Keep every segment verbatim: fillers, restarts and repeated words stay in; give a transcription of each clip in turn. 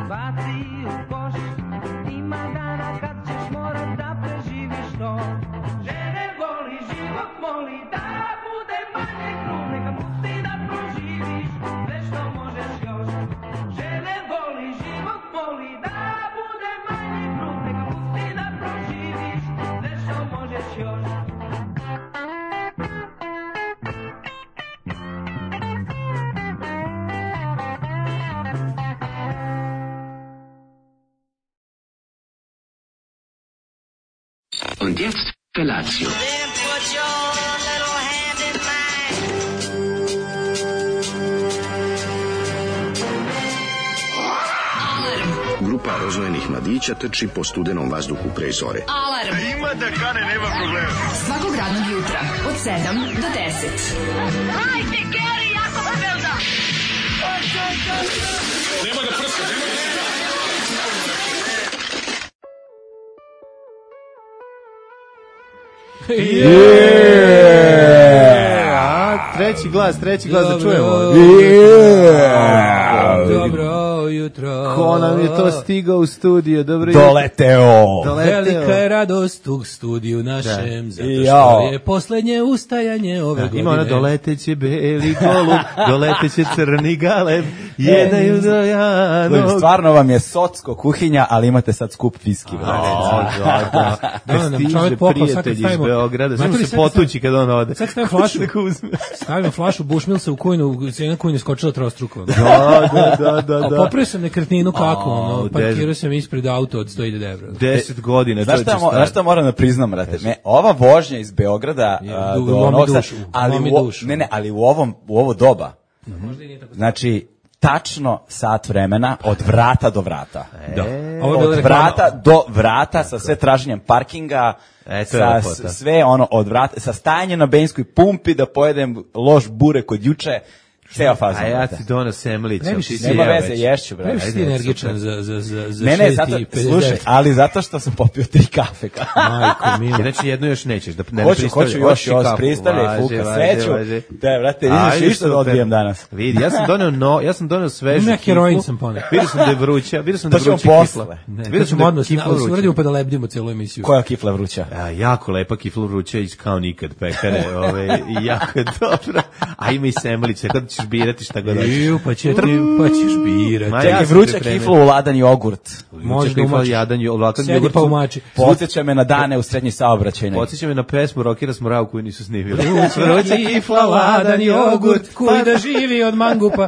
baci u koš. Ima dana kad ćeš morat da preživiš to. Žene voli, život moli, da bude manje krug, neka pusti da proživiš sve što možeš još. Žene voli, život moli, da bude manje krug, neka pusti da proživiš sve što možeš još. Und jetzt Felatio. Then put your little hand in mine. Grupa rozvojenih mladića trči po studenom vazduhu pre zore. Alarm. A ima da kane, nema problema. Svakog radnog jutra od sedam do deset. Hajde, Geri, jako se velda. Nema da prska, nema da prska. Yeah! Treći glas, treći glas da čujemo. Yeah! Dobro jutro. Ko nam je to stigao u studio? Dobro jutro. Doleteo. Doleteo. Velika je radost u studiju našem, Da. zato Jao. što je poslednje ustajanje ove Da, godine. ima ona doleteće beli golub, doleteće crni galeb, jedaju do janog. Stvarno vam je socko kuhinja, ali imate sad skup viski. Da, da, da. Da, nam Stiže čovjek pokao, sad kad prijatelj iz stavimo- Beograda, Znate samo li, se sad potući kad on ode. Sad stavim flašu, Neko uzme. stavim flašu Bushmilsa u kujnu, cijena kujne je skočila trostruko. Da, da, da, da, A da. popravio sam nekretninu kako, A, ono, u parkirao deset. sam ispred auto od sto hiljada evra. Deset godina. Znaš šta, mo- znaš šta moram da priznam, brate? Me, ova vožnja iz Beograda Je, a, du- do lomi Novog Sada, dušu, ali lomi u, o- dušu. ne, ne, ali u ovom u ovo doba. Znači tačno sat vremena od vrata do vrata. Da. Ovo je bila Od reklama. vrata do vrata sa sve traženjem parkinga, E, to je sa lepota. s- sve ono od vrata, sa stajanjem na benzinskoj pumpi da pojedem loš burek od juče. Ceo fazon. A ja brate. ti dono semlić. Ne bi si Nema jeo veze, već. ješću, brate. Previše ti Ajde, energičan super. za, za, za, za Ne, ne, šest zato, i pedeset slušaj, devet. ali zato što sam popio tri kafe. Majko mila. Znači jednu još nećeš da ne Hoću, pristavlja- hoću još, hoćeš i još kafu. pristavljaj, Važi, fuka važi, sreću. važi. Da, brate, vidiš Ajde, više da super. odbijem danas. Vidi, ja sam doneo no, ja sam doneo svežu. Ima kiflu. heroin sam poneo. Vidio sam da je vruća, vidio sam da To je ćemo vruća posle. kifla. Ne, Vidio to sam ćemo da je odmah, kifla na- vruća. uradimo pa da lebdimo celu emisiju. Koja kifla vruća? A, jako lepa kifla vruća iz kao nikad pekare, ove, i jako je dobra. A ima i semlice, kad ćeš birati šta god hoćeš. Iju, pa, će ti, pa ćeš birati. Ma, Čekaj, ja sam vruća pripremio. kifla u ladan jogurt. Možda Čekaj, umačiš. jadan, ovakav Sedi jogurt pa su- umači. Podsjeća me na dane u srednjoj saobraćajnoj. Podsjeća me na pesmu Rokira Smorau koju nisu snimili. Vruća kifla, ladan jogurt, koji da živi od mangupa.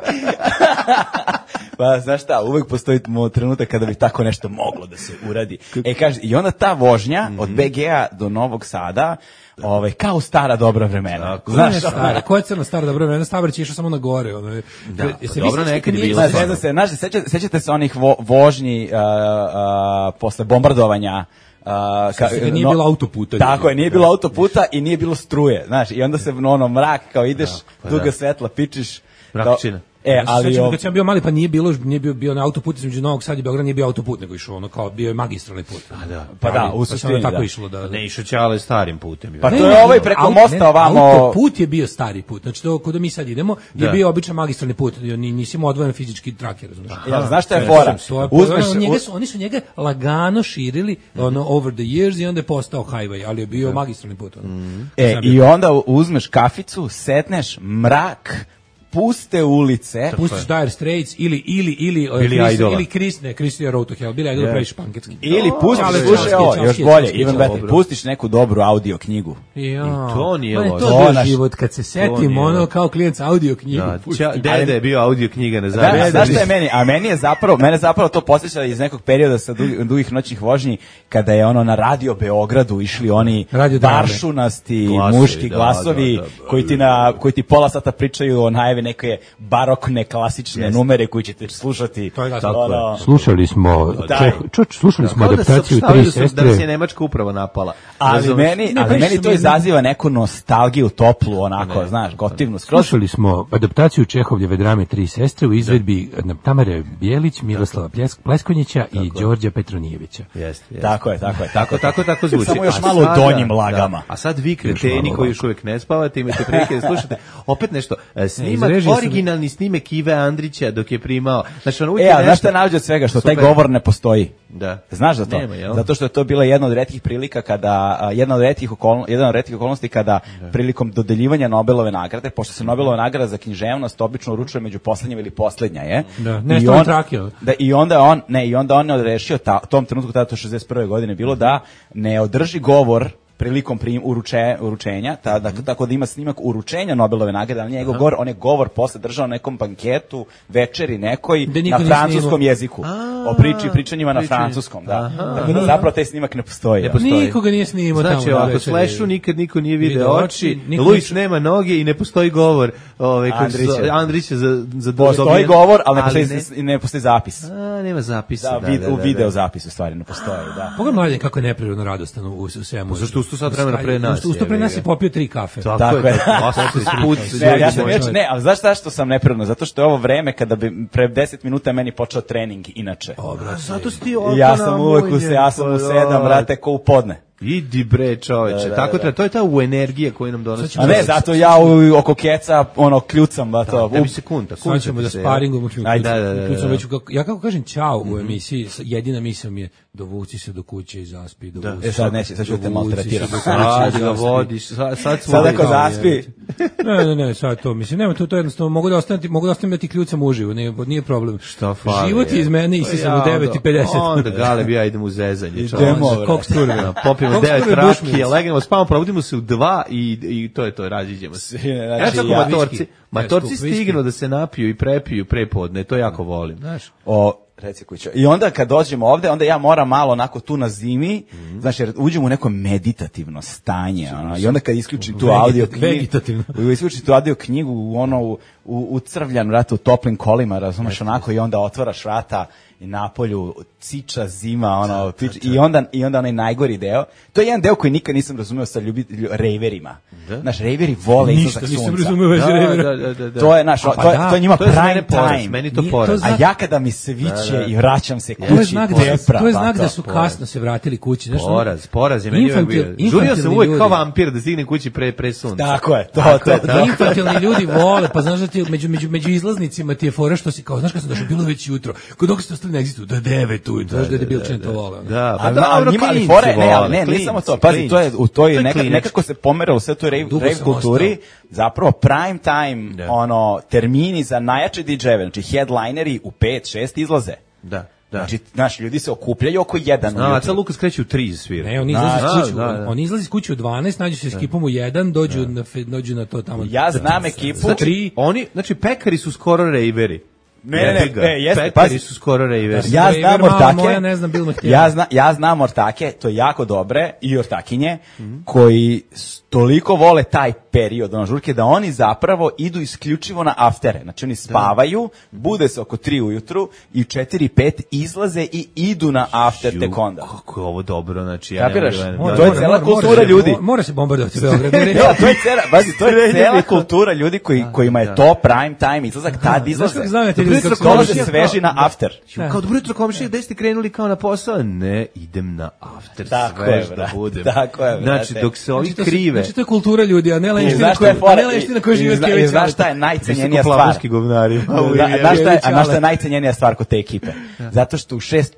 Pa znaš šta, uvek postoji mo- trenutak kada bi tako nešto moglo da se uradi. E kaže, i onda ta vožnja od B G-a do Novog Sada, ovaj, kao stara dobra vremena. Tako. Znaš, Znaš, stara, ko je crna stara dobro vremena, Stavrić je išao samo na gore. Ono, Da, jel pa se dobro, vi nekad je sećate bilo nije- znaš, ne znam se, znaš, sećate, sećate se onih vo, vožnji uh, uh, posle bombardovanja, Uh, ka, se kad nije bilo autoputa. Tako je, nije bilo autoputa i nije bilo struje, znaš, i onda se ono mrak, kao ideš, pa duga da. svetla, pičiš. Mrakočina. E, Ja se ali sećam ov- kad sam bio mali, pa nije bilo, nije bio, bio na autoput između Novog Sada i Beograda, nije bio autoput, nego išao ono kao, bio je magistralni put. A da. pa da, u Pa samo suštini, tako da. išlo da... Ne išao Ćale starim putem. Pa Ne, to ne, je ne, ovaj ne, preko au- mosta ne, ovamo. Autoput je bio stari put, znači to kuda mi sad idemo je Da. bio običan magistralni put, ni- nisi imao odvojen fizički trak, razumiješ? Jel, znaš šta je ne, fora? To je, Uzmeš, ono, njega u- su, oni su njega lagano širili ono, over the years i onda je postao highway, ali je bio magistralni put. Ono. E, i onda uzmeš kaficu, setneš, mrak, puste ulice. Pustiš Dire Straits ili ili ili uh, Billy Chris, Idola. ili Chris, ne, Chris je Road to Hell, Billy Idol Yeah. previše panketski. Ili pustiš, Čale, slušaj čale, ovo, čale, još čale, bolje, čale, even čale, better, dobro. pustiš neku dobru audio knjigu. Ja. I to nije Ma, loše. To To je bio naš- život kad se setim nije ono loše. kao klijent sa audio knjigu. Da, pusti. ča, dede je bio audio knjiga na Da, zavis. znaš šta je meni? A meni je zapravo, mene zapravo to posjeća iz nekog perioda sa dugih, dugih noćnih vožnji, kada je ono na Radio Beogradu išli oni Radio drame. baršunasti Glasovi, muški da, glasovi da, da, da. koji ti na koji ti pola sata pričaju o najavi neke barokne klasične Jeste. numere koji ćete slušati. To je tako ono, Slušali smo, Da. Čeh, čuč, slušali smo Kao da se adaptaciju saopštavaju Tri da su- da sestre. nas je Nemačka upravo napala. Ali Razumeš? meni, Ne, ali baš meni su to mi- izaziva neku nostalgiju toplu, onako, znaš, gotivnu skroz. Slušali smo adaptaciju Čehovljeve drame Tri sestre u izvedbi Tamare Bijelić, Miroslava Pljesk- Pleskonjića i Đorđa Petronijevića. Jeste, jeste. Tako je, tako je. Tako, tako, tako zvuči. Samo još A malo sada- donjim lagama. Da, a sad vi kreteni malo koji još uvijek ne spavate, imate prilike da slušate. Opet nešto, e, snimano režije su- originalni snimek Ive Andrića dok je primao. Znači, on uvijek E, je a znaš nešto- šta nađe od svega? Što taj Super. govor ne postoji. Da. Znaš za to? Nema, jel? Zato što je to bila jedna od retkih prilika kada, a, jedna od retkih okolnosti, jedna od retkih okolnosti kada prilikom dodeljivanja Nobelove nagrade, pošto se Nobelova nagrada za književnost obično uručuje među poslednjim ili poslednja je. Da, I nešto on- on trakio. Da, i onda je on, ne, i onda on je odrešio ta, tom trenutku tada to šezdeset prve godine bilo da ne održi govor prilikom prim, uruče, uručenja, ta, dakle, tako da ima snimak uručenja Nobelove nagrade, ali njegov govor, on je govor posle držao na nekom banketu, večeri nekoj, Da niko na nije francuskom snimao. jeziku. O priči i pričanjima na pričanje. francuskom, da. Aha, Tako da zapravo taj snimak ne postoji. Ne ja. postoji. Nikoga nije snimao tamo. Znači, na ovako, večeri. Slashu nikad niko nije video Video oči, oči, niko Luis nije- nema noge i ne postoji govor. Ovaj, kako se Andrića. zove, Andrića za, za Postoji dobijen- govor, ali ne postoji, ne- ne postoji zapis. A, nema zapisa. Da, Da, vid, da, da, u da. video zapisu stvari ne postoji, da. Pogledaj mladen kako je neprirodno radostan u, u svemu. Pa zašto usto sat vremena pre nas, Usto, usto pre jebi nas ga. je popio tri kafe. Tako, Tako je. je. Osam se sput, Ne, ja sam moj već, čovjek. ne, ali znaš šta što sam neprirodno? Zato što je ovo vreme kada bi pre deset minuta meni počeo trening inače. A, zato si ti I ovako ja sam uvek u se, namunjen, ja sam u pa sedam, da. brate, ko u podne. Idi bre, čoveče. Da, da, Tako da. treba, to je ta u energija koju nam donosi. A ne, zato ja u, oko keca, ono, kljucam, ba to. Tebi se kunta, kunta Sad ćemo ti da se, sparingujemo. Ajde, da, da, da, da. Već, kako- ja kako kažem čao u emisiji, s- jedina misao mi je dovuci se do kuće i zaspi. Dovuci E, sad neće, sad ću da te dovuci maltretiram. se do kuće Ajde i ga zaspi. vodiš, sad, sad smo... Sad ako zaspi, Ne, ne, ne, sad to mislim. Nema to to jednostavno mogu da ostaviti, mogu da ostavim da ti kljucam uživo, nije nije problem. Šta fali? Život je iz mene i sam u devet i pedeset. Onda Galeb i ja idemo u zezanje. Idemo, čoveče. brate. Kog sturve. Popijemo Kog devet sturve rakije, Bushmills? legnemo, spavamo, probudimo se u dva i, i to je to, raziđemo se. Znači, Znači, ako ja- matorci, Viski. matorci Ne, skup viski. stignu da se napiju i prepiju pre podne, to jako volim. Znaš, o, reci kućo. I onda kad dođemo ovde, onda ja moram malo onako tu na zimi, znači jer uđemo u neko meditativno stanje, ono, i onda kad isključim tu Vegeta- audio knjigu, vegetativno. isključim tu audio knjigu u ono u, u, u crvljan, vrata, u toplim kolima, razumeš, onako, i onda otvaraš vrata i napolju ciča zima, ono, pič, i onda i onda onaj najgori deo. To je jedan deo koji nikad nisam razumeo sa ljubi, lju, rejverima. Znaš, rejveri vole ništa izlazak nisam sunca. razumeo vezi Da, rejvera. da, da, da, da. To je naš, A, pa to, je, da, to je njima To je za mene prime poraz, time. meni to Nije- poraz. to A zna- ja kada mi se viće i vraćam se kući, To je znak da su, depra, to je pa znak da to. su kasno se vratili kući. Znaš, ono- Poraz, poraz je meni uvijek Infantil- bio. Žurio sam infantilni uvijek kao ljudi. vampir da stignem kući pre, pre sunca. Tako je, to, Tako to, je, to. tako. Infantilni ljudi vole, pa znaš da ti među, među, među izlaznicima ti je fora što si kao, znaš kad sam došao, bilo je već jutro, kod dok ste ostali na egzistu, do devet ujutro, znaš da je debilčan to vole. ono. Da, pa A da, ali dobro, njima ali klinci fore, ne, ali vole, ne, nije klinci, samo to. Pazi, to je u toj To je neka, klinački. nekako se pomeralo sve to rave, Dugo rave sam kulturi, ostao. zapravo prime time, Da. ono, termini za najjače didžejeve, znači headlineri u pet šest izlaze. Da, da. Znači, znaš, ljudi se okupljaju oko jedan A, ujutru. sad Lukas kreće u tri svira. Ne, oni izlaze iz Da, kuće, da, da. oni izlaze iz kuće u dvanaest, nađu se s ekipom u jedan, dođu na fe- dođu na to tamo. Ja znam ekipu. Za tri. Oni, znači, pekari su skoro rejveri. Ne, ne, ne, Jebi ga. ne, jeste, Pekari pazi. su skoro rejveri. Ja- Ja Rejver, znam mala ortake. moja, ne znam, bil me htjela. Ja zna, ja znam ortake, to je jako dobre, i ortakinje, koji s- toliko vole taj period, ono, žurke, da oni zapravo idu isključivo na aftere. Znači, oni spavaju, bude se oko tri ujutru i četiri pet izlaze i idu na after tek onda. Kako je ovo dobro, znači, ja ne Kapiraš? mogu da- Mora- da- to je da- cela da- kultura se- ljudi. mo- Mora se bombardovati Beograd. Ne, to je cela, bazi, to je cela kultura ljudi koji, kojima je to prime time izlazak, tad izlaze. kako znam ja te ljudi Dobro kako jutro, se dolaze komšija- sveži na after. Ju, Kao dobro jutro komšije, gde ste krenuli kao na posao? Ne, idem na after, Tako svež je, da brate, budem. tako je, brate. Znači, dok se ovi Znači, to su- krive... Znači, to je kultura ljudi, a ne I lenština znaš šta koja, je fora? a ne lenština koja živi I od zna- Kevića. i znaš šta je najcenjenija stvar? Visokoplafonski govnari. Da, znaš šta je, a znaš šta je najcenjenija stvar kod te ekipe? Zato što u šest,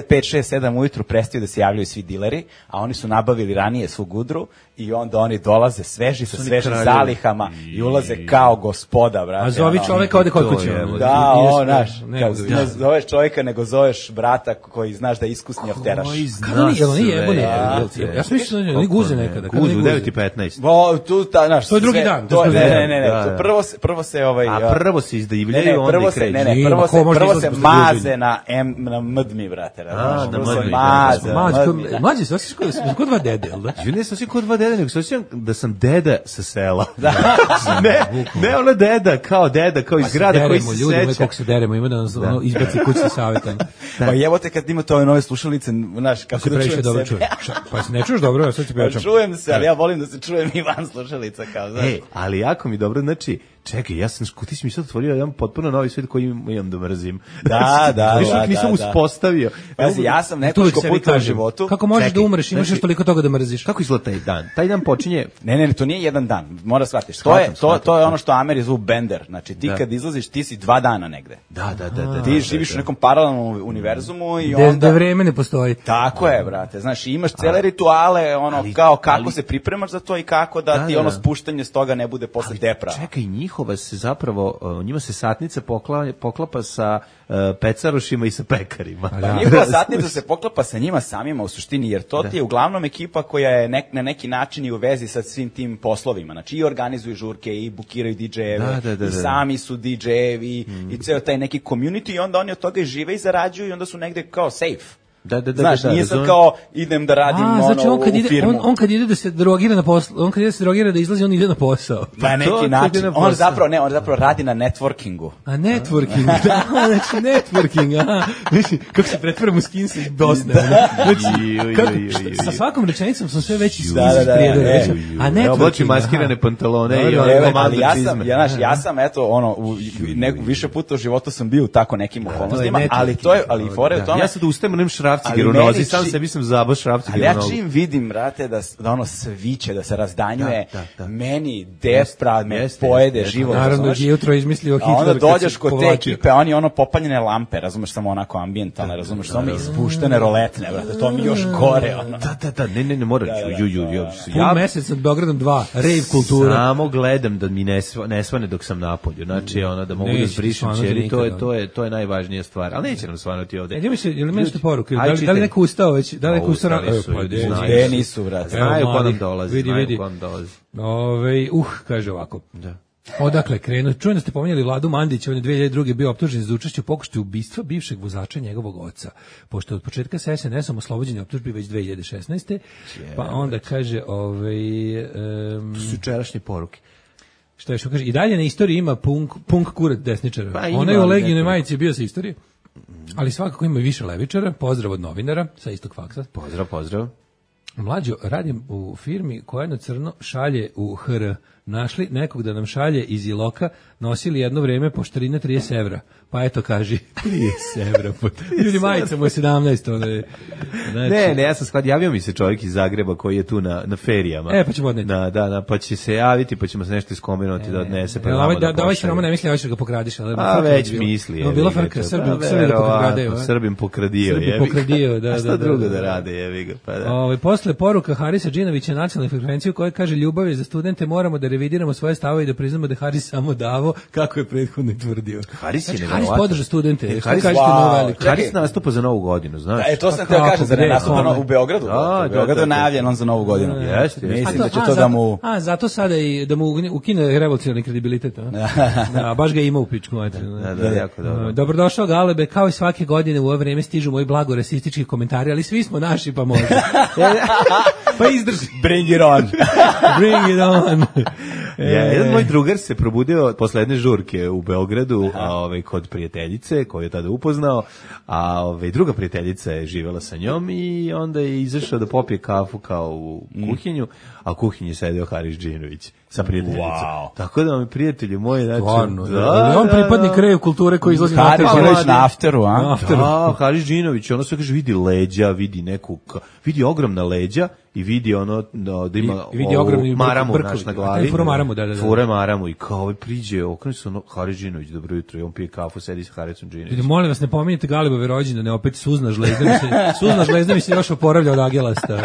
pet, šest, sedam ujutru prestaju da se javljaju svi dileri, a oni su nabavili ranije svu gudru i onda oni dolaze sveži sa Su oni svežim kraljevi. zalihama i ulaze kao gospoda, brate. A zovi ono. čoveka ode kod to kuće. je, ono. Da, Nije o, sve- znaš, ne, kao, da- ne zoveš čovjeka, nego zoveš brata koji znaš da je iskusni afteraš. Koji Kako zna oni, jel oni sve, jebone? jebote. Ja sam mislio da oni guze nekada. Kako Guze oni u devet i petnaest. Bo, tu, ta, znaš, To je drugi sve- dan, to To, smo ne, znali. ne, ne, ne, Da, to da. prvo se, prvo se ovaj... A prvo se Ne, izdivljaju, ne, onda prvo i se, kreću. ne, ne, Ima, prvo ko se, može prvo izlaz se posle maze guženja? na, M, na mdmi, brate. razumeš? na Prvo se mdmi, da, maze da, na Mlađe, mdmi, da. mlađe, se osjećaš kao, smo kod dva dede, jel da? Ju ne sam kod dva deda, nego se osjećam da sam deda sa sela. ne, ne ono deda, kao deda, kao iz grada koji se ljudi, seća. kako se deremo, ima da nas ono, izbaci kućni savjetan. Pa evo te kad imate ove nove slušalice, znaš, kako Se da previše čujem dobro sebe. čuje. Ša- Pa se ne čuješ dobro, ja sad ti Pa pričam. čujem se, ali ja volim da se čujem i van slušalica, kao, znaš. E, ali jako mi dobro, znači, Čekaj, ja sam, ti si mi sad otvorio jedan potpuno novi svijet koji imam da mrzim. Da, da, Još da, uvijek nisam da, da. uspostavio. Pazi, ja sam To nekoliko uvijek sebi puta u kažem. životu. Kako možeš Čekaj, da umreš, imaš znači- još toliko toga da mrziš. Kako izgleda taj dan? Taj dan počinje... Ne, ne, ne, to nije jedan dan. Mora shvatiš. To Shvatam, je to shvatam, to je shvatam. ono što Ameri zovu bender. Znači ti Da. kad izlaziš, ti si dva dana negde. Da, da, da. da Ti da, živiš da, u nekom paralelnom univerzumu i Da, onda da vreme ne postoji. Tako je, brate. Znaš, imaš cele rituale, ono ali- kao kako ali- se pripremaš za to i kako da, Da, ti da, ono da. spuštanje s toga ne bude posle depra. Čekaj, njihova se zapravo, uh, njima se satnica pokla, poklapa sa uh, pecarošima i sa pekarima. Pa njihova satnica se poklapa sa njima samima u suštini, jer to ti je uglavnom ekipa koja je nek, na neki način i u vezi sa svim tim poslovima. Znači i organizuju žurke, i bukiraju di džejeve, Da, da, da, i da. sami su di džejevi, mm. i ceo taj neki community, i onda oni od toga i žive i zarađuju i onda su negde kao safe. Da, da, da, Znaš, da, da, nije sad razumem. kao idem da radim A, ono znači on kad u ide, firmu. on, on kad ide da se drogira na posao, on kad ide da se drogira da izlazi, on ide na posao. na to neki kad način. ide na On posao. zapravo, ne, on zapravo radi na networkingu. A networking, da, znači networking, aha. Znači, kako se pretvaram u skinsa iz Bosne. ono. Znači, Ju, ju, kako, ju, ju, šta- ju. sa svakom rečenicom sam sve veći iz Da, da, da, prijedora. e, znači, a Evo, oblači networking, maskirane aha. pantalone i Da, ono da, Evo, komando ali ja sam, čizme. ja, znaš, ja sam eto ono u ne, više puta u životu sam bio u tako nekim okolnostima, networking. ali to je ali fore je u tome. Ja sad ustajem, onim šrafciger Ali u meni nozi, sam či- sebi sam zabao šrafciger Ali u ja nogu. čim vidim, brate, da, s- da ono sviće, da se razdanjuje, Da, da, da. meni depra me Jeste, pojede jeste, život. Naravno, razumeš? je jutro izmislio A onda Hitler kad dođeš se kod te povlačio. ekipe, oni ono popaljene lampe, razumeš, samo onako ambijentalne, razumeš, samo ispuštene roletne, brate, to mi još gore, ono. Da, da, da, ne, ne, ne, moram, Da, da, ju, ju, ju, Pun ja mesec nad Beogradom dva, rave kultura. samo gledam da mi ne, sva, ne svane dok sam napolju, znači, ono, da mogu da Neće zbrišem svanuti ćeri, to je, nikada. to je, to je najvažnija stvar, ali neće nam svanuti ovde. E, idemo se, jel imaš poruke? Da Aj, li, da li čitaj. neko ustao već? Da li neko Pa, ustao? ustali Evo, su, pa, ljudi, de- znaju. Gde nisu, brate. Znaju ko nam mladi, dolazi, vidi, znaju vidi. ko nam dolazi. Ove, uh, kaže ovako. Da. Odakle krenu? Čujem da ste pominjali Vladu Mandića, on je dve hiljade druge bio optužen za učešće u pokušaju ubistva bivšeg vozača njegovog oca. Pošto od početka sa es en esom oslobođen je optužbi već dve hiljade šesnaeste. Pa onda kaže, ovaj em, Su jučerašnje poruke. šta je što kaže, i dalje na istoriji ima punk, punk kurat desničara. Pa ima, Onaj u ali Legijinoj nekoliko. majici je bio sa istorije, ali svakako ima i više levičara. Pozdrav od novinara sa istog faksa. Pozdrav, pozdrav. Mlađo, radim u firmi koja jedno crno šalje u ha er. Našli nekog da nam šalje iz Iloka, nosili jedno vreme poštarina trideset evra. Pa eto, kaži, trideset evra. Ljudi, majica mu je sedamnaest. Ono je, znači, Ne, ne, ja sam shvatio, javio mi se čovjek iz Zagreba koji je tu na, na ferijama. E, pa ćemo odneti. Da, da, da, pa će se javiti, pa ćemo se nešto iskomenuti da odnese. Pa E, nama ovaj, da da, da ovaj pošalje. Siroma ne misli, ovaj što ga pokradiš. Ali A frka već bi bila. misli. Evo, jebi bila ga, frka, to- Srbim, pa Srbim da verovatno, pokradaju. a? Srbim pokradio, Srbim jebi ga. pokradio, da, A šta da, da, drugo da, da da. rade, jebi ga, pa da. Ovaj posle poruka Harisa Džinovića nacionalnoj frekvenciji koja kaže ljubav je za studente, moramo da revidiramo svoje stavove i da priznamo da je Haris samo davo kako je prethodno tvrdio. Haris je Znači, neverovatan. Haris podrža studente. E, Šta Haris- kažete wow. na ovo veliko? Haris Čekaj. nastupa za Novu godinu, znaš? E, to sam Pa teo kako, kažem, zar gde, je nastupa kome? u Beogradu? Da, brate? da, U Beogradu da, je da. najavljen on za Novu godinu. Jeste, jeste. Mislim A da će a, to da zato- mu... A, zato sada i da mu ukine revolucionarni kredibilitet. A? Da, baš ga ima u pičku. Da, da, jako dobro. Dobrodošao Galebe, kao i svake godine u ovo vreme stižu moji blago rasistički komentari, ali svi smo naši pa može. Pa izdrži. Bring it on. Bring it on. Ja, E, jedan moj drugar se probudio posle jedne žurke u Beogradu, a ovaj kod prijateljice koju je tada upoznao, a ovaj druga prijateljica je živela sa njom i onda je izašao da popije kafu kao u kuhinju, a u kuhinji sedeo Haris Džinović sa prijateljicom. Wow. Tako da mi prijatelji moji, znači, Stvarno, da, on pripadnik rave kulture koji izlazi na Haris after. je već na afteru, a? Na afteru. Da, Haris Džinović, ono sve kaže, vidi leđa, vidi neku, ka- vidi ogromna leđa i vidi ono da, da ima I vidi ovu ogromni maramu brkovi. naš na A glavi. taj fura maramu, da, da, da. Fura maramu i kao ovaj priđe, okrene se ono, Haris Džinović, dobro jutro, i on pije kafu, sedi sa Harisom Ljudi, Džinovićem. molim vas, ne pominjete Galebove rođendane, opet suzna žlezda mi se, suzna žlezda mi se još oporavlja od agelasta.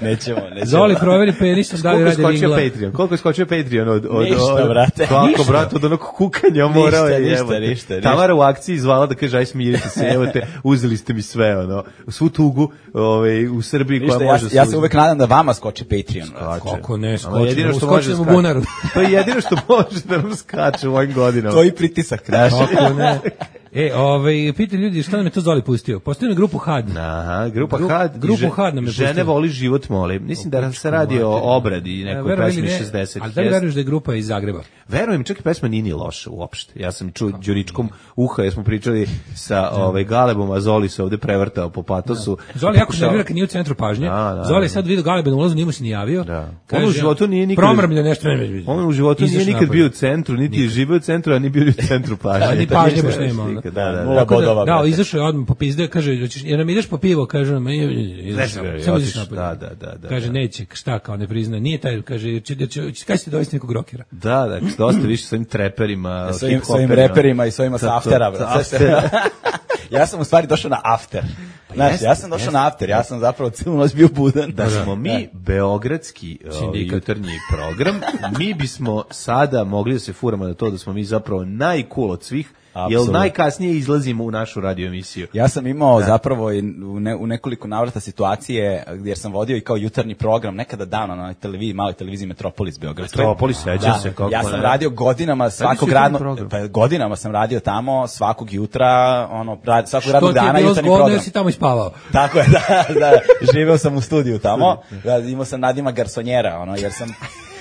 Nećemo, nećemo. Zoli, proveri penisom da li Koliko je radi skočio ringla. Patreon? Koliko je skočio Patreon od... od Ništa, od- brate. Kako, Ništa. brate, od onog kukanja morao je, ništa, jebote. ništa, ništa. Tamara u akciji zvala da kaže, aj smirite se, evo te, uzeli ste mi sve, ono, svu tugu ovaj, u Srbiji koja Ništa, ja, može... ja se uvek nadam da vama skoči Patreon. brate. Kako ne, Ali skočimo, jedino što može skočimo u skače. bunaru. To je jedino što može da nam skače u ovim godinama. To je i pritisak, znaš. Kako ne. E, ovaj, pita ljudi šta nam je to Zoli pustio. Postoji na grupu Had. Aha, grupa Gru- Had. i grupu že- Had nam je Žene pustio. voli život moli. Mislim da se radi o obradi E, nekoj veruj ili pesmi ne, šezdesetih. ali da li veruješ da je grupa iz Zagreba? Verujem, čak i pesma nije ni loša uopšte. Ja sam čuo Đuričkom uha, jer smo pričali sa ovaj Galebom, a Zoli se ovde prevrtao po patosu. Zoli jako Pokušao- nervira kad nije u centru pažnje. Da, da, Zoli je da. sad vidio Galeba na ulazu, nije mu se ni javio. Da. Kaže, On u životu nije nikad- promrmlja nešto. On u životu nije Izašao nikad napolje. bio u centru, niti je živio u centru, a ni bio u centru pažnje. A ni To pažnje ništa baš ne nema, ono. nikad, Da, da, Nula da. Tako bodova, da, da, brate. izašao je odmah popizde, kaže, hoćeš, jer nam ideš po pivo, kaže, ma, izašao, samo izaš otišao, napolje. da, da, da, da, Kaže, da. neće, šta, kao ne priznaje, nije taj, kaže, će, će, će, kaj ste dovesti nekog rokera? Da, da, dosta više sa ovim treperima, S ovim, s ovim hip-hoperima. reperima i s ovima sa To- to- aftera. to- brate. aftera. Ja sam u stvari došao na after. Znaš, jeste, ja sam došao jeste. na after, ja sam zapravo cijelu noć bio budan. Da smo mi beogradski ovaj, Sindikat. jutarnji program, mi bismo sada mogli da se furamo na to da smo mi zapravo najcool od svih, jer Apsolutno. najkasnije izlazimo u našu radio emisiju. Ja sam imao zapravo i u, ne, u nekoliko navrata situacije gdje sam vodio i kao jutarnji program nekada davno na televiziji, maloj televiziji Metropolis Beogradskoj. Metropolis, sećam se, kako ja sam ne. radio godinama svakog jutarnji radnog program? pa godinama sam radio tamo svakog jutra, ono rad, svakog Što radnog ti je dana bilo jutarnji zgodno program. jer si tamo ispavao? Tako je, da, da, živeo sam u studiju tamo, da, imao sam nadimak garsonjera, ono, jer sam,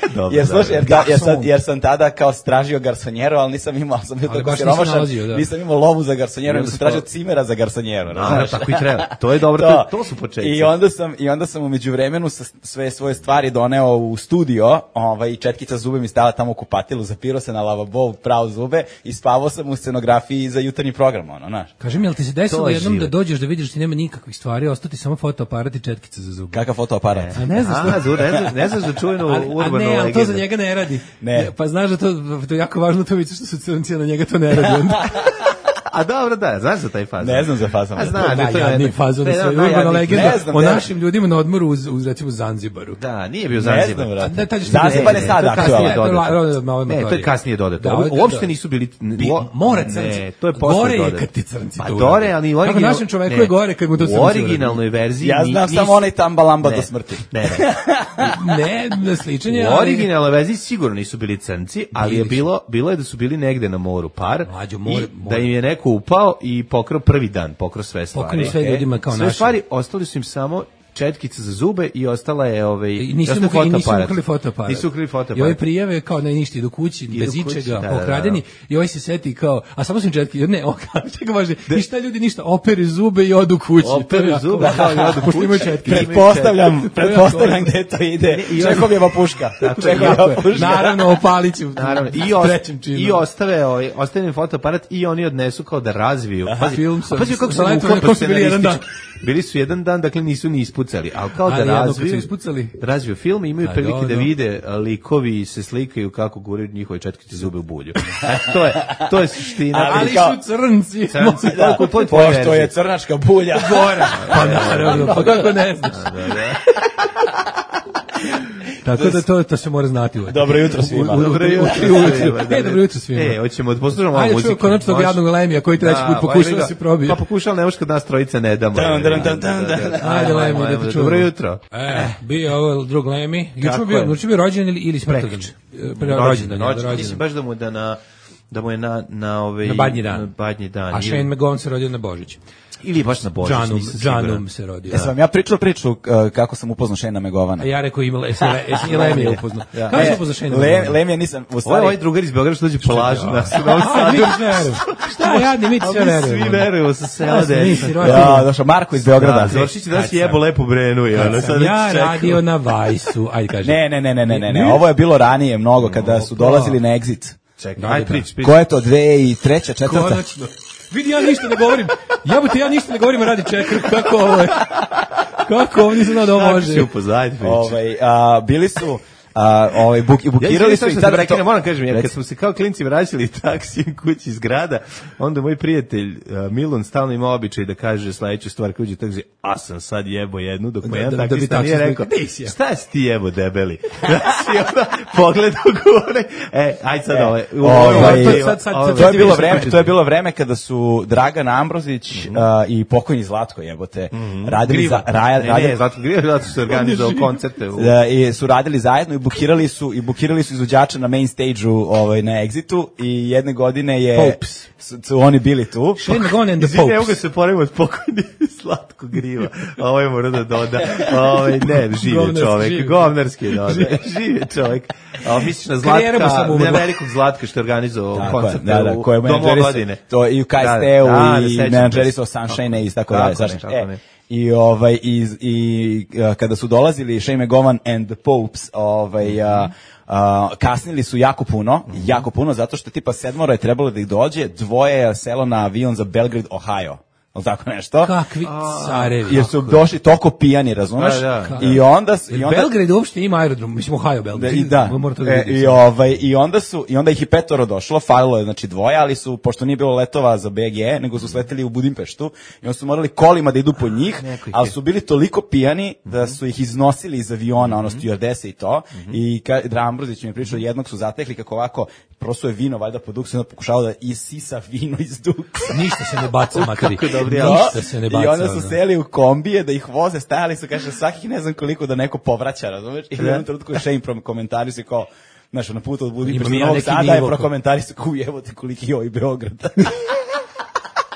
Dobro, jer, slušaj, jer, da, jer, sam, Garson. jer sam tada kao stražio garsonjeru, ali nisam imao, sam bio Ali tako baš nisi siromašan, nalazio, da. nisam imao lovu za garsonjeru, nego sam smo- tražio cimera za garsonjeru. Da, razumeš? tako i treba. To je dobro, to, to su početci. I onda sam i onda sam u međuvremenu sa sve svoje stvari doneo u studio, ovaj četkica zube mi stala tamo u kupatilu, zapirao se na lavabo, prao zube i spavao sam u scenografiji za jutarnji program, ono, znaš. Kaži mi, jel ti se desilo To je jednom da život. dođeš da vidiš da ti nema nikakvih stvari, ostati samo fotoaparat i četkica za zube? Kakav fotoaparat. A ne znaš A, to? zu- ne znaš, ne znaš za čuvenu A, a urbanu ne, ali to legendu. za njega ne radi. Ne. Pa znaš da to, to je jako važno to vidiš što su crnci, a na njega to ne radi. Onda. A dobro, da, znaš za taj fazon. Ne znam za fazon. A znaš, da, to je Najjadniji jedna- fazon to je sve. jedna od Urbana najjadnijih- legenda Ne znam, o ne. našim ljudima na odmoru uz, uz recimo Zanzibaru. Da, nije bio Ne Zanzibar. znam, brate. Da, taj što- Zanzibar je ne, sad to je kasnije, aktualan. to je la- dodato. ro- malo Ne, to je amatorije. kasnije dodato. Da, Ovo- ovo je- Uopšte da. nisu bili... Bi- uo- more crnci. Ne, to je posle Gore je dodato. kad ti crnci Pa to gore, urade. ali Kako original... našem čoveku ne. je gore kad mu to crnci U urade. originalnoj verziji... Ja ni- znam nisu- samo onaj tamba lamba Ne. do smrti. Ne, ne. Ne, ne sličenje, U ali... originalnoj verziji sigurno nisu bili crnci, ali je Bili su. bilo bilo je da su bili negde na moru par Mlađo, more- i more. da im je neko upao i pokrao prvi dan, pokrao sve stvari. Pokrao sve ljudima kao sve našim. stvari, ostali su im samo četkice za zube i ostala je ovaj I nisu ostao mu i nisu fotoaparat. ukrali fotoaparat. Nisu ukrali fotoaparat. I ove prijave kao ne ništa idu kući Idu bez kući, ičega, da, da, da. pokradeni i ovaj se seti kao a samo su im četki, ne, o kao čega može. I šta ljudi ništa opere zube i odu kući. To je Operu jako zube, važno. kao i odu Pošto imaju kući. četki. Pretpostavljam, To je pretpostavljam jako gde to ide. Ne, i onda- Čehovjeva puška. Tako Čehovjeva je. puška. Naravno, opalić u Naravno, i, u os, trećem činu. i ostave, ovaj, ostave im fotoaparat i oni odnesu kao da razviju. Pazi, film sa- a pazi kako sa su letom bukvalno na kom su bili jedan dan. scenaristički. Bili su jedan dan, dakle nisu ni ispucali, ali kao da Ali jednom kad razviju, su ispucali. razviju film i imaju A, prilike da dobro. vide a, likovi se slikaju kako guraju njihove četkice zube u bulju. E, to je, to je suština. Ali Ali kao- su crnci. Crnci, Da, to je tvoja pošto je verzija. crnačka bulja. Gore. Pa naravno, pa kako ne znaš. Tako da to, to se mora znati. uvek. Dobro jutro svima. U- u- Dobro u- jutro u- u- svima, da, E, da. dobro jutro svima. E, hoćemo da poslušamo ovu Ajde, muziku. čujem konačno tog Može? jadnog Lemija koji treći Da, put pa pokušao evo da ga. se probije. Pa pokušao, ne može kad nas trojica ne damo. Dun, dun, dun, dun, dun. Ajde, Lemi, da te Ajmo, čujemo. Dobro jutro. E, bio je ovo drug Lemi. Juče Kako mu bio, je? juče bio rođendan ili, ili smrtodan? Prekjuče. E, pre- Rođendan, je, Rođendan. Mislim rođendan. baš da mu je da na da mu je na na ovaj Na badnji dan. na badnji dan. A Ili- Shane McGowan se rodio na Božić. ili baš na Božić, Džanum, nisam siguran. Džanum se rodio. Jesam vam ja pričao priču uh, kako sam upoznao Šena Megovana. A ja rekao imala, jesi Le- jesi i Lemi upoznao. Kako se upoznao Shane Le, McGowan? Lemija nisam, u Ovo je stvari... ovaj drugar iz Beograda što dođe polažu nas u Novom A, Sadu. mi sve verujemo. Šta, jadni, mi ti sve A mi verujemo. svi verujemo sa sela Ja sam deca. nisi rođen. Ja, došao Marko iz Beograda. Da, Zoršić da si jebo lepo brenu i ono sad Ja čekam. radio na Vajsu. Ajde, kaži. Ne, ne, ne, ne, ne, ne, ne, ovo je bilo ranije mnogo kada su dolazili na Exit. Čekaj, aj prič, prič. Ko je to, dve i treća, četvrta? Konačno. Vidi, ja ništa ne govorim. Jebote, ja ništa ne govorim, a radi čekar. Kako ovo je? Kako ovo nisam znao da ovo Kako može? si upozaditi prič. Ovaj, a, bili su, a, ovaj, buk, Ja bukirali su i i sad tad... prekinem, moram kažem, ja Reci. kad smo se kao klinci vraćali taksijem kući iz grada, onda moj prijatelj uh, Milon stalno ima običaj da kaže sledeću stvar kad uđe tako, a sam sad jebo jednu, dok mu Da- jedan da- da bi taksista nije taksista rekao, rekao, "Di si ja?" šta si ti jebo debeli? Da si onda pogledao gore, e, aj sad ovaj, u- Ovaj, ovaj, sad- sad- ovaj, To je bilo ovaj, vreme, to je bilo vreme kada su Dragan Ambrozić a, i pokojni Zlatko jebote radili Griva. za ra, Ne, radili, ne, Zlatko Griva, zato su se organizovao koncerte u... da, i su radili zajedno i bukirali su i bukirali su izvođača na main stage-u ovaj, na Exitu i jedne godine je Popes. su, su oni bili tu. Shane McGowan and the Izvini, evo ga Popes. se poravimo od pokojni Slatko Griva. A ovo je mora da doda. Ovaj ne, živi Govnarski, čovek, živi. govnarski doda. Živi čovek. A misliš na Karijera mu Zlatka, samo umrla. na velikog Zlatka što je organizovao Tako je, koncerte da, da, u koje je Domu menadžerisao- omladine. to i u K S Da, T-u da, i sećam menadžerisao se. Sunshine i tako Tako dalje. ne, znaš, tako e, ne. I ovaj i, i a, kada su dolazili Shane McGowan and the Popes, ovaj a, a, kasnili su jako puno, jako puno zato što tipa sedmoro je trebalo da ih dođe, dvoje je selo na avion za Belgrade, Ohio. Ili tako nešto. Kakvi carevi. Jer su došli toliko pijani, razumeš? Da, da. I onda su- i Jer onda Belgrade uopšte ima aerodrom, mislim Ohio Da, Belgrade. i da. Mora to da E, vidi. i ovaj i onda su i onda ih i petoro došlo, falilo je znači dvoje, ali su pošto nije bilo letova za B G, nego su sleteli u Budimpeštu i onda su morali kolima da idu po njih, neko ih ali je- su bili toliko pijani da su ih iznosili iz aviona, ono stjuardese i to. I ka, Drambrozić mi je pričao, jednog su zatekli kako ovako prosuje vino valjda po duksu i onda pokušavao da isisa vino iz duksa. Ništa se ne baca, materi. Kako dobri Ništa se ne baca. I onda su ono. seli u kombije da ih voze, stajali su, kaže, svakih ne znam koliko da neko povraća, razumeš? I u jednom trenutku je Shane prokomentarisao kao, znaš, na putu od Budimpešta Imam do ja Novog neki Sada je nivo, prokomentarisao kao, jebote koliki je ovaj Beograd.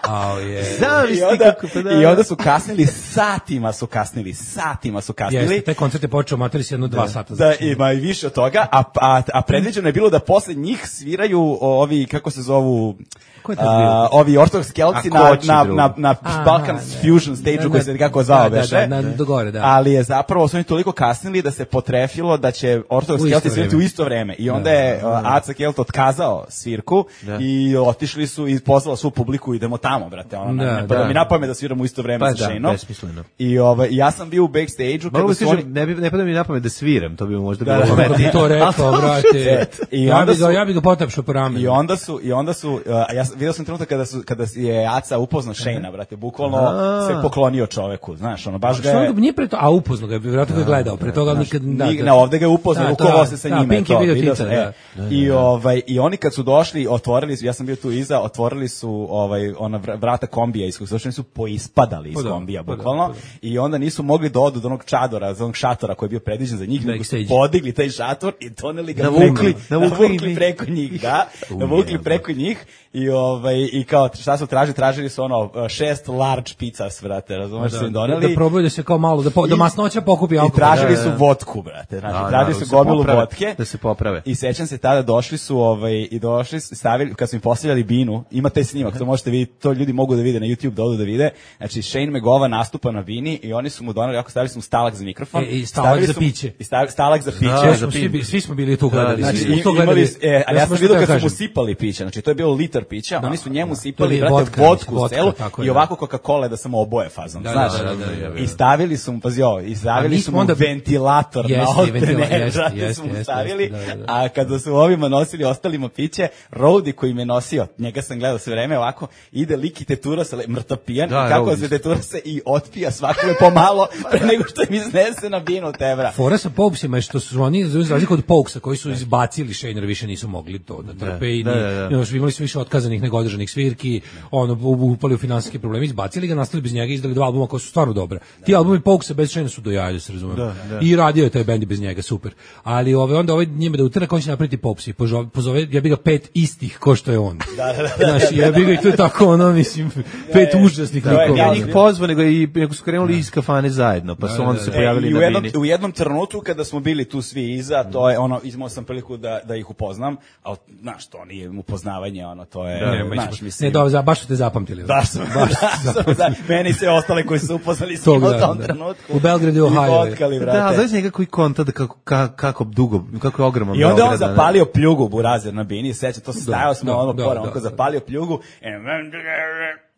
Ao je. I Zamisli onda, kako, pa da. I onda su kasnili, satima su kasnili, satima su kasnili. Jeste, taj koncert je počeo materi s jedno dva sata. Da, ima i više od toga, a, a, a predviđeno je bilo da posle njih sviraju ovi, kako se zovu, Ko je to a, bio? ovi ortodoks kelci A na, ko će na, drugi? na, na Aha, Balkan da. Fusion stage-u Da, koji da. se kako zvao Da, da, beše. da, na- do gore, da. Ali je zapravo su oni toliko kasnili da se potrefilo da će ortodoks U isto kelci svirati u vreme. isto vreme. I onda je uh, Aca Kelt otkazao svirku Da. i otišli su i pozvala svu publiku, idemo tamo, brate. Ono, Da, ne, ne, pa da, da. mi napame da sviramo u isto vreme Pa sa da, Shane-om. besmisleno. I ovaj, ja sam bio u backstage-u Mogu kada da su kažem, oni... ne, bi, ne pada mi na pamet da sviram, to bi možda Da, bilo da, Kako pametnije. bi to rekao, brate. I Ja onda bi ga, su- ja bi ga potapšao po ramenu. I onda su i onda su uh, ja sam- video sam trenutak kada su kada je Aca upoznao Shane-a, brate, bukvalno A. se poklonio čoveku, znaš, ono baš ga Što je on nije pre to, a upoznao ga je, vjerojatno ga je gledao, pre toga nikad da. Ni- da. na ovde ga je upoznao, Da, rukovao da, se sa da, njime, Pink je to, video video Tita, sam, e. da. I ovaj i oni kad su došli, otvorili su, ja sam bio tu iza, otvorili su ovaj ona vr- vrata kombija iz kojih su došli, oni su poispadali iz Pa da, kombija pa da, bukvalno pa da. i onda nisu mogli da odu do onog čadora, do onog šatora koji je bio predviđen za njih, nego su Backstage. podigli taj šator i doneli ga Navukli, preko- navukli navukli njih. preko njih, da, navukli preko njih i ovaj i kao šta su tražili, tražili su ono šest large pizzas, brate, razumeš, Da, su im doneli. da probaju da se kao malo, da, po, da I- masnoća pokupi I alkohol. tražili Da, su da. vodku, brate. Znači, Da, tražili da, su da se gomilu poprave, vodke. da se poprave. I sećam se tada došli su ovaj i došli su, stavili kad su im postavljali binu, ima taj snimak, to možete vidjeti, to ljudi mogu da vide na YouTube, da odu da vide. Znači Shane McGowan nastupa na bini i oni su mu doneli, ako stavili su mu stalak za mikrofon, E, i stalak stavili za su mu- piće. I stavili stalak za piće. Da, Svi smo, svi, bi- svi smo bili tu gledali. Da, svi Znači, smo i- to gledali. imali, e, ali ja sam baš vidio to kad su mu kažem. sipali piće, znači to je bilo litar pića, oni su njemu To sipali, je brate, vodka, vodku u vodka, celu tako je, i da. ovako Coca-Cola da sam oboje fazon, Da, znaš. da, da, da, da, I stavili su mu, pazi ovo, i A stavili mi su smo mu onda- ventilator na Jeste, otene, ventila- jeste, brate, jeste, su mu jeste, stavili, jeste, da, da. a kada su ovima nosili ostalima piće, Rowdy koji me nosio, njega sam gledao sve vreme ovako, ide lik i tetura se, le- mrtav pijan, Da, i kako Rowdy. se tetura se i otpija svakome pomalo, pre nego što im iznese na binu tebra. Fora sa Popesima je što su oni, za razliku od Pokesa, koji su izbacili Shane, više nisu mogli to da trpe i da, ni- da, da. no, imali su više otkazanih nego održanih svirki, ono, u- upali u finansijske probleme, izbacili ga, nastali bez njega, izdali dva albuma koja su stvarno dobra. Ti albumi Pokesa bez Shane su do jaja, da se razumemo. I radio je taj bend i bez njega, super. Ali ove, onda ovaj njime da utrna, on će napraviti Popesi, pozove, pozove, ja bi ga pet istih ko što je on. Da, da, da. Znaš, ja bi ga i to je tako, ono, mislim, pet užasnih to je- likova. Ja njih pozvao, nego, i, nego su krenuli iz kafane zajedno, pa su onda se E, pojavili i u na jednom, bini. u jednom trenutku kada smo bili tu svi iza, to je ono, imao sam priliku da, da ih upoznam, ali znaš, to nije upoznavanje, ono, to je, Ne, znaš, mislim, mislim, ne, dobro, za- baš su te zapamtili. baš sam, baš sam, da, meni se ostale koji su upoznali s Tog njim u dana, tom da. trenutku. U Belgradu i Ohio. fotkali, brate. Da, znaš njega koji konta da kako, ka, kako dugo, kako je ogroman I onda je on Beograd, zapalio pljugu Burazer na bini, seća, to se stajao smo da, ono da, pored, da, on ko da. zapalio pljugu,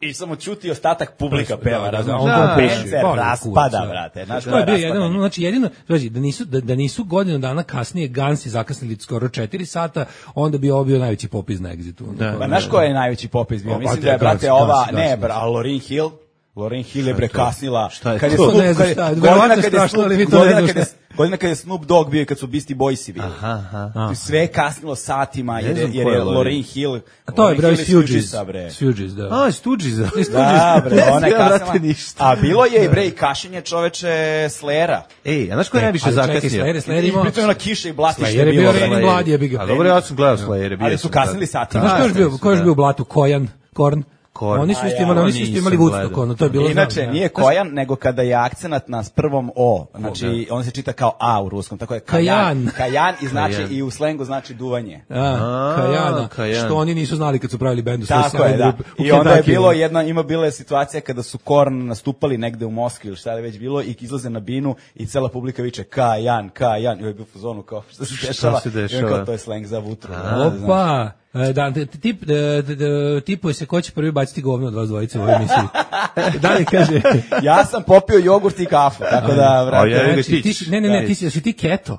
i samo čuti ostatak publika Da, peva, da, da, razumiješ, on on to band puši, se voli raspada, kurac, da. brate, znaš To ko je je bio jedan, raspadanje? znači jedino, znači da nisu da, da nisu godinu dana kasnije Gansi zakasnili skoro četiri sata, onda bi ovo bio najveći popis na Exitu. Da. Pa znaš ko je najveći popis bio? O, Mislim pa da je, te, brate, Gansi, ova, Gansi, ne, Gansi, bra, a Lauryn Hill, Lauryn Hill je bre kasnila. Šta je kad to? skup- Ne znam kad- šta je, godina verovatno kad je strašno, skup- ali mi to ne godina znamo kad je- šta godina kad je Snoop Dogg bio i kad su Beastie Boysi bili. Aha, aha. Sve je kasnilo satima, jer, je- znam jer ko je je Lauryn. Lauryn Hill... A to je Lauryn broj Hill iz Fugees. Fugeesa, bre. Fugees, da. A, Stooges. Da, bre, ona je Ja, brate, kasnila. ništa. A bilo je i bre i kašenje čoveče Slayera. Ej, a znaš ko je najviše Ali čekaj, zakasnio? Slayer, Slayer I imao... pritom je ona kiša i blatište Slayer je bio bilo. Raining Blood, jebi ga. A dobro, ja sam gledao Slayere. bio Ali su sam kasnili tad. satima. Znaš ko je još bio, ko je još da. bio u blatu? Kojan, Korn. Korn. Oni su A isto ja, imali, oni su nisam isto imali gledao. Woodstock, ono, to je bilo Inače, znam, nije ja. Kojan, nego kada je akcenat na s prvom O. Znači, on se čita kao A u ruskom, tako je Kajan. Kajan. Kajan i znači, Kajan. i u slengu znači duvanje. A, A, Kajana, Kajan. što oni nisu znali kad su pravili bend u svojoj Tako je, sjajnoj da. grupi u I onda je Kentucky. bilo jedna, ima bila je situacija kada su Korn nastupali negde u Moskvi ili šta je već bilo i izlaze na binu i cela publika viče Kajan, Kajan. I ovaj je bio u fazonu kao šta se dešava. se I on dešava? kao to je sleng za vutru. Opa, e, da, t- tip, e, t- t- tipuje se ko će prvi baciti govno od vas dvojice u ovoj emisiji. Da li kaže... Ja sam popio jogurt i kafu, tako da, A vrate, ja- Znači, ti ti si- si, ne, ne, ne, da. ti si, si ti keto.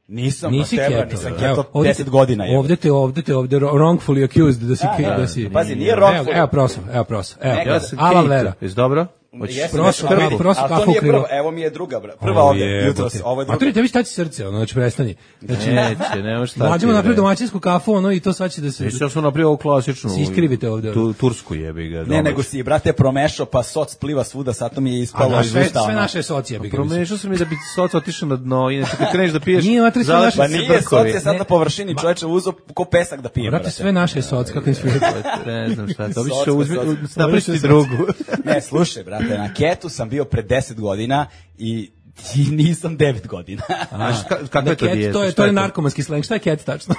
nisam Nisi pa teba, keto. nisam Evo, keto ovde deset te- godina. je. Ovde te, ovde te, ovde wrongfully accused da si... Da, da, da. si Pazi, nije Evo, wrongfully. evo proso, evo proso. Evo, Nekada. Ja sam Alan Kate. Vera. Jesi dobro? Hoćeš Jesam, prosto, nešto da kako- vidim. prosto Ali to kako nije ukrivo. prva, evo mi je druga, bra. Prva ovdje, jutros, ovo je A druga. to je tebi šta ti srce, ono, znači prestani. Znači, Neće, nema šta. mlađemo ti, napraviti bre. domaćinsku kafu, ono, i to sad će da se... Već ja sam napravio ovu klasičnu. Se iskrivite ovde. Tu, tursku jebi ga. Ne, nego si, brate, promešao, pa soc pliva svuda, sad to mi je A ispalo da, iz sve, usta. sve ono. naše socije bi ga mislim. Promešao sam i da bi soc otišao na dno, inače kad kreneš da piješ, Nije, vatri, sve zalepiš naše- Pa se nije, brkovi. soc je sad Ne. na površini, čoveče uzo ko pesak da pije, Brate, brate. sve naše soc, kako im svijet. Ne znam šta, to bi Socka, se uzmi, socka. naprišti Socka. drugu. Ne, slušaj, brate, na ketu sam bio pre deset godina i i nisam devet godina. Znaš, ka- kakva je to Ket, dijeta? to je, Šta to je narkomanski sleng, šta je ket tačno?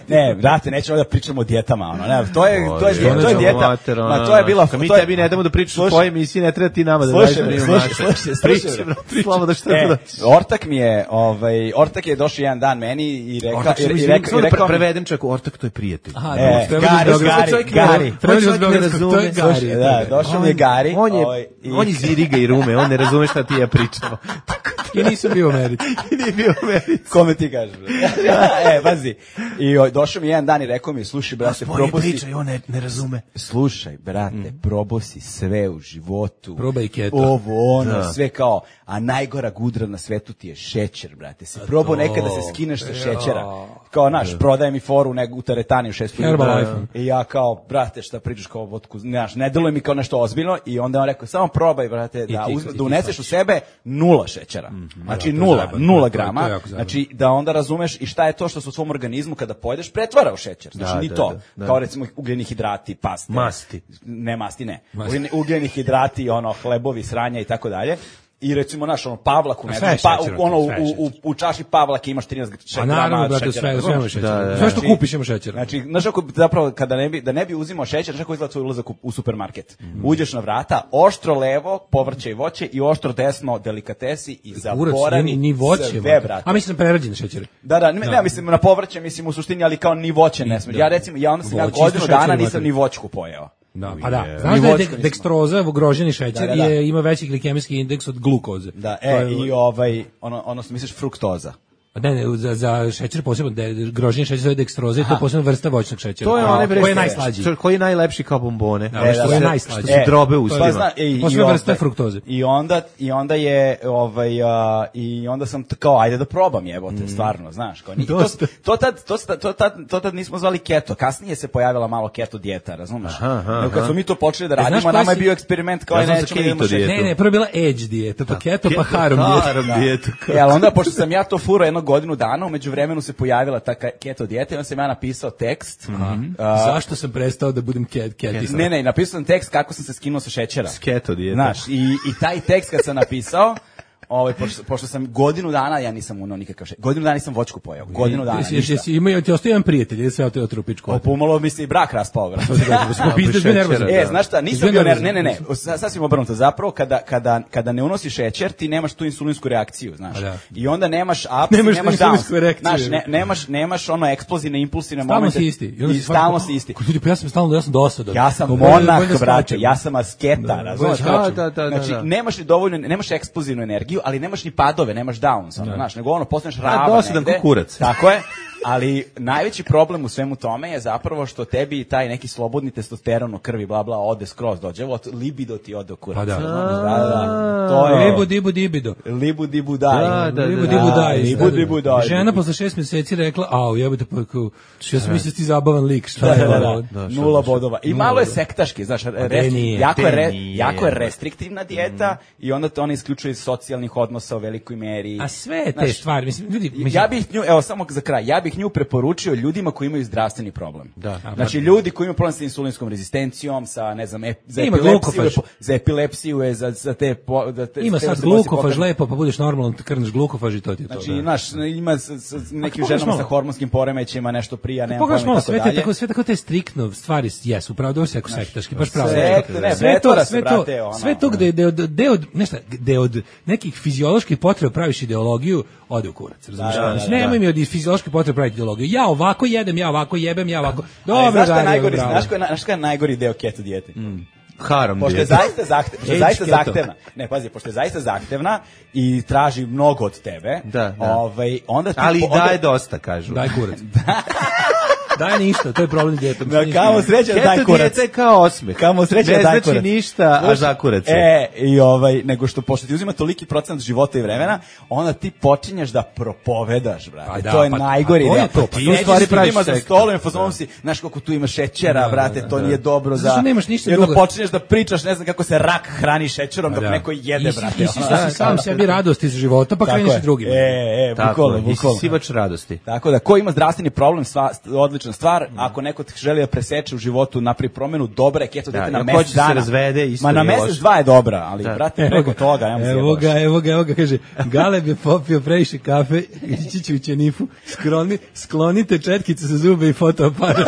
Ne, brate, nećemo da pričamo o dijetama, ono, ne, to je, to je, Oj, to je ono, dijeta, mater, ono, ma to je bila, kad mi to je- tebi ne damo da pričaš u Slušaj. tvojoj emisiji, ne treba ti nama da Slušaj, daješ da bre, mi slušaj, naše. slušaj, slušaj, Priči, bre. brate, slavo da šta E, da daš. Ortak mi je, ovaj, Ortak je došao jedan dan meni i rekao, Ortak, i, samo i izvini, rekao, samo i da rekao pre- mi- prevedem čak, Ortak to je prijatelj. Aha, E, treba Gari, da Gari, Čovjek ne- Gari. Treba čovjek da ne to je razume. Gari. Da, došao mi je Gari. On je, ovaj, i- on je iz Iriga i Rume, on ne razume šta ti i ja pričamo. I nisam bio u Americi. I nije bio u Americi. Kome ti kažeš? bre? e, bazi. I o, došao mi jedan dan i rekao mi, slušaj, brate, Spori probao si... priča i on ne, ne razume. Slušaj, brate, probao si sve u životu. Probaj keto. Ovo, ono, Da. sve kao, a najgora gudra na svetu ti je šećer, brate. Si probao nekada se skineš sa šećera. Kao, naš, prodaje mi foru nego u teretani u šestu. Herbalife. I ja kao, brate, šta pričaš kao vodku, znaš, ne deluje mi kao nešto ozbiljno. I onda on rekao, samo probaj, brate, da, ti- uzme, i ti da uneseš u shvatiš. sebe nula šećera. Znači, Da, to je nula, zajebano. nula To je- grama. to je jako zajebano. Znači, da onda razumeš i šta je to što se u svom organizmu kada pojedeš pretvara u šećer. Znači, Da, ni da, to. da, da. Kao recimo ugljeni hidrati, paste. Masti. Ne, masti ne. Masti. Ugljeni, ugljeni hidrati, ono, hlebovi, sranja i tako dalje. I recimo, naš, ono, pavlaku, ne sve znam, je pa, šećer, u- ono, sve je u, u, u čaši pavlake imaš trinaest A naravno, grama brate, šećera. sve, sve ima razumeš? šećer. Da, da, Sve što Znači- kupiš ima šećer. Znači, znaš kako zapravo kada ne bi da ne bi uzimao šećer, znaš kako izgleda tvoj ulazak u, u supermarket. Uđeš na vrata, oštro levo, povrće i voće i oštro desno delikatesi i Kurac, zaboravi ni, ni voće. sve, brate. brate. A mislim prerađene šećere. Da, da, ne, ne, mislim na povrće, mislim u suštini, ali kao ni voće ne smije. Da. Ja recimo, ja onda sam ja Voće godinu isto dana šećer, nisam brate. ni voćku pojeo. Da, pa da. je. Znaš Ni da je voćka dek- nismo. dekstroza, groženi šećer, Da, da, da. je, ima veći glikemijski indeks od glukoze. Da, To e, je- i ovaj, ono, odnosno misliš fruktoza. Ne, ne, za, za šećer posebno, de, groženi šećer zove dekstroza i to je posebno vrsta voćnog šećera. To je A, onaj bre koji je što- najslađi. što- koji je najlepši kao bombone. Da, Ono što što je se- najslađi. Što se drobe u Pa ustima. zna, e, i, Posebno i vrsta ovaj- fruktoze. I onda, i onda je, ovaj, a, i onda sam t- kao, ajde da probam jebote, stvarno, znaš. Kao, ni, to, Dosta. to, tad, to, sta- to, tad, to tad nismo zvali keto, kasnije se pojavila malo keto dijeta, razumeš? Aha, aha, Nego kad smo mi to počeli da E, znaš radimo, koja nama je si- bio eksperiment kao, Ja ja znam za nećemo da idemo keto šećer. dijetu. Ne, ne, prvo je bila edge dijeta, pa keto, pa harom dijeta. Harom dijetu. E, ali onda, pošto sam ja to furao jednu godinu dana, umeđu vremenu se pojavila ta ka- keto dijeta i onda sam ja napisao tekst. A, Zašto sam prestao da budem ket, ketis? ne, ne, napisao sam tekst kako sam se skinuo sa šećera. Keto dijeta. Znaš, i, i taj tekst kad sam napisao, ovaj, pošto, pošto sam godinu dana, ja nisam unao nikakav šećer. Godinu dana nisam voćku pojeo. Godinu dana, Jesi, ništa. jesi, ima, ti ostaje jedan prijatelj, ili se ja te otrupičku? O, pomalo mi se i brak raspao, brate. Pizde bio nervozan. E, znaš šta, nisam Izbio bio ner... nervozan. Ne, ne, ne, sa- sasvim obrnuto. Zapravo, kada, kada, kada ne unosiš šećer, ti nemaš tu insulinsku reakciju, znaš. A da. I onda nemaš ups, Nemaš nemaš, tu downs. insulinsku reakciju. Znaš, ne, nemaš, nemaš ono eksplozivne, impulsivne Stalno momente. si isti. onda I si stalno svaki- si isti. Ko ljudi, pa ja sam stalno, ja sam dosadan. Ja sam Pa bolje- bolje monah, da brate, skačem. ja sam asketa, Da, razumiješ? bolje skačem. Da, da, da, Znači, da. nemaš ni dovoljno, nemaš eksplozivnu energiju, ali nemaš ni padove, nemaš downs, ono, znaš, nego ono, postaneš ravan dosadan negde. ko kurac. Tako je. Ali najveći problem u svemu tome je zapravo što tebi taj neki slobodni testosteron u krvi, bla, bla, ode skroz, dođe, evo, libido ti ode u kurac. Pa da. Da, da, to je... Libu dibu dibido. Libu dibu daj. Da, da, Libu da, dibu da. daj. Libu dibu daj. Žena posle šest mjeseci rekla, au, jebate, pa kao, ja sam mislio da ti zabavan lik, šta Da, je da, da, ovo? da. Nula bodova. I malo je sektaški, znaš, rest, nije, jako, je te re, nije. jako je restriktivna dijeta i onda to ona isključuje iz socijalnih odnosa u velikoj meri. A sve te Znaš, stvari, mislim, ljudi, mislim, Ja bih nju, evo samo za kraj, ja bih nju preporučio ljudima koji imaju zdravstveni problem. Da. Znači ljudi koji imaju problem sa insulinskom rezistencijom, sa ne znam, ep, za Ima epilepsiju, glukofaž. je po- za epilepsiju je za za te, po, da te ima te sad se nosi glukofaž pokaz- lepo, pa budeš normalan, krneš glukofaž i to ti je to. Znači, da. znaš, ima s, s, s nekim pogledaš ženama malo. sa hormonskim poremećajima nešto prija, nema Pogledaš pojma i malo, tako sve te, dalje. tako, sve tako te striktno stvari jesu, pravo da se jako sektaški, baš pravo. sekta, ne, sve to, vetora se, sve to, brate, ono, sve to gde, gde, od- gde, od, nešto, gde od nekih fizioloških potreba praviš ideologiju, ode u kurac, razumiješ? Da, da, da, Nemoj da. mi od fizioloških potreba praviti ideologiju. Ja ovako jedem, ja ovako jebem, ja ovako... Ali Dobro, znaš šta je radio, najgori, bravo. znaš ko je, na- znaš ko je najgori deo keto dijete? Haram Pošto je dijeta. zaista zahtevna, pošto je Age zaista keto. zahtevna. Ne, pazi, pošto je zaista zahtevna i traži mnogo od tebe. Da, da. Ovaj onda ti Ali i onda- daje dosta, kažu. Daj kurac. Daj ništa, to je problem djetom. Da, kamo sreća da daj Keto kurac. dijeta je kao osmeh. Kamo sreća ne da daj znači kurac. ništa, a Znaš, za kurac je. E, i ovaj, nego što pošto ti uzima toliki procent života i vremena, onda ti počinješ da propovedaš, brate. Pa da, to je pa- najgori a to je deo. to, pa Ti to u stvari stvari praviš praviš za sekt. stolom i fazom si, znaš koliko tu ima šećera, Da, brate, da, to da. nije dobro Zato za... što nemaš ništa I onda drugo. počinješ da pričaš, ne znam kako se rak hrani šećerom dok Da. neko jede, I si- brate. I si ono. si sam sebi radost iz života, pa Tako kreneš je. i drugima. E, e, Tako bukvalno, je, bukvalno. isisivač radosti. Tako da, ko ima zdravstveni problem, sva, odlična stvar. Ako neko te želi da preseče u životu, napravi promenu, dobra je keto Da, dijeta na ako mesec hoće se dana. razvede, isto Ma na je mesec loše. dva je dobra, ali, Da. brate, preko toga, nemoj se Evo jebaš. ga, evo ga, evo ga, kaže, Galeb je popio previše kafe, ići će u ćenifu, skloni, sklonite četkice za zube i fotoaparat.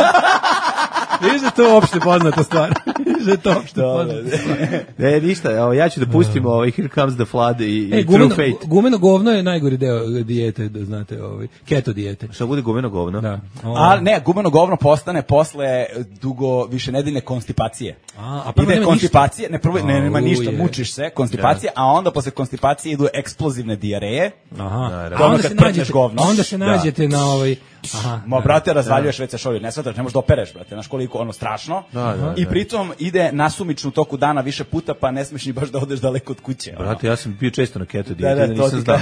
Viš da je to uopšte poznata stvar. Viš da je to uopšte poznata stvar. Ne, ništa, evo, ja ću da pustim ovaj Here Comes the Flood i, E, i True gumeno, Fate. gumeno govno je najgori deo dijete, da znate, ovaj, keto dijete. Šta bude gumeno govno? Da. O, A ne, gumeno govno postane posle dugo više nedeljne konstipacije. A, a prvo Ide nema konstipacije, ne prvo ne, nema Au, ništa, je. mučiš se, konstipacija, a onda posle konstipacije idu eksplozivne dijareje. Aha. Da, da. A onda Ono se kad prdneš nađete, govno. onda se nađete na ovaj... Aha. Ma brate, razvaljuješ već se šolju, ne shvataš, ne možeš da opereš, brate, znaš koliko ono strašno. Da, da, I da. pritom ide nasumično u toku dana više puta, pa ne smiješ ni baš da odeš daleko od kuće. ono. Brate, ja sam bio često na keto Da, dijeti, da, da, to nisam ti znao.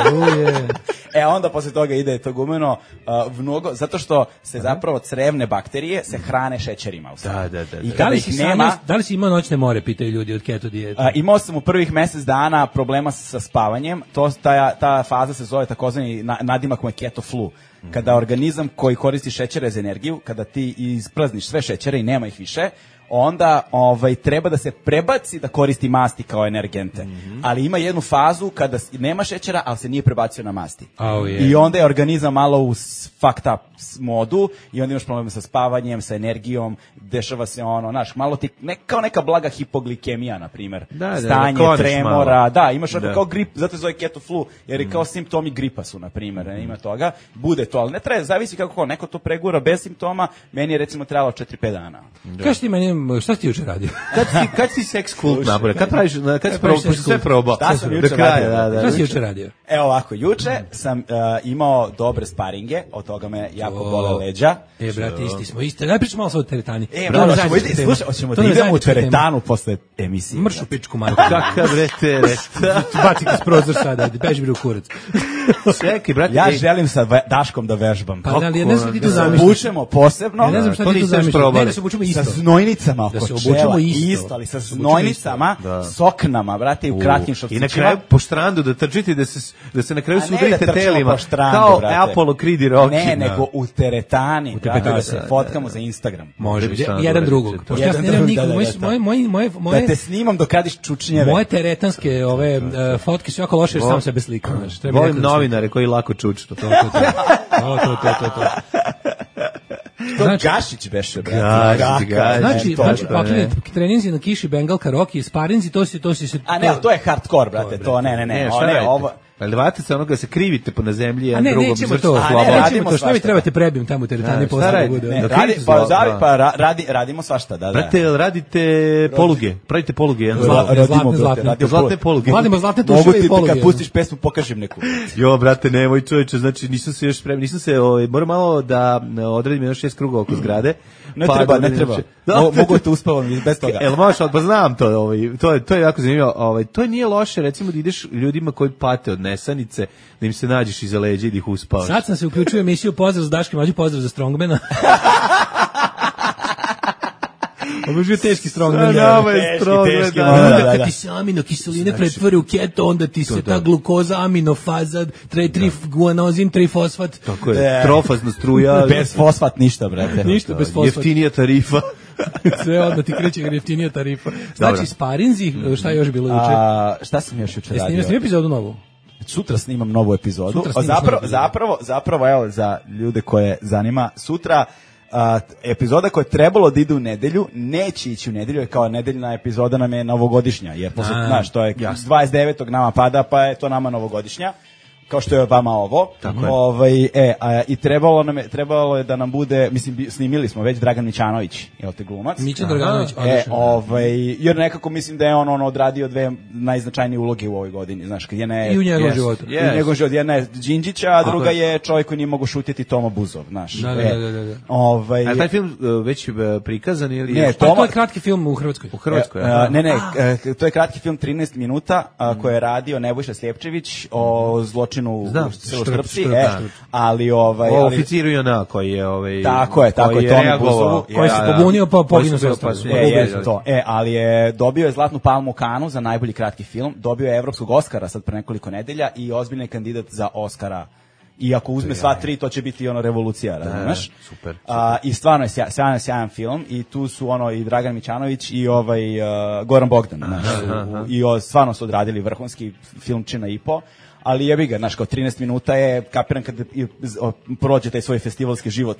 Au je. E, onda posle toga ide to gumeno uh, mnogo, zato što se zapravo crevne bakterije se hrane šećerima. U stvari. Da, da, da, I da. kada Da li ih si nema, nema, da li si imao noćne more, pitaju ljudi od keto dijete. a, imao sam u prvih mesec dana problema sa spavanjem, to, ta, ta faza se zove takozvani na, nadimak mu je keto flu. Kada organizam koji koristi šećere za energiju, kada ti isprazniš sve šećere i nema ih više, onda ovaj treba da se prebaci da koristi masti kao energente. Ali ima jednu fazu kada s- nema šećera, ali se nije prebacio na masti. Au je. I onda je organizam malo u s- fucked up s- modu i onda imaš problema sa spavanjem, sa energijom, dešava se ono, znaš, malo ti, ne, kao neka blaga hipoglikemija, na primjer. Da, da, Stanje, da kloniš tremora, malo. da, imaš onako Da. kao grip, zato se zove keto flu, jer je kao simptomi gripa su, na primjer, ne, ima toga, bude to, ali ne treba, zavisi kako ko, neko to pregura bez simptoma, meni je recimo trebalo četiri pet dana. Kaži ti meni, šta si ti juče radio? Kad si, kad si seks kult napravio? Kad praviš, kad si praviš probao, sex pošto sve kult? probao. Šta sam Do juče kraja, radio? da, da. Šta si juče radio? Evo ovako, juče sam uh, imao dobre sparinge, od toga me jako O. bole leđa. E, brate, isti smo, isti. Daj pričamo malo sad o teretani. E, To nam je bravo, ćemo, zajednička ide, tema. slušaj, hoćemo To da nam je idemo u zajednička tema. teretanu posle emisije. Mrš u pičku, Marko. Kakav re tereta. Baci kroz prozor sada, beži bre u kurac. Čekaj, brate. Ja ej, želim sa ve- Daškom da vežbam. Pa da, ali ja ne znam šta ti to Da se zamišljaš. obučemo posebno. Ja ne znam šta to ti tu nisam još zamišljaš. probali. Ne, da se obučemo isto. Sa znojnicama oko Da se čela. obučemo isto. ali sa Da se obučemo znojnicama, Da. soknama, brate, i u kratkim šorcićima. I na kraju po štrandu da trčite i da se da se na kraju A ne da sudarite trčimo telima po štrandu, kao brate. Apollo Creed i Rocky. Ne, Da. nego u teretani, brate, da teretani, se da, fotkamo za Instagram. Može, Može jedan šta da drugog. uradite. Pošto ja Jedan snimam drugog, nikog, da, da, moje, da. moje, moje, moje, Da moje, te snimam dok radiš čučnjeve. moje teretanske ove uh, fotke su jako loše jer sam sebe slikam. Znači, treba Volim neko da novinare koji lako čučnu. To, to, to. To, to, to, to, to. To Znači- Gašić beše, brate. Gašić, Raka, Gašić. Znači, ne, to, znači brate. pakline, treninzi na kiši, Bengal karaoke, sparinzi, to si, to si se... A ne, ali to je hardcore, brate, to, ne, ne, ne, Ne, o, šta ne, radite? ovo, Ali vate se onoga da se krivite po na zemlji, A jedan ne, drugom nećemo izvršite to. A slobodu. ne, Nećemo radimo to. Šta mi svašta. trebate prebijem tamo u teretani Da, šta posle da radi? bude. Ne, ono. da Radi, krivite pa, zlo, zavi, da. pa ra, radi, radimo svašta, da, da. Brate, jel radite poluge, pravite poluge, jedan Zla- zlo. zlatne, Radimo, zlatne. radimo Zlatne poluge. Vadimo zlatne Mogu tuševe ti i poluge. kad pustiš pesmu pokažem neku. Jo, brate, nemoj čoveče, znači nisam se još spremio, nisam se, ovaj, moram malo da e, odredim još šest kruga oko zgrade. Ne pa treba, da ne treba. Da. Mo- Mogu te uspavam bez toga. Jel možeš, ali pa znam to, ovaj, to je to je jako zanimljivo. Ovaj, to nije loše, recimo da ideš ljudima koji pate od nesanice, da im se nađeš iza leđa i da ih uspavaš. Sad sam se uključio u emisiju Pozdrav za Daške mlađu, pozdrav za Strongmana. Ovo je bio teški Strongman. Sa ja. nama je Teški, Strongman, teški, da, malo, da, Onda da, kad da. ti se aminokiseline pretvore u keto, onda ti se ta glukoza, aminofaza, tre, tri guanozin, trifosfat. Tako je, Ne. trofazna struja. Bez fosfat ništa, brate. Ništa bez fosfata. Jeftinija tarifa. Sve onda ti kreće jeftinija tarifa. Znači, Dobro. sparinzi, šta je još bilo juče? A, šta sam još juče Jesi radio? snimio snimio epizodu novu? Sutra snimam novu epizodu. Sutra A snimaš zapravo, novu epizodu. zapravo, zapravo, evo, za ljude koje zanima, sutra a, t- epizoda koja je trebalo da ide u nedelju, neće ići u nedelju, jer kao nedeljna epizoda nam je novogodišnja, jer posle, A, znaš, to je dvadeset devetog nama pada, pa je to nama novogodišnja. Kao što je vama ovo. Tako je. Ovaj, e, a, i trebalo nam je, trebalo je da nam bude, mislim, bi- snimili smo već Dragan Mićanović, jel te glumac? Mića Draganović, E, odlično. ovaj, jer nekako mislim da je on, on odradio dve najznačajnije uloge u ovoj godini, znaš, kad jedna je I u njegovom Yes. životu. i u njegovom životu. Jedna je Đinđića, a druga je. je čovjek koji nije mogao šutiti Toma Buzov, znaš. Da, da, E, da, da, da. Ovaj, A taj film e, već e, prikazan ili Ne, je Pa to Toma- je kratki film u Hrvatskoj. u Hrvatskoj? E, aha. ne, ne, e, to je kratki film trinaest minuta a, koji je radio Nebojša Sljepčević o zločinu Znam, u Selo Štrp, Štrpci, Štrp, e, da. ali ovaj O ali, oficiru Jona koji je ovaj Tako je, tako koji je, Tomi reagovao. Buzovu, koji se Da, da. pobunio, pa poginuo Koji sve su pa ostalo. su- E, je, jeste je, to. E, ali je dobio je Zlatnu palmu u Kanu za najbolji kratki film, dobio je Evropskog Oskara sad pre nekoliko nedelja i ozbiljni je kandidat za Oskara. I ako uzme sva tri, to će biti ono revolucija, razumeš? super, A, I stvarno je sja- sjajan, sjajan film i tu su ono i Dragan Mićanović i ovaj uh, Goran Bogdan, znaš, u- u- i o, stvarno su odradili vrhunski filmčina i po. Ali jebi ga, znaš, kao trinaest minuta je, kapiram kad i- z- o, prođe taj svoj festivalski život,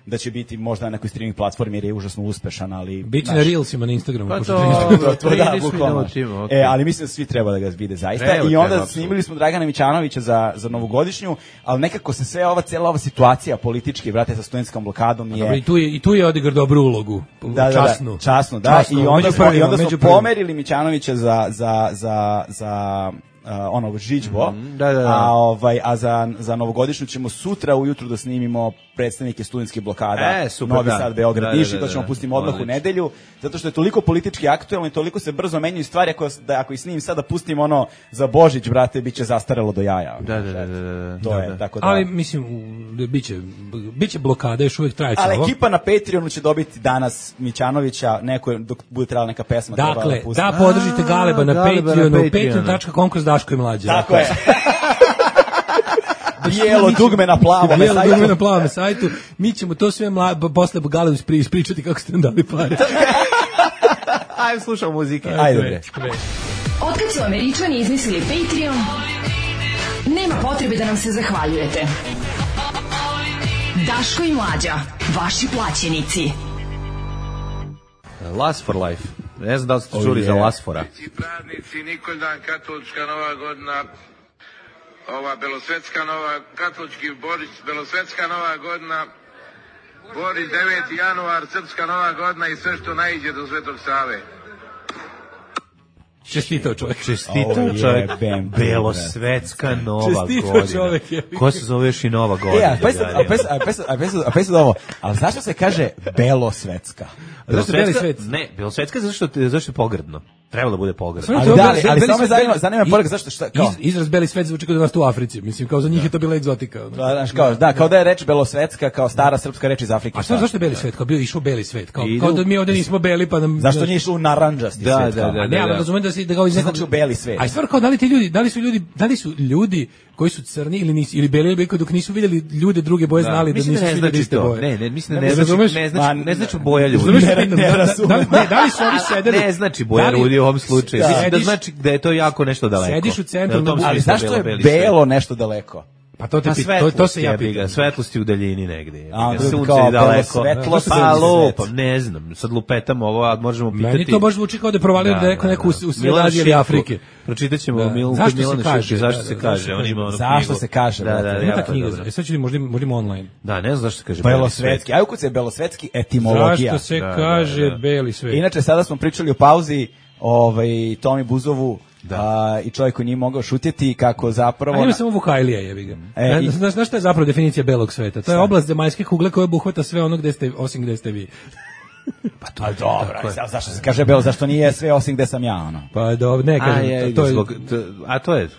da će biti možda na nekoj streaming platformi jer je užasno uspešan, ali... Biće znaš, na Reelsima na Instagramu. Pa pošto to- trinaest minuta. to, to, da, trinaest bukvalno. minuta, okej. E, ali mislim da svi treba da ga vide zaista. Treba, I onda treba, snimili smo Dragana Mićanovića za, za novogodišnju, ali nekako se sve ova, cijela ova situacija politički, brate, sa studentskom blokadom je... Dobro, i tu je i tu je odigrao dobru ulogu. Da, časnu. da, da, časno, da. Časnu, I onda među smo, i prvima, onda smo među prvima. pomerili Mićanovića za, za, za, za uh, ono, žiđbo, da, da, da. a, ovaj, a za, za novogodišnju ćemo sutra ujutru da snimimo predstavnike studentskih blokada, E, super, Novi da. Sad, Beograd, Da, da, Niš, i da, to da, ćemo da. pustimo odmah u Odlično. nedelju, zato što je toliko politički aktuelno i toliko se brzo menjaju stvari, ako, da, ako ih snimim sad da pustim ono za Božić, brate, bit će zastarelo do jaja. Da, da, da, da, da. To da, je, da. tako da... Ali mislim u- biće biće blokada, još uvijek traje Ali ovo. ekipa na Patreonu će dobiti danas Mićanovića, neko, je- dok bude trebala neka pesma. trebala Dakle, pusti. da podržite Galeba na Galeba na Patreonu, Patreonu. patreon tačka com kroz Daško i Mlađa. Tako je. Bijelo dugme na plavo. Bijelo dugme na plavom sajtu. Mi ćemo to sve mla, b- posle Galebu ispri- ispričati kako ste nam dali pare. Ajde, slušamo muzike. Ajde, bre. Otkad su Američani izmislili Patreon, nema potrebe da nam se zahvaljujete. Daško i Mlađa, vaši plaćenici. Last for Life. Ne znam da li ste Oh, čuli za yeah. Last-fora. Praznici, Nikoldan, katolička nova godina, ova belosvetska nova, katolički Boris, belosvetska nova godina, Boris deveti januar, srpska nova godina i sve što naiđe do Svetog Save. Čestitao čovjek. Čestitao Ovo čovjek. jebem, Belosvetska nova Čestitao godina. čovjek, je. Ko se zove još i nova E, godina? a pa sad, a pa sad, a pa sad, a pa sad, a pa sad ovo, ali zašto se kaže belosvetska? Zašto beli Belosvetska- svet? Ne, Belosvetska zato što, zašto je pogrdno. Trebalo da bude pogrdno. Stvarno, Ali to je da, beli- ali, ali beli samo me svet- zanima, zanima me i- poruka, zašto, šta, kao? Iz, izraz beli svet zvuči kao da nas tu u Africi. Mislim, kao za njih je to bila egzotika. ono. Da, znaš, kao, da, kao da je reč belosvetska, kao stara srpska reč iz Afrike. A šta, zašto je beli svet? Kao bio išao beli svet. Kao, Idu- kao da mi ovdje nismo beli, pa nam... Zašto nije išlo u naranđasti Da, svet? da, kao? da. A ne, ali razumem da se da kao iz Šta nekog... znači u beli svet? A i stvar kao da li ti ljudi, da li su ljudi, da li su ljudi koji su crni ili nisu ili beli ili beli, dok nisu vidjeli ljude druge boje znali da Mislim nisu ne svi znači iste to. boje. Ne, ne, mislim da Ne ne znači, razumeš? ne znači, Ma, ne znači boja ljudi. Razumeš Ne, šta ne, pitam? ne Da- da- razumem. da li- Ne, da li su oni sedeli? Ne znači boja Da li- ljudi u ovom slučaju. Da. Mislim da Sediš- znači da je to jako nešto daleko. Sediš u centru Da je u tom na- Ali smislu zašto je bilo beli svet. belo nešto daleko? Pa to te Pa pit- to, svetlost to se ja jebi ga, pitam. svetlosti u daljini negde. jebi A, ga, kao sunce je daleko. belosvetlost, Pa sunce lupam, svet. ne znam, sad lupetamo ovo, a možemo pitati. Meni to baš zvuči kao da je provalio da, neko neku u sred Milana Azije ili Šipku. Afrike. Pročitat ćemo Da. Milku Zašto se Milana kaže? Šipku, zašto Da, se da, kaže, zašto on se ima onu Zašto knjigu. se kaže, Da, da, brate? da, Ima ta jako knjiga. dobro. E sad ću možda možda online. Da, ne znam zašto se kaže Belosvetski. Ajde, kuce je belosvetski etimologija. Zašto se Da, da, kaže da. beli svet? Inače, sada smo pričali o pauzi ovaj, Tomi Buzovu a, i čovjek koji nije mogao šutjeti kako zapravo... A ima samo Vukajlija, jebi ga. E, E, i- znaš, znaš šta je zapravo definicija belog sveta? To je oblast zemaljske kugle koja obuhvata sve ono gde ste, osim gde ste vi. Pa dobro, aj, sad, zašto se kaže belo, zašto nije sve osim gde sam ja, ono? Pa dobro, ne A, kažem, je, to je... zbog, to, a to je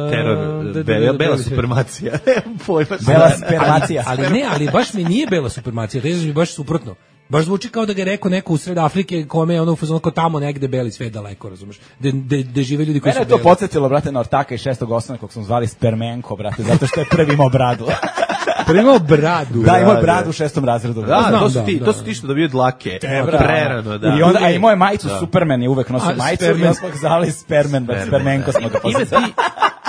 teror, da, da, be- da, da, bela da. supremacija. Nemam pojma. Bela spermacija. Ali ne, ali baš mi nije bela supremacija, reći mi baš suprotno. Baš zvuči kao da ga je rekao neko u sred Afrike kome je ono u fazonu kao tamo negde beli svet daleko, razumeš? De, de, de žive ljudi koji Mene je su to beli. podsjetilo, brate, na ortaka iz šestog osnovne, kog smo zvali Spermenko, brate, zato što je prvi imao bradu. Prvi imao bradu. Da, imao je da. bradu u šestom razredu. Da, Znam, to su da, ti, da, to su da. ti što dobiju dlake. E, brate. Prerano, da. I onda, a imao je majicu Da. Superman je uvek nosio A, majicu i Spermen. onda smo ga zvali Spermen, brate, Spermenko smo ga Ima poslali. ti,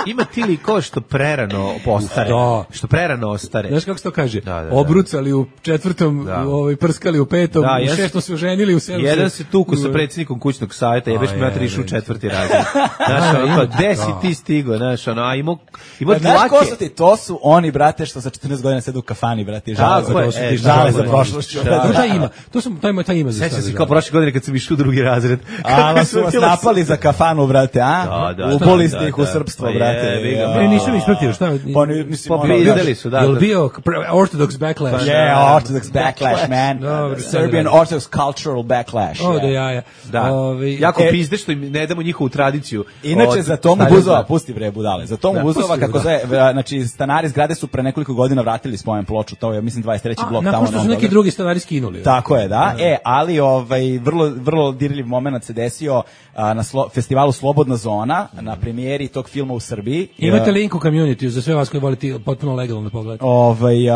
ima ti likova što prerano ostare. Da. Što prerano ostare. Znaš kako se to kaže? Da, da, da. Obrucali u četvrtom, Da. u ovaj, prskali u petom, Da, u jedan- šestom se oženili, u sedmom Jedan se tuku sa predsjednikom kućnog savjeta, jebeš A, mi mater je, išao u je. četvrti razred. Znaš, ono, kao, gde si ti stigo, znaš, ono, a imao, imao E, Znaš ko dlake. su ti? To su oni, brate, što sa četrnaest godina sede u kafani, brate, i žale Tako za je, prošlošću. e, Žale tako za je. prošlošću. Da, To taj ima. To sam taj ima taj ima za Sećam se stari kao žal. prošle godine kad sam išao u drugi razred. A, Kako su vas bilo napali za kafanu, brate, a? Da, da, Uboli da, ste da, ih u da. srpstvo, Pa brate. jebi ga, Ja. Ne, nisam ispratio, šta? Pa ni- mislim, ono, Popizdali su, da. Jel da. bio pr- Orthodox backlash? Yeah, Orthodox backlash, man. Dobro, Serbian sad Orthodox cultural backlash. O, yeah. da jaja. Da, Ovi- jako e- pizde što im ne damo njihovu tradiciju. Inače, od za Tomu Staljina. Buzova, pusti bre budale, za Tomu Da, Buzova, pusti, kako da. zove, znači, stanari zgrade su pre nekoliko godina vratili spomen ploču, to je, mislim, dvadeset treći A, blok nakon tamo. što na su neki Beogradu. drugi stanari skinuli. Tako je, da. E, ali ovaj vrlo vrlo dirljiv momenat se desio a, na slo, festivalu Slobodna zona, na premijeri tog filma u Srbiji. Imate E, link u community za sve vas koji volite potpuno legalno da pogledate. Ovaj a,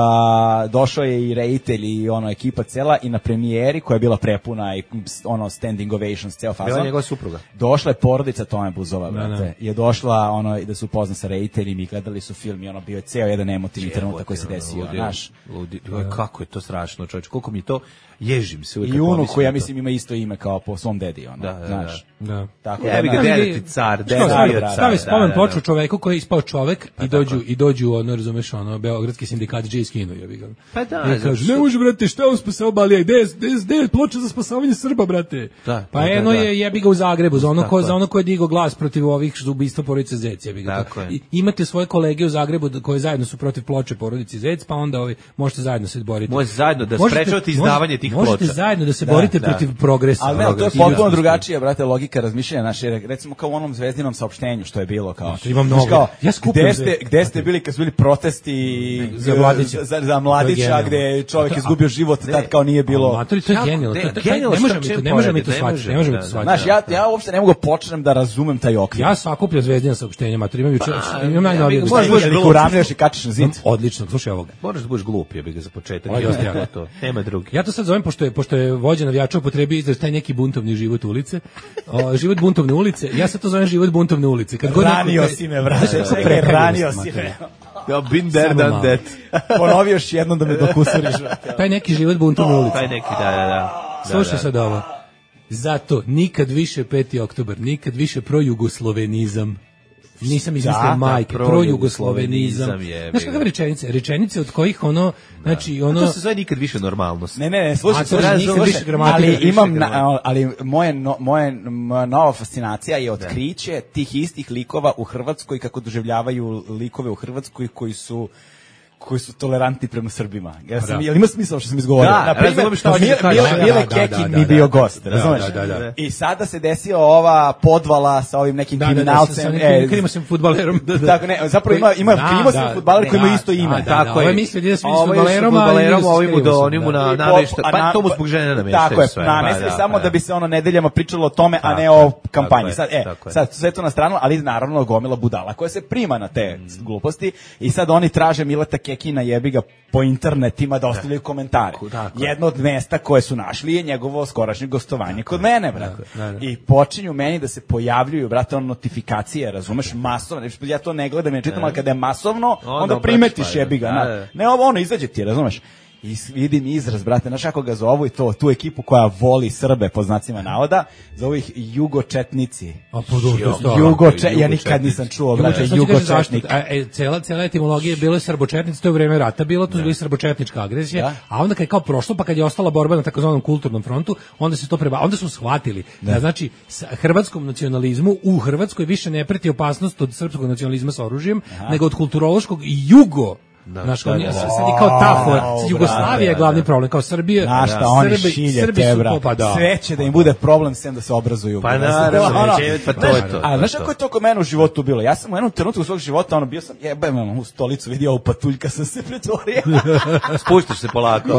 došao je i reditelj i ono ekipa cela i na premijeri koja je bila prepuna i ono standing ovations ceo Bila fazon. njegova supruga. Došla je porodica Tome Buzova, Da, brate. da. Je došla ono i da su upoznani sa rediteljima i gledali su film i ono bio je ceo jedan emotivni trenutak koji se desio, Ludi, znaš. ludi. Kako je to strašno, čovječe. Koliko mi je to ježim se uvijek. I kad unuk pomislim koji ja na to. mislim ima isto ime kao po svom dedi, ono, Da, da, znaš. Da. Tako Jebi ga, znaš. deda vidi- ti car, Što, deda stavi, bio car. stavi da, spomen da, ploču da. čoveku koji je ispao čovek i dođu i dođu ono razumeš ono beogradski sindikat J skinu jebi ga. Pa da, I zato kaže što- ne može brate šta on spasao Balija gde je gde je- gde je ploča za spasavanje Srba brate. Da, pa da, eno da. je jebi ga u Zagrebu za ono Tako ko je. za ono ko je digao glas protiv ovih ubistva porodice Zec jebi ga. Tako je. I, imate svoje kolege u Zagrebu da- koji zajedno su protiv ploče porodice Zec pa onda ovi možete zajedno se boriti. Možete zajedno da Možete- sprečavate izdavanje tih možete ploča. zajedno da se Da, borite da. protiv progresa. Ali ne, to je Progresa. potpuno I- drugačija, brate, logika razmišljanja naše, recimo kao u onom zvezdinom saopštenju što je bilo kao. Znači, ima Znaš, mnogo. kao, Ja skupljam gde ste, zvezde. gde ste bili kad su bili protesti Za Mladića. za, za To je Mladića genijalno. gde je čovjek A to- izgubio život, tad kao nije bilo. Matori, to je Jako, genijalno. ne, To- to- taj- genijalno Ne što možemo mi to, čim ne možemo mi to poredite, ne shvatiti, ne možemo, možemo mi da, to da. shvatiti. Znaš, ja, ja uopšte ne mogu počnem da razumem taj okvir. Ja sakupljam zvezdina saopštenja, mater, imam juče, imam najnovije. ja bih- Možeš Možeš da ih bilo- uravnjaš i kačiš na zid. Odlično, slušaj ovoga. Moraš da budeš glup, jebi ga za početak. Ovo je dosta jako. to. Nema drugi. Ja to sad zovem, pošto je, pošto je vođa navijača upotrebio izraz taj neki buntovni život ulice, o, život buntovne ulice, ja sad to zovem život buntovne ulice. Kad god neko- Ranio si me, brate. Znaš kako Čekaj, prekaljenost, ranio si mater. me. Ja, been there, Samo done malo. that. Ponovi još jednom da me dokusuriš. brate. Taj neki život buntovne ulice. Taj neki, da, da, da. Slušaj da, da. sad ovo. Zato nikad više peti oktobar, nikad više projugoslovenizam. Nisam izmislio Da, majke, da, projugoslovenizam. projugoslovenizam je, Znaš kakve rečenice? Rečenice od kojih ono, znači A ono... to se zove nikad više normalnost. Ne, ne, ne, slušaj, A, to slušaj, je nikad nikad više više gramatika, ali više imam, na, gramatika. ali moje, no, moje, moja nova fascinacija je otkriće tih istih likova u Hrvatskoj, kako doživljavaju likove u Hrvatskoj koji su koji su tolerantni prema Srbima. Ja sam, Da. jel ima smisla što sam izgovorio? Da, Na primjer, razumem šta hoćeš Mile, da kažeš. Mile, Da, Mile da, da, Kekin da, mi da, bio da. gost, Da, razumeš? da, da, da. I sada se desio ova podvala sa ovim nekim Da, da, da, sa- kriminalcem. sa e, nekim krimosem fudbalerom. Da, da. Tako ne, zapravo ima ima Da, krimosim da, fudbaler koji ima da, isto ime. da, da, Tako ovo je je. mislio da ide s Ovo je fudbalerom, s a fudbalerom, ide s ovim mu do, krimosom, onim mu da. na I namešta. pop- a Pa na- to mu zbog žene nameštaju Tako je, sve. namestili Pa, samo pa, da bi se ono nedeljama pričalo o tome, a Tako ne je, o tako kampanji. je, Sad, e, tako je. sad sve to na stranu, ali naravno gomila budala koja se prima na te gluposti i sad oni traže Mileta Kekina jebi ga po internetima da ostavljaju komentare. Tako. Jedno od mesta koje su našli je njegovo skorašnje gostovanje kod mene, brate. Da, da. I počinju meni da se pojavljuju, brate, on notifikacije, razumeš, masovno. Ja to ne gledam, ja čitam, ali kada je masovno, onda primetiš jebi ga. na- Ne, ovo ono izađe ti, razumeš. I s- vidim izraz, brate, znaš kako ga zovu i to, tu ekipu koja voli Srbe, po znacima navoda, zovu ih jugočetnici. A po dobro, to je Jugoče, ja nikad nisam čuo, brate, Jugočetnik. jugočetnik. A, e, cela, cela etimologija je bilo srbočetnici, to je u vreme rata bilo, to je bila srbočetnička agresija, Da. a onda kad je kao prošlo, pa kad je ostala borba na takozvanom kulturnom frontu, onda se to preba, onda su shvatili da, znači s hrvatskom nacionalizmu u Hrvatskoj više ne preti opasnost od srpskog nacionalizma sa oružjem, nego od kulturološkog i jugo. Znaš, kao, sad je kao ta fora. Sad Jugoslavija je glavni problem, kao Srbija. Znaš šta, oni Srbi- šilje Srbi te, su bra. to, pa da. Sve će da im bude problem sem da se obrazuju. Pa Znaš, naravno, ono, neće, pa to znaš, je to, A to znaš je kako to. je to kod mene u životu bilo? Ja sam u jednom trenutku svog života, ono, bio sam, jebem, ono, u stolicu, vidio ovu patuljka, sam se pretvorio. Spuštiš se polako.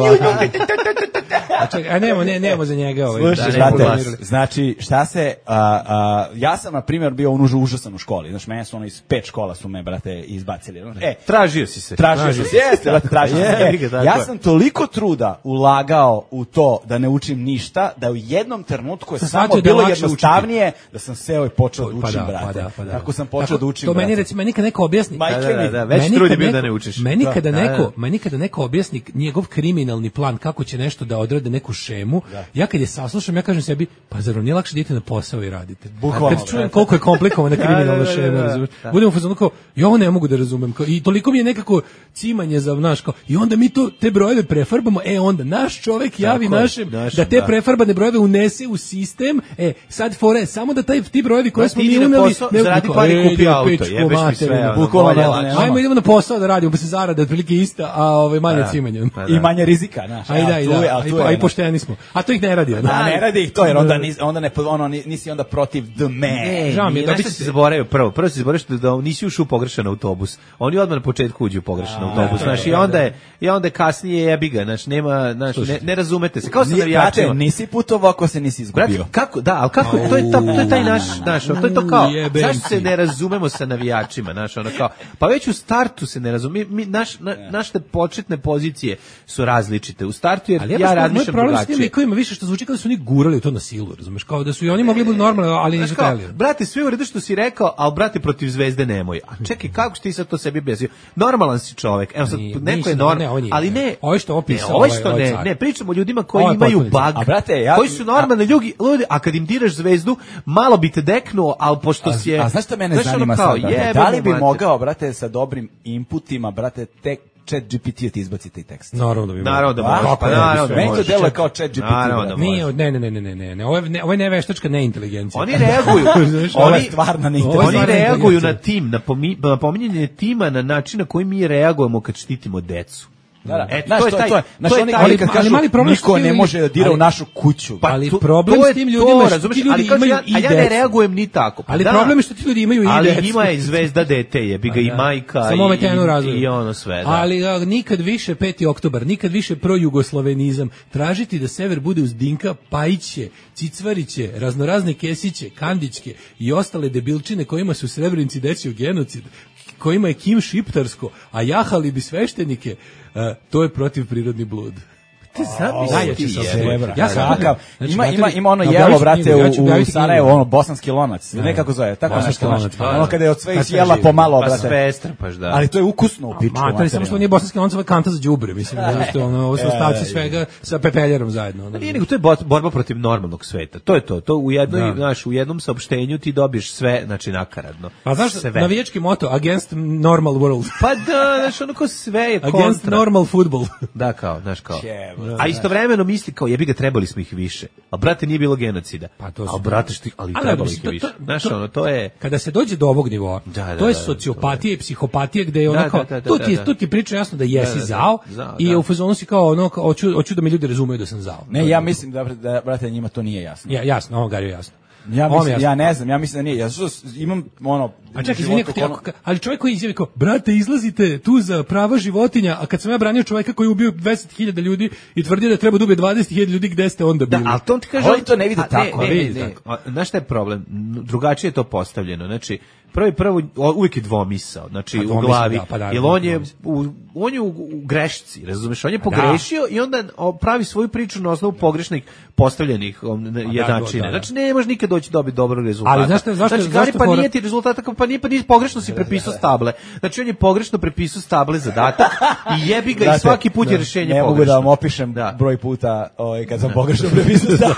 A čekaj, a nemo, ne, nemo za njega ovaj. Slušaj, da, znate, ne planirali. znači, šta se, a, a, ja sam, na primjer, bio unužu užasan u školi. Znaš, mene su ono iz pet škola su me, brate, izbacili. E, Tražio si se. tražio sam se, jeste, brate, tražio sam se. Jebi ga, E, tako ja je. sam toliko truda ulagao u to da ne učim ništa, da u jednom trenutku je Sam samo shvatio da je bilo lakše jednostavnije da sam seo i počeo da Pa učim, da, brate. pa da, pa da. Tako sam počeo Tako, da učim, to meni brate. recimo, meni kad neko objasni, Majke Da, da, mi. da, već Meni trud je kad bio neko- da ne učiš. Meni Da, kada da, neko, da. meni kada neko objasni njegov kriminalni plan kako će nešto da odrade neku šemu, ja kad je saslušam, ja kažem sebi, pa zar vam nije lakše da idete na posao i radite. Bukvalno, Kad čujem brate. koliko je komplikovana kriminalna da, da, šema, da, razumeš? da. Budemo u fazonu kao, ja ovo ne mogu da razumem. Kao, i toliko mi je nekako cimanje za, znaš, kao, i onda mi to, te brojeve prefarbamo, e onda naš čovek javi Tako je, našem, našem, da te da. prefarbane brojeve unese u sistem, e, sad fore, samo da taj, ti brojevi koje Da, smo ti mi idi na uneli, posao, ne- zaradi kao, pare i e, kupi ide u auto, pičku jebeš mi materinu, sve, ono, bukvalno, bolje, da, lakše. nema. Ajmo idemo na posao da radimo, pa se zarada otprilike ista, a ovaj manje Da. cimanja. Pa I manje rizika, znaš. Ajde, Evo, ajde, tu je, da, ali a i tu po- je, a i znaš. pošteni smo. A to ih ne radi. Da, ne radi ih to, jer onda, nis, onda ne, ono, ni- nisi onda protiv the man. E, Žao mi je, mi dobit da ćete- si zaboravio prvo. Prvo si zaboravio što da nisi ušao u pogrešan autobus. Oni odmah na početku uđu u pogrešan autobus, znaš, i onda je i onda je kasnije jebi ga, znaš, nema, znaš, ne, ne razumete se. Kao sa Nije, navijačima. brate, nisi putovao ako se nisi Brate, izgubio. kako, da, ali kako, to je, ta, to je taj naš, naš, to je to kao, Jebem zašto se ti. ne razumemo sa navijačima, naš, ono kao, pa već u startu se ne razumemo, mi, naš, na, naše početne pozicije su različite, u startu jer Ali ja, ja moj razmišljam problem s tim drugačije. likovima više što zvuči kao da su oni gurali u to na silu, razumeš, kao da su i oni mogli biti normalni, ali nisu Znaš kao, hteli. brate, sve u redu što si rekao, ali brate protiv zvezde nemoj. A čekaj, kako ti sad to sebi objasnio? Normalan si čovjek. Evo sad, Nije, neko je nisam, normalan, ne, ovo nije. ali ne. Ovo je što opisao Ne, ovo je ovaj- što ovaj ne, car. ne, pričamo o ljudima koji Ovo je imaju potpuno bug. A, brate, ja- koji su normalni ljudi, ljudi, a kad im diraš zvezdu, malo bi te deknuo, ali pošto si je... A znaš šta mene znaš, ono zanima kao, sad, brate? jebe Da li mu bi mater. mogao, brate, sa dobrim inputima, brate, tek chat G P T ti izbaci taj tekst? Naravno da bi Naravno da A, možeš, kako pa ne, naravno da meni to možeš. deluje kao chat G P T, Naravno da brate. Nije, možeš. ne, ne, ne, ne, ne, ne, ne, ovo je, ne, ovo je neveštačka neinteligencija. Oni reaguju, Ovo je oni, stvarna Ovo je oni neinteligencija. stvarna reaguju inteligencija. na tim, na, pomi, na pominjanje tima na način na koji mi reagujemo kad štitimo decu. Da, da. Eto, Znaš, to je to, taj- to je, znaš, to je oni, taj- oni kad ali kažu, mali problem što niko ti ne ljudi- može da dira ali- u našu kuću. Pa Ali to- problem to s je tim to, ljudima je što razumeš, ti ljudi ali kao imaju ja, i a ja ne decu. reagujem ni tako. Pa Ali da, problem je što ti ljudi imaju i ali decu. ima i zvezda dete, jebi ga i Da. majka Samo i, ometenu razvoju. i ono sve. Da. Ali a, nikad više peti oktobar, nikad više projugoslovenizam. Tražiti da sever bude uz Dinka, Pajiće, Cicvariće, raznorazne Kesiće, Kandićke i ostale debilčine kojima su u Srebrenici desio genocid, kojima je Kim šiptarsko, a jahali bi sveštenike, a, to je protiv prirodni blud. Ti zamisli najjači ti sam jebe. Srebra. Ja sam- Kakav? znači, ima, znate ima, li- ima ono objavit jelo, ću brate, knjigu, ja ću u, u objaviti Sarajevu, knjigu. ono, bosanski lonac. Ne kako zove, tako Bosanski nešto. lonac, znaš. pa da. Ono kada je od sve Pa izjela sve pomalo, Pa brate. sve strpaš, da. Ali to je ukusno u piču. Ma, to je samo što nije bosanski lonc, ovo je kanta za đubre, mislim, da što ono, ovo su ostaci svega sa pepeljerom zajedno. ono. Nije, nego to je bot- borba protiv normalnog sveta. To je to. To u jednoj, Da. znaš, u jednom saopštenju ti dobiješ sve, znači nakaradno. Pa znaš, sve. navijački moto, against normal world. Pa da, znaš, ono kao sve je kontra. Against normal football. Da, kao, znaš, kao. Jebote. A istovremeno misli kao, jebi ga, trebali smo ih više. A brate, nije bilo genocida. Pa to su- A brate, što, ali Ali, trebali mislim, ih to- više. to- Znaš, to- ono, to je... Kada se dođe do ovog nivoa, Da, da, to je da, sociopatija i psihopatija gde je ono Da, kao, da, da, da, tu ti, da. tu ti priča jasno da jesi Da, da, da. zao Zao, i da. u fazonu si kao ono, kao, hoću, hoću da me ljudi razumeju da sam zao. Ne, ja mislim da, da, brate, njima to nije jasno. Ja, jasno, ovo Gario jasno. Ja, Ovo mi mislim, je ja ne znam, ja mislim da nije. Ja su- imam ono... A čekaj, u izvini, životu ako ti- ono- ako- ali čovjek koji izjavi kao, brate, izlazite tu za prava životinja, a kad sam ja branio čovjeka koji je ubio dvadeset hiljada ljudi i tvrdio da treba da ubije dvadeset hiljada ljudi, gde ste onda Da, bili? ali to on ti kaže... A oni to ne vide A, tako, Ne, a ne, vidi ne, tako. A, znaš šta je problem? N- Drugačije je to postavljeno. Znači, prvi prvo, o- uvijek je dvomisao. Znači, A u dvomisao, glavi. da, pa naravno, jer on je, dvomisao. u, on je u, u grešci, razumeš? On je pogrešio i onda o, pravi svoju priču na osnovu pogrešnih postavljenih um, da, jednačine. da, da. Znači, ne može nikad doći dobiti dobrog rezultata. Ali znaš šta- zašto- znači, Gari, zašto pa fora- nije ti rezultata, kao, pa nije, pa nije pogrešno si prepisao stable. Znači, on je pogrešno prepisao stable zadatak i jebi ga i Znate, svaki put je ne, rešenje Ne pogrešno. mogu da vam opišem Da. broj puta ovaj, kad sam pogrešno prepisao stav.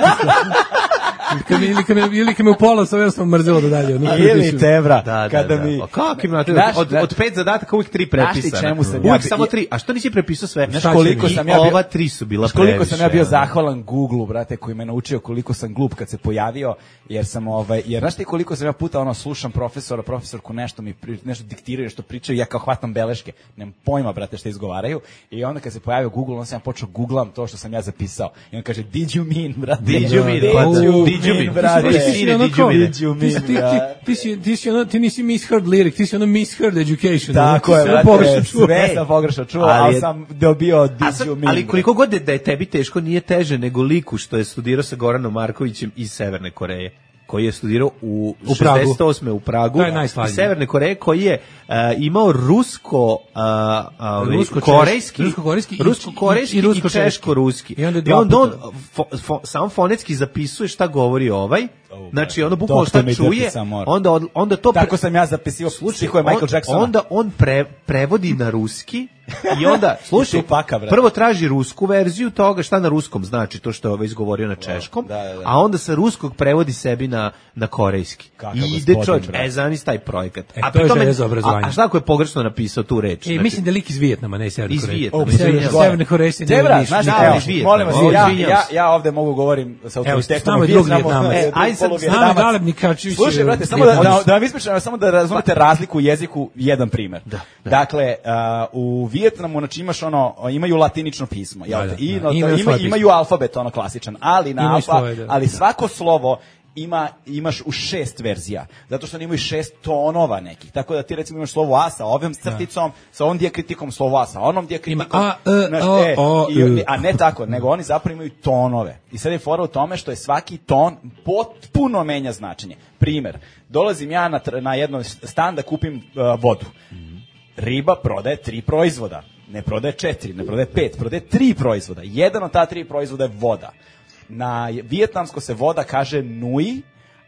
Kad mi, ili, kad me, ili kad me u pola sa sam mrzelo da dalje. ono, Ili prepišem. tebra, Da, da, kada da. mi... A kako imate? Znaš, Od, da- od pet zadataka uvijek tri Znaš ti prepisane. čemu sam Uvijek ja bi- samo tri. A što nisi prepisao sve? Znaš Šta će koliko mi? sam I ja bio... ova tri su bila Znaš koliko sam ja bio previše, ono. zahvalan Google-u, brate, koji me naučio koliko sam glup kad se pojavio, jer sam ovaj, jer znaš ti koliko sam ja puta ono slušam profesora, profesorku nešto mi pri, nešto diktiraju što pričaju, ja kao hvatam beleške, nemam pojma, brate, šta izgovaraju, i onda kad se pojavio Google, onda sam ja počeo googlam to što sam ja zapisao. I on kaže did you mean, brate? Did you mean, Did pa da. you Did you mean, mean? brate? Ti si- Ti si ono Did you kao- mean? Did you ti si- mean, ti- ti- da. ti si- ti si ono, ti nisi misheard lyric, ti si ono misheard education. Tako ono, je, ti si brate, pogrešno čuo. sve sam pogrešno čuo, Ali ali je- sam dobio did A sad, you mean. ali koliko god je da je tebi teško, nije teže nego liku što je studirao sa Goranom Markovićem iz Severne Koreje, koji je studirao u, U Pragu. šezdeset osme u Pragu, To je najslavnije. iz Severne Koreje, koji je uh, imao rusko, uh, uh, Rusko-češ- korejski, rusko-korejski i- rusko-korejski i- i i, rusko-češki. češko-ruski. I onda I dva onda on puta. fo, fo, sam fonetski zapisuje šta govori ovaj, Oh, znači brate, ono bukvalno doktor šta mi čuje, drpi sam mora. onda, od- onda to... pre- Tako sam ja zapisio stihove Michael on- Jacksona. Onda on pre, prevodi na ruski i onda, slušaj, Tupaka, brate. prvo traži rusku verziju toga šta na ruskom znači, to što je ovaj izgovorio na češkom, Da, da, da. a onda sa ruskog prevodi sebi na, na korejski. Kakav I ide gospodin, čovječ, brate. e, zanis taj projekat. E, a to je pri tome- želja za obrazovanje. A, a šta ako je pogrešno napisao tu reč? E, Znači, mislim da je lik iz Vijetnama, ne iz Severne Iz Koreje. Vijetnama, Iz Severne- izvinjavam. Severne Koreje se ne Debra, ništa. znaš, Da, evo, ali iz molim vas, Vijetnama, ja, izvinjavam ja, se. ja ovde mogu govorim sa autoritetom. s nama je Vi drug znamo- Vijetnamac. e, E, aj sad, polu s nama S nama je Vijetnamac. Galeb Nikačević. Slušaj, je- brate, samo da, da, Vijetnamac. da vam ispričam, samo da razumete razliku u jeziku, jedan primer. Dakle, uh, u Vijetnamu, znači imaš ono, imaju latinično pismo, jel Da, te? da, I, da. no, to- Imaju ima, svoje pismo. imaju alfabet, ono klasičan, ali, na Imaju alfa, svoje, da. ali svako slovo ima, imaš u šest verzija, zato što oni imaju šest tonova nekih, tako da ti recimo imaš slovo A sa ovim crticom, sa ovom dijakritikom, slovo A sa onom dijakritikom, Ima A, E, znaš, O, e, O, i oni- E. a ne tako, nego oni zapravo imaju tonove. I sad je fora u tome što je svaki ton potpuno menja značenje. Primer, dolazim ja na, tr- na jedno stan da kupim uh, vodu. Riba prodaje tri proizvoda. Ne prodaje četiri, ne prodaje pet, prodaje tri proizvoda. Jedan od ta tri proizvoda je voda. Na vijetnamsko se voda kaže nui,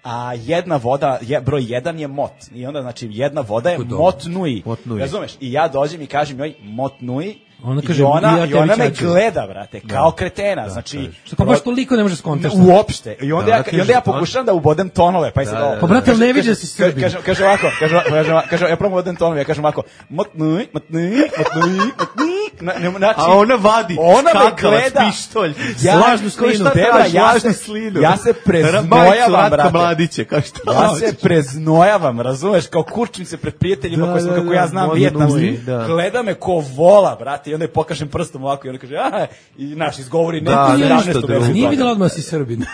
a jedna voda, je, broj jedan je mot. I onda, znači, jedna voda je Kako dobro. mot nui. Mot nui. Razumeš? I ja dođem i kažem joj mot nui, Ona i kaže, ona, ja i tebi ona me ćaću. gleda, brate, kao kretena. Znači, Što pa baš toliko ne može skontaš. uopšte. I onda, Da, ja, da i onda kaže, ja pokušam da ubodem tonove, pa je sad Da, da, ovo. da. Pa, brate, ali ne Kaže- vidiš da kaže- si Srbin. Kaže, kaže ovako, kaže, ovako, kaže, ovako, kaže, ja probam ubodem tonove, ja kažem ovako, motnuj, motnuj, motnuj, motnuj, na- ne- znači, A ona vadi ona me skakavac, gleda, pištolj, ja, vlažnu koji slinu, šta Debra, traži, ja vlažnu se- slinu. ja se preznojavam, Majicu Ratka brate. Mladića, kao što Ja hoćeš. se preznojavam, razumeš, kao kurčim se pred prijateljima Da, koji sam, da, kako da, ja znam modno vijetnamski. nui, da. Gleda me ko vola, brate, i onda je pokažem prstom ovako i onda kaže, aha, i naš izgovori Da, neku da, sedamnaestu ništa verziju drugo. Nije toga. videla odmah si Srbin.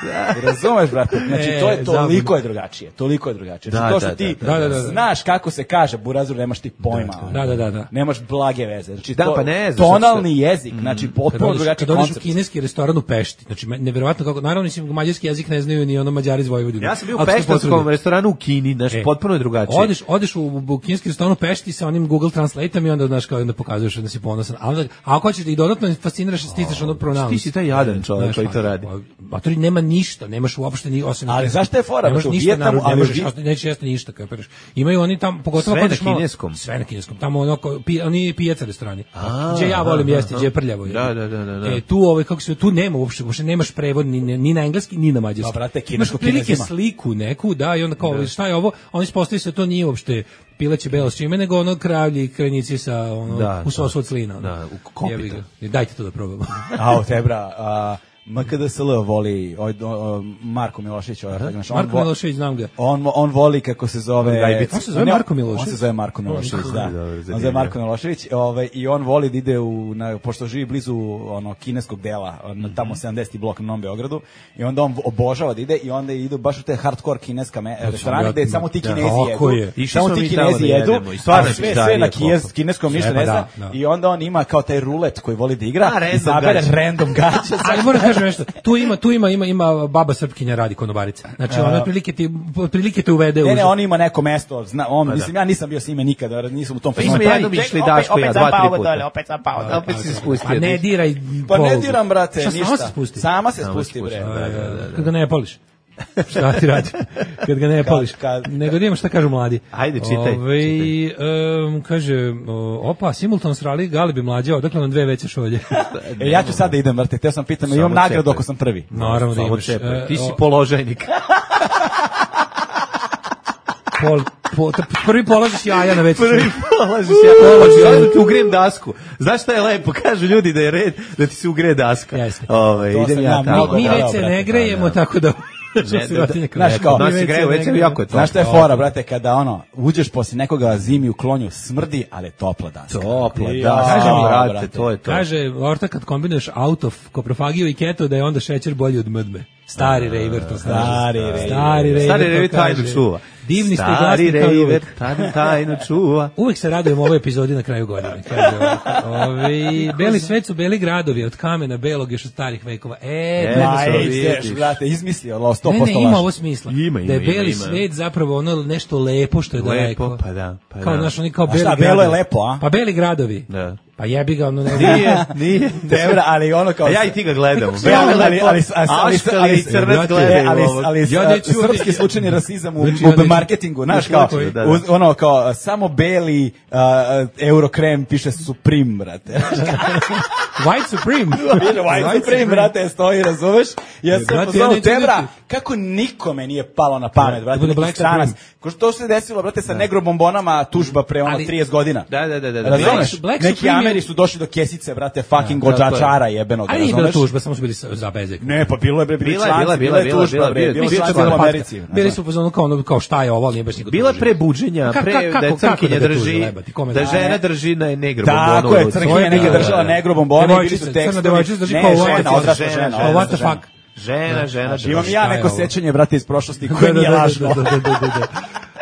Razumeš, brate? Znači, E, to je toliko zabavno. je drugačije. Toliko je drugačije. Da, Znači, to što da, ti da, da, da, da. znaš kako se kaže, burazur, nemaš ti pojma. ono. Da, da, da, da. Nemaš blage veze. Znači, Da, to, pa ne znaš tonalni jezik, znači, Kad potpuno odeš, drugačiji kad odeš u koncept. kineski restoran u Pešti, znači me- neverovatno kako, naravno mislim mađarski jezik ne znaju ni ono Mađari iz Vojvodine. Ja sam bio u Ako se peštanskom potvrdi. restoranu u Kini, znaš, E, potpuno je drugačije. Odeš, odeš u, u kineski restoran u Pešti sa onim Google Translate-om i onda, znaš, kao onda pokazuješ da si ponosan. A, onda, a ako hoćeš da ih dodatno fasciniraš, stisneš ono pronounce. Ti si taj jadan čovjek Znaš, koji to a- radi. A to nema ništa, nemaš uopšte ni osim. Ali zašto je fora? Nemaš U ništa Vijetnamu, narod, ne ali u možeš, Vi- jesti- nećeš jesti ništa, kapiraš. Imaju oni tamo, pogotovo Sve ako na odeš malo- kineskom? Sve na kineskom. Tamo ono, ko- pi, oni pijaca restorani. Gdje ja volim aha, jesti, gdje je prljavo. je. Da, da, da, da, da. E, tu, ovaj, kako se, tu nema uopšte, uopšte nemaš prevod ni, ni na engleski, ni na mađarski. Pa, brate, Imaš kinesko otprilike Kinezima. sliku neku, da, i onda kao, šta je ovo? Oni ispostavljaju se da to nije uopšte pileće belo s čime, nego ono kravlji krajnici sa ono, Da, u sosu od slina. ono. da, u kopita. Jebi ga. Dajte to da probamo. A, o tebra, a, M K D S L voli ovaj, o, Marko Milošević. Ovaj, znaš, on Marko vo- Milošević, znam ga. On, on voli kako se zove... Gajbica. On se zove Ne, Marko Milošević? On se zove Marko Milošević, da. Dobro, On se zanimljivo. zove Marko Milošević ovaj, i on voli da ide u, na, pošto živi blizu ono, kineskog dela, na tamo sedamdeseti blok na Novom Beogradu, i onda on obožava da ide i onda ide baš u te hardcore kineska me, restorane gde samo ti Da, Kinezi tako jedu. je. Išli Samo smo ti mi tamo Kinezi da jedu, jedemo i stvarno a je sve, pizzerija sve na koliko. kines, kineskom ništa Sve, ne pa zna. da, da. I onda on ima kao taj rulet koji voli da igra, A, random izabere gaće. random gaće. Ali moram da kažem nešto, tu ima, tu ima, ima, ima baba Srpkinja radi konobarica. Znači, ona otprilike ti, otprilike te uvede u... Ne, ne, on ima neko mesto, zna, on, mislim, ja nisam bio s njime nikada, nisam u tom Pa fazonu. smo jednom išli Daško i ja, dva, tri puta. Opet sam pao dole. Opet si spustio. Pa ne diraj Pa ne polugu. diram, brate, Šta, ništa. Sama se spusti? Sama se Sama spusti, spusti, bre. da, da, da. Kad ga ne poliš. Šta ti radi? Kad ga ne poliš. kad- Nego da imamo šta kažu mladi. Ajde, čitaj, Ovaj, em, kaže, o, opa, simultan srali, Galibi mlađa, odakle nam dve veće šolje. E, ja ću sad da idem, brate, teo sam pitam, Samo imam nagradu čekaj. ako sam prvi. Naravno da Samo imaš. čepaj. E, Ti si o, položajnik. pol, po, t- prvi položiš jaja na veću Prvi šolju. polažiš ja. Polažiš ja da ti ugrijem dasku. Znaš šta je lepo? Kažu ljudi da je red da ti se ugreje daska. Jeste. Ove, To idem sam ja ja tamo. mnogo Mi bravo, već se brate, ne grejemo, tako da... što sirotinja kaže. Znaš kao, Kod nas Mi se već greje, ne već se grejemo. jako je to. Znaš šta je fora, brate, kada ono, uđeš posle nekoga zimi u klonju, smrdi, ali je topla daska. Topla Ja, daska, Kaže mi, brate, brate. to je to. Kaže, Orta, kad kombinuješ autof, koprofagiju i keto, da je onda šećer bolji od mdme. Stari rejver to kaže. Stari rejver. Stari rejver Stari to rejver tajnu kaže. čuva. Divni ste i Stari glasni kao i rejver, uvek. tajnu, tajnu čuva. Uvek se radujem ovoj epizodi na kraju godine. Kaže ovako. Ovi, beli svet su beli gradovi, od kamena belog još od starih vekova. E, E, da, Ma, to ej, vidiš. ideš, brate, izmislio, lo, sto ne, posto ne, ima laž. ovo smisla. Ima, ima, da je ima, beli ima. svet zapravo ono nešto lepo što je daleko. Lepo, pa da, pa Kao, da. znaš, oni kao A beli šta, gradovi. belo je lepo, a? Pa beli gradovi. Da. Pa jebi ga, ono ne Nije, nije. Dobra, ali ono kao... A ja i ti ga gledamo. Ne, ali, ali, ali, ali, ali, Aškali ali, i crnac ali, gledaju ali, ovog. ali, Ja neću- srpski slučajni rasizam u, Znači, ja u neću- marketingu, znaš, kao, Da, da. uz- ono, kao, samo beli uh, Eurokrem piše Supreme, brate. White Supreme. Piše White Supreme, brate, stoji, razumeš? Ja sam Brate, pozvao ja neću Tebra, biti. kako nikome nije palo na pamet, brate, bude neki Black stranac. Supreme. Ko što se desilo, brate, sa negrobombonama, tužba pre ono Ali- trideset godina. Da, da, da, da. da. Razumeš? Black- Black Neki Supreme je- Ameri su došli do kesice, brate, fucking Da, tako je. gođačara jebenog, Ali nije bila razumeš? tužba, samo su bili sa- za bezek. Ne, pa bilo je, bre, bili Bila je, članci, bila je, bila je bila je, tužba, bila je, bre, bila je. bilo Mislim, članci bila u je Americi. patka. Bili su u fazonu kao, ono, kao šta je ovo, ali nije baš niko Bila je tužio. pre buđenja, Ka- pre ka- da je kako- kako crnkinja da ga tuže, drži, jebati, kome da da- žena drži na negro Tako bombonu je, u ruci. crnkinja To je neke bilo, držala da, da. negro bombone, bili su Devojčica, tekstovi. crna devojčica drži Ne, kao žena, what- odrasla žena, žena. žena, What the odrasla fuck? Žena, žena, Imam drži. ja Šta je neko ovo? sećanje, brate, iz prošlosti Da, koje da, nije da, lažno. da, da, da, da, da.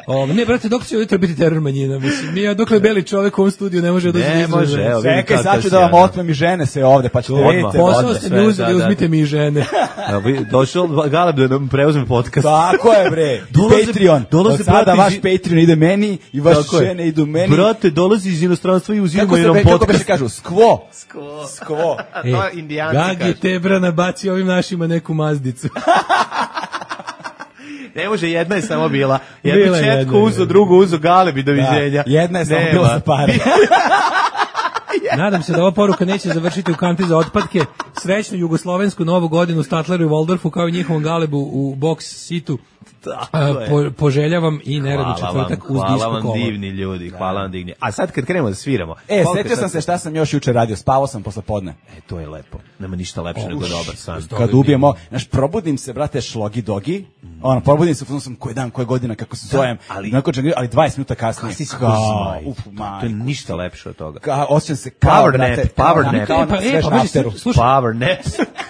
O, ne, brate, dok će ujutro biti teror manjina, mislim. Mi, dokle beli čovjek u ovom studiju ne može da dođe Ne do izražaja. može, evo, vidim Čekaj, kakav sad ću si, da vam ono. otmem i žene se ovde, pa ćete Odmah. vidjeti. Posao odmah, ste sve, mi uzeli, da, da. uzmite mi i žene. Evo, vi- Došao Galeb da nam preuzme podcast. Tako je, bre. Dolaze- Patreon. dolaze Od sada brati vaš iz- Patreon ide meni i vaše Tako je. žene idu meni. Brate, dolazi iz inostranstva i Kako uzimaju se nam be- kako podcast. beše kažu? Skvo. Skvo. Skvo. A to indijanci Gagi kažu. Tebra nabaci ovim našima neku mazdicu. Ne može, jedna je samo bila. Bila Jednu je četku jedna, uzo, jedna. drugu uzo, Galeb i doviđenja. Da, jedna je samo Nema. bila za pare. Nadam se da ova poruka neće završiti u kanti za otpadke. Srećnu jugoslovensku novu godinu u Statleru i Waldorfu kao i njihovom Galebu u box situ. Tako A, je. po, poželjavam i neradni Hvala vam, četvrtak uz hvala disku vam kola. divni ljudi, hvala vam divni. A sad kad krenemo da sviramo. E, koliko setio sam sad- se šta sam još juče radio, spavao sam posle podne. E, to je lepo. Nema ništa lepše nego dobar san. Kad ubijemo, znaš, probudim se, brate, šlogi dogi, ono, probudim se, sam koji dan, koja godina, kako se zovem, ali- ali, ali dvadeset minuta kasnije. Kasi si kao, zmaj. uf, To je majko. ništa lepše od toga. Ka, osjećam se kao, Power brate, nap, kao power na- nap. kao E, pa, na e, svežem pa, pazi, afteru. slušaj, Power nap.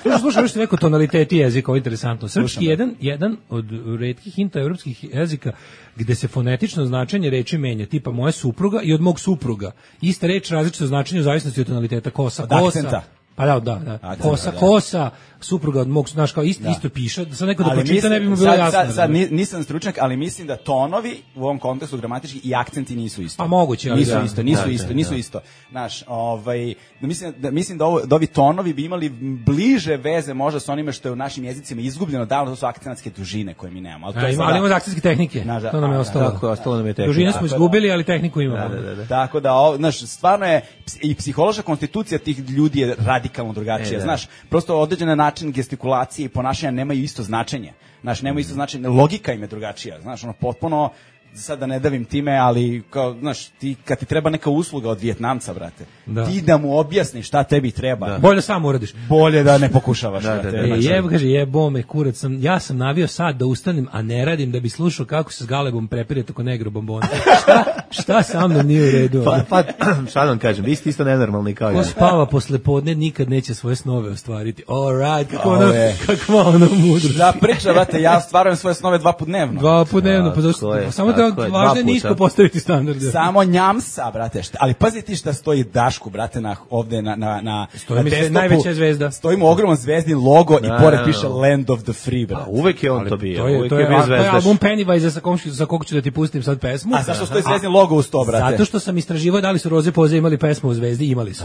Slušaj, slušaj, još neko tonaliteti jezika, ovo je interesantno. Srpski je jedan, jedan od retkih indoevropskih jezika gde se fonetično značenje reči menja, tipa moja supruga i od mog supruga. Ista reč, različito značenje u zavisnosti od tonaliteta, kosa, Od kosa. akcenta. Pa da, da, da. Akcenta, Kosa, da. kosa, supruga od mog, znaš, kao isto, isto piše, da sad neko da Ali pročita mislim- ne bi mu bilo sad, jasno. Sad, sad razumeš? ni- nisam stručnjak, ali mislim da tonovi u ovom kontekstu gramatički i akcenti nisu isto. Pa moguće, ali nisu da. isto, nisu Da, da, isto, da. nisu isto. Znaš, ovaj, da mislim da mislim da, ovo, da ovi tonovi bi imali bliže veze možda sa onime što je u našim jezicima izgubljeno davno, to su akcentske dužine koje mi nemamo. Ali to A, je ima, sada- ali imamo akcijske tehnike, Znaš, da, to nam je a, ostalo. Tako je, ostalo nam je tehnika. Dužine smo izgubili, ali tehniku imamo. Da, da, da. Tako da, ovo, znaš, stvarno je ps- i psihološka konstitucija tih ljudi je radikalno drugačija. E, da. Znaš, prosto određen način gestikulacije i ponašanja nemaju isto značenje. Znaš, nemaju isto značenje, logika im je drugačija. Znaš, ono, potpuno sad da ne davim time, ali kao, znaš, ti, kad ti treba neka usluga od Vijetnamca, brate, Da. ti da mu objasniš šta tebi treba. Bolje da sam uradiš. Bolje da ne pokušavaš. Da, brate. da, da. E, Znači, jeb, kaže, jebo me, kurac sam, ja sam navio sad da ustanem, a ne radim da bi slušao kako se s Galebom prepire toko negro bombona. šta, šta sa mnom nije u redu? Pa, pa šta da vam kažem, vi ste isto nenormalni kao Ko ja. spava posle podne nikad neće svoje snove ostvariti. All right, kako Ovo ono, je. kakva ono mudrost. Da priča, brate, ja stvarujem svoje snove dva put dnevno. Dva put dnevno, pa Tako zašto? je, Samo tako da je, dva važno je puta. nisko postaviti standarde. Samo njamsa, brate. Šta, ali pazi ti šta stoji Dašku, brate, na, ovde na, na, na, Stoji na mi se desktopu. najveća zvezda. Stoji mu ogroman zvezdin logo Da, i pored da, piše da. Land of the Free, brate. A uvek je on Ali to bio, to je, uvek to je je, bio a, to je zvezdaš. album Pennywise sa kog, sa kog ću da ti pustim sad pesmu. A zašto stoji zvezdin logo uz to, brate? Zato što sam istraživao da li su Roze Poze imali pesmu u Zvezdi, imali su.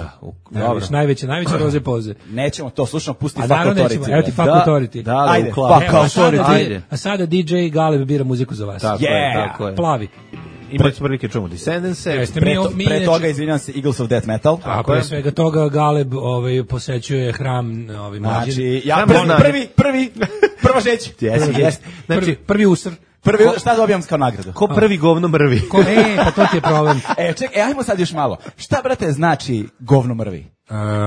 dobro. Najveće, najveće Roze Poze. Nećemo to, slušamo, pusti A Fuck naravno Authority. nećemo, evo ti brate. Fuck Da, Authority. da, da, Ajde, u klavu. fuck Evo, a sada, Authority. Ajde. a sada D J Galeb bira muziku za vas. Tako je, Yeah. tako je. Plavi. Imali smo prilike čumu Descendants-e. Jeste, Pre, mi, to, mi pre inače- toga, izvinjam se, Eagles of Death Metal. A pre svega toga Galeb ovaj, posećuje hram ovaj, mlađe. Znači, ja Samo prvi, znanje. prvi, prvi, prva žeć. Jesi, jesi. Prvi, Znači, prvi usr. Prvi, šta dobijam kao nagradu? ko prvi govno mrvi. Ko, e, pa to ti je problem. E, ček, e, ajmo sad još malo. Šta, brate, znači govno mrvi?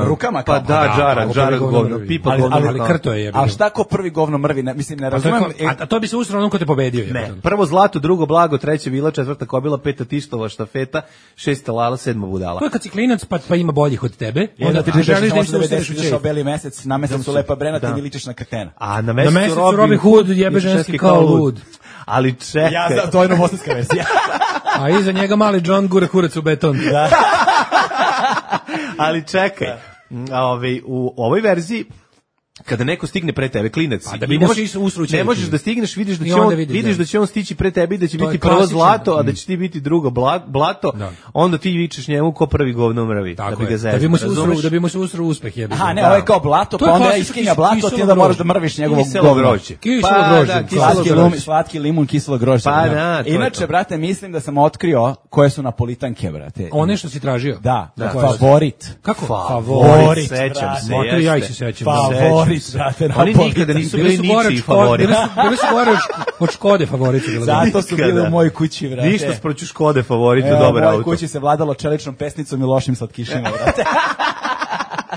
Rukama kao? Pa da, džara, ko džara prvi govno govno, mrvi. pipa Ali- govno. Ali, mrvi. ali krto je. Ali šta ko prvi govno mrvi? Ne, mislim, ne A to, je razumem. ko- a, a to bi se usrao onom ko te pobedio. Ne, jebote. prvo zlato, drugo blago, treće vila, četvrta kobila, peta tištova štafeta, šesta lala, sedma budala. To je kad si klinac pa, pa ima boljih od tebe. Onda ti a želiš da im se devedeset ustereš u izašao čep. beli mesec, na mesecu lepa brena, ti Da. mi ličiš na kretena. A na Na mesecu, mesecu Robin Hood jebe ženski kao lud. Ali čekaj. Ja znam, to je novosadska verzija. A iza njega mali John gura kurac u beton. Ali čekaj. A ovaj, u ovoj verziji kada neko stigne pre tebe, klinac, A da i bi ne mu možeš- se usru u ne čelik. možeš da stigneš, vidiš da I će onda on vidiš, vidiš da. da će on stići pre tebe i da će To je biti prvo klasično. zlato, a da Mm. će ti biti drugo bla- blato, Da. onda ti vičeš njemu ko prvi govno mrvi, da Tako bi ga je. zezao. Da bi mu se usro, razumeš? da bi mu se usro uspeh jebe. Aha, ne, Da. ovo je kao blato, To pa je onda ja klasično iskinja kis- blato, ti kiselo onda moraš grožđe. da mrviš njegovo Kiselo govno. grožđe. Kiselo Pa, grožđe, da, kiselo Slatki, grožđe. lum, slatki limun, kiselo grožđe. Pa da, to je Inače, to. brate, mislim da sam otkrio koje su napolitanke, brate. One što si tražio. Da, Da. favorit. Kako? Favorit, sećam brate. se. Ma, to i ja ih jeste. se sećam. Favorit, Sećam se. brate, Oni napolitanke. nikada nisu Bili bili su gore od ničiji Škode, favorit. bili su, bili su gore od Šk- od Škode favoriti. bili. Zato su bili Nikada. u mojoj kući, brate. Ništa sproću Škode favorit, Evo, dobar u mojoj auto. kući se vladalo čeličnom pesnicom i lošim slatkišima, brate.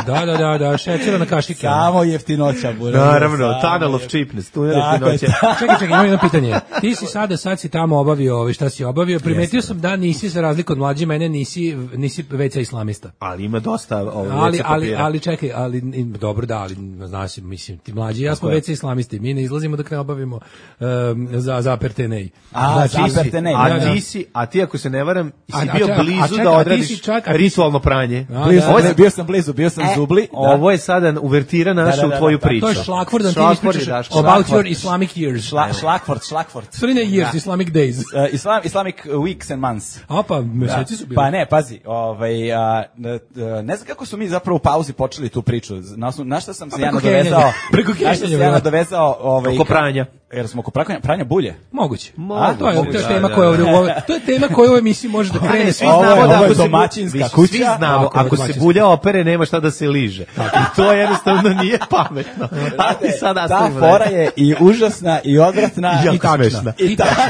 Da, da, da, da, šećera na kašike. Samo jeftinoća, bude. Naravno, tunnel of cheapness, tunel Tako je, jeftinoće. Čekaj, čekaj, imam jedno pitanje. Ti si sada, sad si tamo obavio ovaj, šta si obavio. Primetio sam da nisi, za razliku od mlađe mene, nisi, nisi veća islamista. Ali ima dosta ovaj, Ali, veca ali, papira. ali čekaj, ali i- dobro da, ali znaš, mislim, ti mlađi i ja smo je. veća islamisti. Mi ne izlazimo dok ne obavimo um, za zaperte nej. A, Ti si- zaperte nej, a da, da. ti si, a ti ako se ne varam, si A- a bio čekaj, a blizu čekaj, da a ti odradiš si čak- a ti si- ritualno pranje. A, Bio da, sam, da. bio sam blizu, bio sam E, zubli. da. Ovo je sada uvertira naša Da, da, da, u tvoju da, priču. To je šlakvordan, ti Šlakvord je ispričaš Daško. about Šlakvord. your Islamic years. Šla, šlakfort, šlakfort. Sorry, ne years, Islamic days. Uh, Islam, Islamic weeks and months. A pa, Da. meseci su bili. Pa ne, pazi, ovaj, a, n- n- ne znam kako su mi zapravo u pauzi počeli tu priču. Na, osnovu- na šta sam se A ja preko nadovezao? kenjanja. Preko Na šta sam se kenjanja, ja da. nadovezao? Ovaj, Oko pranja. Jer smo oko pranja, pranja bulje. Moguće. Moguće, A, to je, to je da, tema da, koja da. ovde, u ovoj- to je tema koja u ovoj emisiji može da krene. Ne, svi Ovo je- znamo da ovo je ako se bu- domaćinska više, kuća. Svi znamo, Tako je, ako se domaćinska. bulja opere, nema šta da se liže. I to jednostavno nije pametno. Ali sad Ta nastavimo fora dalje. je i užasna i odvratna I jako i tačna. smešna. I tačna.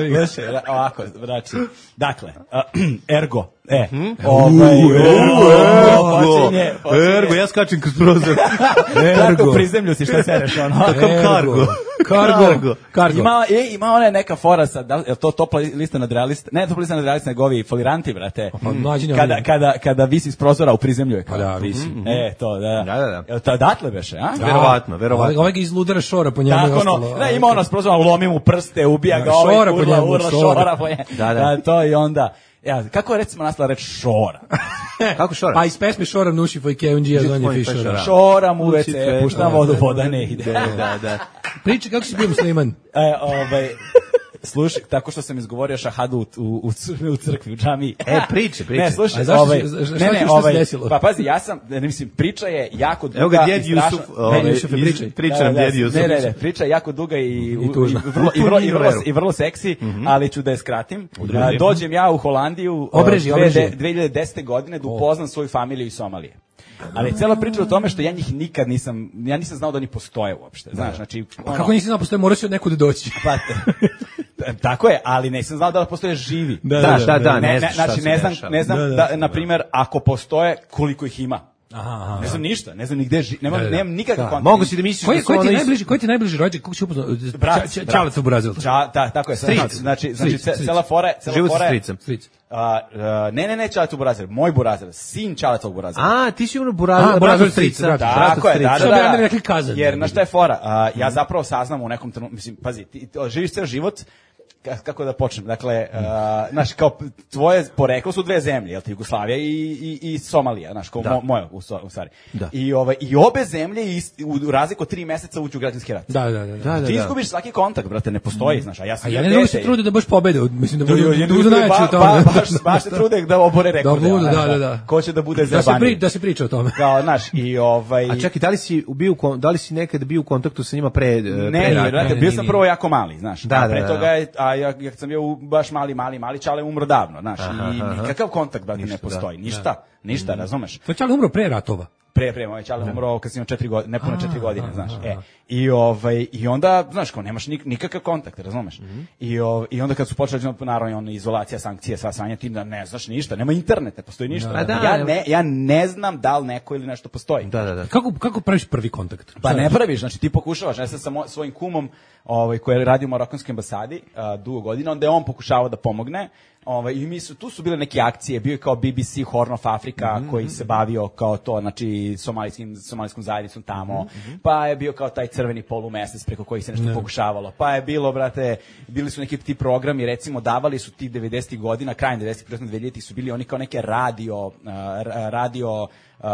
Znaš, ovako, znači, dakle, ergo, e, ovaj, Ergo, počinje, počinje. ergo, ja skačem kroz prozor. Tako u prizemlju si šta sereš, ono. Kakav kargo. Kargo. Kargo. Ima, e, ima ona neka fora sad, da, je to topla lista nadrealista, ne topla lista nadrealista, nego ovi foliranti, brate. Pa, mlađi ne Kada, oni. kada, kada visi iz prozora u prizemlju je kao. Pa da, visi. E, to, da. Da, da, da. Jel to odatle beše, a? Verovatno, verovatno. Ovaj, ovaj ga izludara šora po njemu. i Tako ono, ostalo. ne, ima ono s prozora, lomi mu prste, ubija ga, Da, ovaj, šora po urla, njemu, urla, šora. šora po njemu. Da, da. To i onda, ja, kako je recimo nastala reč šora? Kako šora? Pa iz pesme Šora nuši foj keunđija Žit zvanje tvoj fišora. fešora. Šoram u Uci ve ce, cvet, puštam da, vodu, da, voda ne ide. Da, da, da. Priči kako si bio musliman. E, ovaj, slušaj, tako što sam izgovorio šahadu u, u, u, cr- u crkvi, u džamiji. E, priče, priče. Ne, slušaj, A zašto ovaj, si- za- za- ne, šta ne, ti šta se ovaj, desilo? pa pazi, ja sam, ne, mislim, priča je jako duga Evo ga djed i strašna. Jusuf, Ne, ovaj, Jusufe, iz- pričaj. priča Da, nam da, djed Jusuf. Ne, ne, ne, priča je jako duga i, I tužna. i, vrlo, i, vrlo, i, vrlo, Veru. i vrlo seksi, ali ću da je skratim. A, dođem ja u Holandiju Obreži, uh, obreži. dve hiljade desete godine da upoznam svoju familiju iz Somalije. Ali je cela priča o tome što ja njih nikad nisam, ja nisam znao da oni postoje uopšte, znaš, znači... Pa kako nisi znao postoje, moraš od nekud doći. Pa, tako je, ali nisam znao da postoje živi. Da, da, da, da, ne, ne, znaš šta znači, se ne znam, dešava. ne znam Da, da, da, na primjer, ako postoje, koliko ih ima. Aha, aha. Ne znam ništa, ne znam ni gde živi, nemam, Da, da, da. nemam nikakav Da, kontakt. mogu si da misliš Koji da su koji ti ono je iz- najbliži, koji ti je najbliži rođak, kako si upoznao? Brat, Ča- brat. Čalac u Brazil. Ča, da, tako je. Stric. Znači, znači, znači Stric, ce- stric. cela fora, cela Život sa fora je- stricem. Stric. A, a, ne, ne, ne, Čalecov Burazir, moj Burazir, sin Čalecov Burazir. A, ti si ono A, Burazir, Burazir brat stric, strica. brat. brat Tako je, da, strica. da, Što bi da. onda rekli kazan. Jer, na šta je fora? A, ja zapravo saznam u nekom trenutku, mislim, pazi, ti ti živiš ceo život, ka- kako da počnem, dakle, a, znaš, kao tvoje poreklo su dve zemlje, jel ti, Jugoslavija i, i, i Somalija, znaš, kao Da. mo, moja, u, sto- u stvari. Da. I, ovaj, I obe zemlje ist, u, u razliku od tri meseca uđu u građanski rat. Da, da, da. da. Da, da, Ti da. izgubiš svaki kontakt, brate, ne postoji, znaš, a ja A sam ja bio ne mogu dete se i- trude da baš pobede, mislim da budu Jo, jo, jedni budu drugi, najjači u ba- tome. ba- baš, baš se trude da obore rekorde. budu, znaš, da, da, da. Ko će da bude Da se zajebaniji. pri, da se priča o tome. Kao, znaš, i ovaj... A čekaj, da li si bio, u kon- da li si nekad bio u kontaktu sa njima pre, Ne, pre ne, rata? brate, ne, bio ne, sam ne. prvo jako mali, znaš. Da, a da, pre da, toga da. je, a ja, ja kad sam bio u baš mali, mali, mali, Čale umro davno, znaš. Aha, I aha. nikakav kontakt, brate, ne Ništa, postoji. da. Ništa, ništa, razumeš? To je Čale umro pre ratova. Pre, pre, moj Čale umro kad sam imao četiri godine, nepune četiri godine, znaš. E, i, ovaj, I onda, znaš, kao, nemaš nik, nikakav kontakt, razumeš? I, ov, I onda kad su počeli, naravno, ono, izolacija, sankcije, sva sranja, ti da ne znaš ništa, nema internet, ne postoji ništa. Da, da. ja, ne, ja ne znam da li neko ili nešto postoji. Da, da, da. Kako kako praviš prvi kontakt? Pa ne praviš, znači ti pokušavaš, ja sam sa mo- svojim kumom, ovaj koji radi u marokanskoj ambasadi, a, dugo godina, onda je on pokušavao da pomogne. Ovaj i mi su tu su bile neke akcije, bio je kao B B C Horn of Africa koji se bavio kao to, znači somalijskim somalijskom zajednicom tamo. Pa je bio kao taj crveni polumesec preko kojih se nešto pokušavalo. Pa je bilo, brate, bili su neki ti programi, recimo davali su ti devedesetih godina, krajem devedesetih, početkom dvehiljaditih su bili oni kao neke radio a, ra- radio a,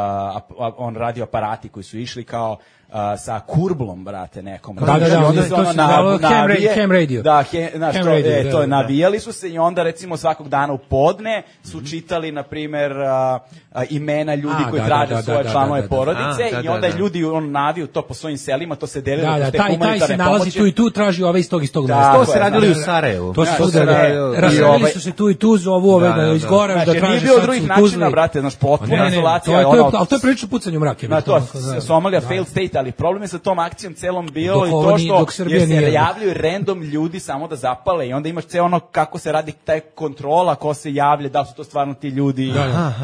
a- on radio aparati koji su išli kao a, sa kurblom, brate, nekom. Da, da, da, I onda oni- se to ono se zvalo nav- ham ra- navije- ham radio. Da, he, znaš, Ham to, radio, e, da, to je da. navijali su se i onda recimo svakog dana u podne su čitali, na primer, a, a, imena ljudi A, koji da, traže da, da, svoje da, članove da, da, da. porodice A, da, i da, onda da. ljudi on naviju to po svojim selima, to se delilo Da, da, kroz te taj taj humanitarne se nalazi pomoći. tu i tu, traži ove iz tog iz tog Da, mesta. To Tako se je, radili znaš, u Sarajevu. To se Znaš, svugde to se radi. radi. I Raselili ovaj- su se tu i tu, zovu ove Da, da, da, iz da. Gora, Znači, da nije traže bilo sad drugih su načina, Tuzli. brate, znaš, potpuna Ne, ne, ne, izolacija. to je, to ono- je, ali to je prilično pucanje u mrake. Na to, da. Somalija Da. failed state, ali problem je sa tom akcijom celom bilo Dok i ovo to nije- što dok Srbija jer se nije. javljaju random ljudi samo da zapale i onda imaš ceo ono kako se radi taj kontrola, ko se javlja, da li su to stvarno ti ljudi.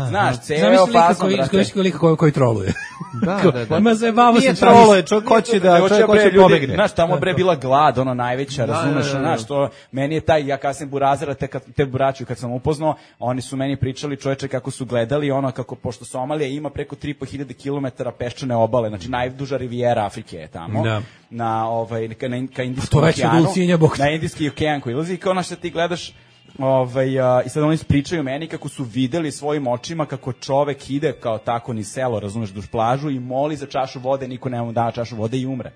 Znaš, ceo Zamisli lika fazon, koji, brate. zamisli lika koji, koji troluje. Da, da, da. Ma zajebavao Nije se trolo je, čovjek hoće da, Nego čovjek bre, hoće ljudi, pobegne. Znaš, tamo bre bila glad, ono najveća, Da, razumeš, da, da, da. znaš, to meni je taj, ja kasnije Burazira, te, kad, te braću kad sam upoznao, oni su meni pričali, čoveče, kako su gledali, ono, kako, pošto Somalija ima preko tri i po hiljade kilometara peščane obale, znači najduža rivijera Afrike je tamo, Da. na, ovaj, ka, na, ka Indijskom to već od okeanu, Ulcinja, bog te. na Indijski okean koji ilazi, i kao ono što ti gledaš, ovaj, a, i sad oni pričaju meni kako su videli svojim očima kako čovek ide kao tako ni selo, razumeš, duž plažu i moli za čašu vode, niko ne mu da čašu vode i umre.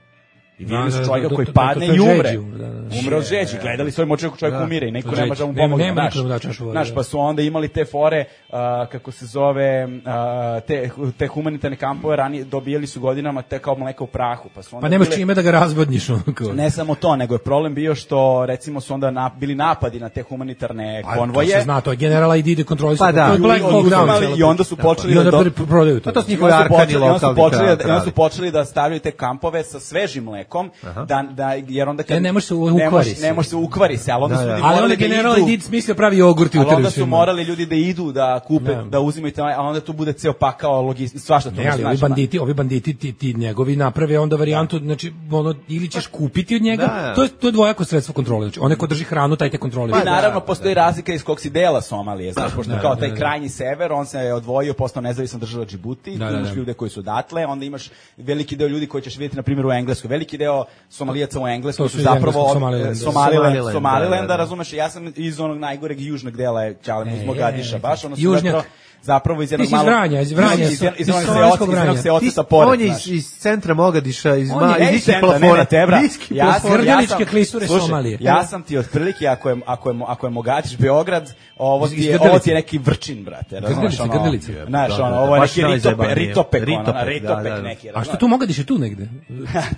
I videli Da, su da, čovjeka da, koji to- to- padne to je i umre. žeđi, da, da. Umre od žeđi. Gledali svojim očima kako čovjek Da. umire i niko Od ne žeđi. može da mu Nema- pomogne. nema Znaš, niko da mu da čašu vode, znaš, da. pa su onda imali te fore, a, kako se zove, a, te, te humanitarne kampove, ranije dobijali su godinama te kao mleka u prahu. Pa, su onda Pa nemaš bile- čime da ga razvodniš. ono kao. ne samo to, nego je problem bio što recimo su onda na, bili napadi na te humanitarne A, konvoje. To se zna, to je general I D ide kontroli. Pa da. To je Black I- Hawk i- Down. i- cijela I onda priča. su počeli I onda da- pr- prodaju to. Pa to su I njihovi onda su arkani počeli- onda su lokalni počeli da- kralji. onda su počeli da stavljaju te kampove sa svežim mlekom, da, da, jer onda kad... E, ne može se u- ne ukvari može- se. Ne može se ukvari se, ali onda Da, su da. ljudi Ali morali onda da general idu... I D smislio pravi jogurt i Ali uteraju onda su svima. morali ljudi da idu, da kupe, Da. da uzimaju te, a onda tu bude ceo pakao logistički, svašta to. Ne, ali ovi banditi, ovi banditi ti, ti njegovi naprave onda varijantu, znači ono ili ćeš kupiti od njega, Da, da. to je to je dvojako sredstvo kontrole. Znači onaj ko drži hranu, taj te kontroliše. I naravno postoji razlika iz kog si dela Somalije, znaš, pošto Da, kao da, taj da. krajnji sever, on se je odvojio, postao nezavisna država Džibuti, Da, tu da, imaš da. ljude koji su odatle, onda imaš veliki deo ljudi koji ćeš vidjeti na primjer u Engleskoj, veliki deo Somalijaca u Engleskoj To su su iz zapravo engleskog od- Somalilanda. Somaliland, Somaliland, Somalilanda, da, da, da. razumeš, ja sam iz onog najgoreg južnog dela Čalema, iz E, Mogadiša, baš ono su južnjak. zapravo zapravo iz jednog Ti si iz malog... Vranja, iz Vranja, iz, iz, iz, iz onog somalijskog seoca- iz onog Vranja. seoca Ti- sa pored, on je znaš. iz, iz centra Mogadiša, iz, On ma, je iz iz niskih centra, ne, plafona. ne, tebra. Niski Ja sam, plafon. ja Grdeličke sam, klisure slušaj, Somalije. ja sam ti otprilike, ako je, ako je, ako je Mogadiš Beograd, ovo Iz- ti iz je, Grdelice. ovo ti je neki Vrčin, brate. razumeš, Grdelice, ono, Grdelice. Znaš, Da, da, ono, da, ovo je baš neki ritopek, najzajebanije. ritopek, ono, Ritopek, ritopek da, da. neki. A što tu Mogadiš je tu negde?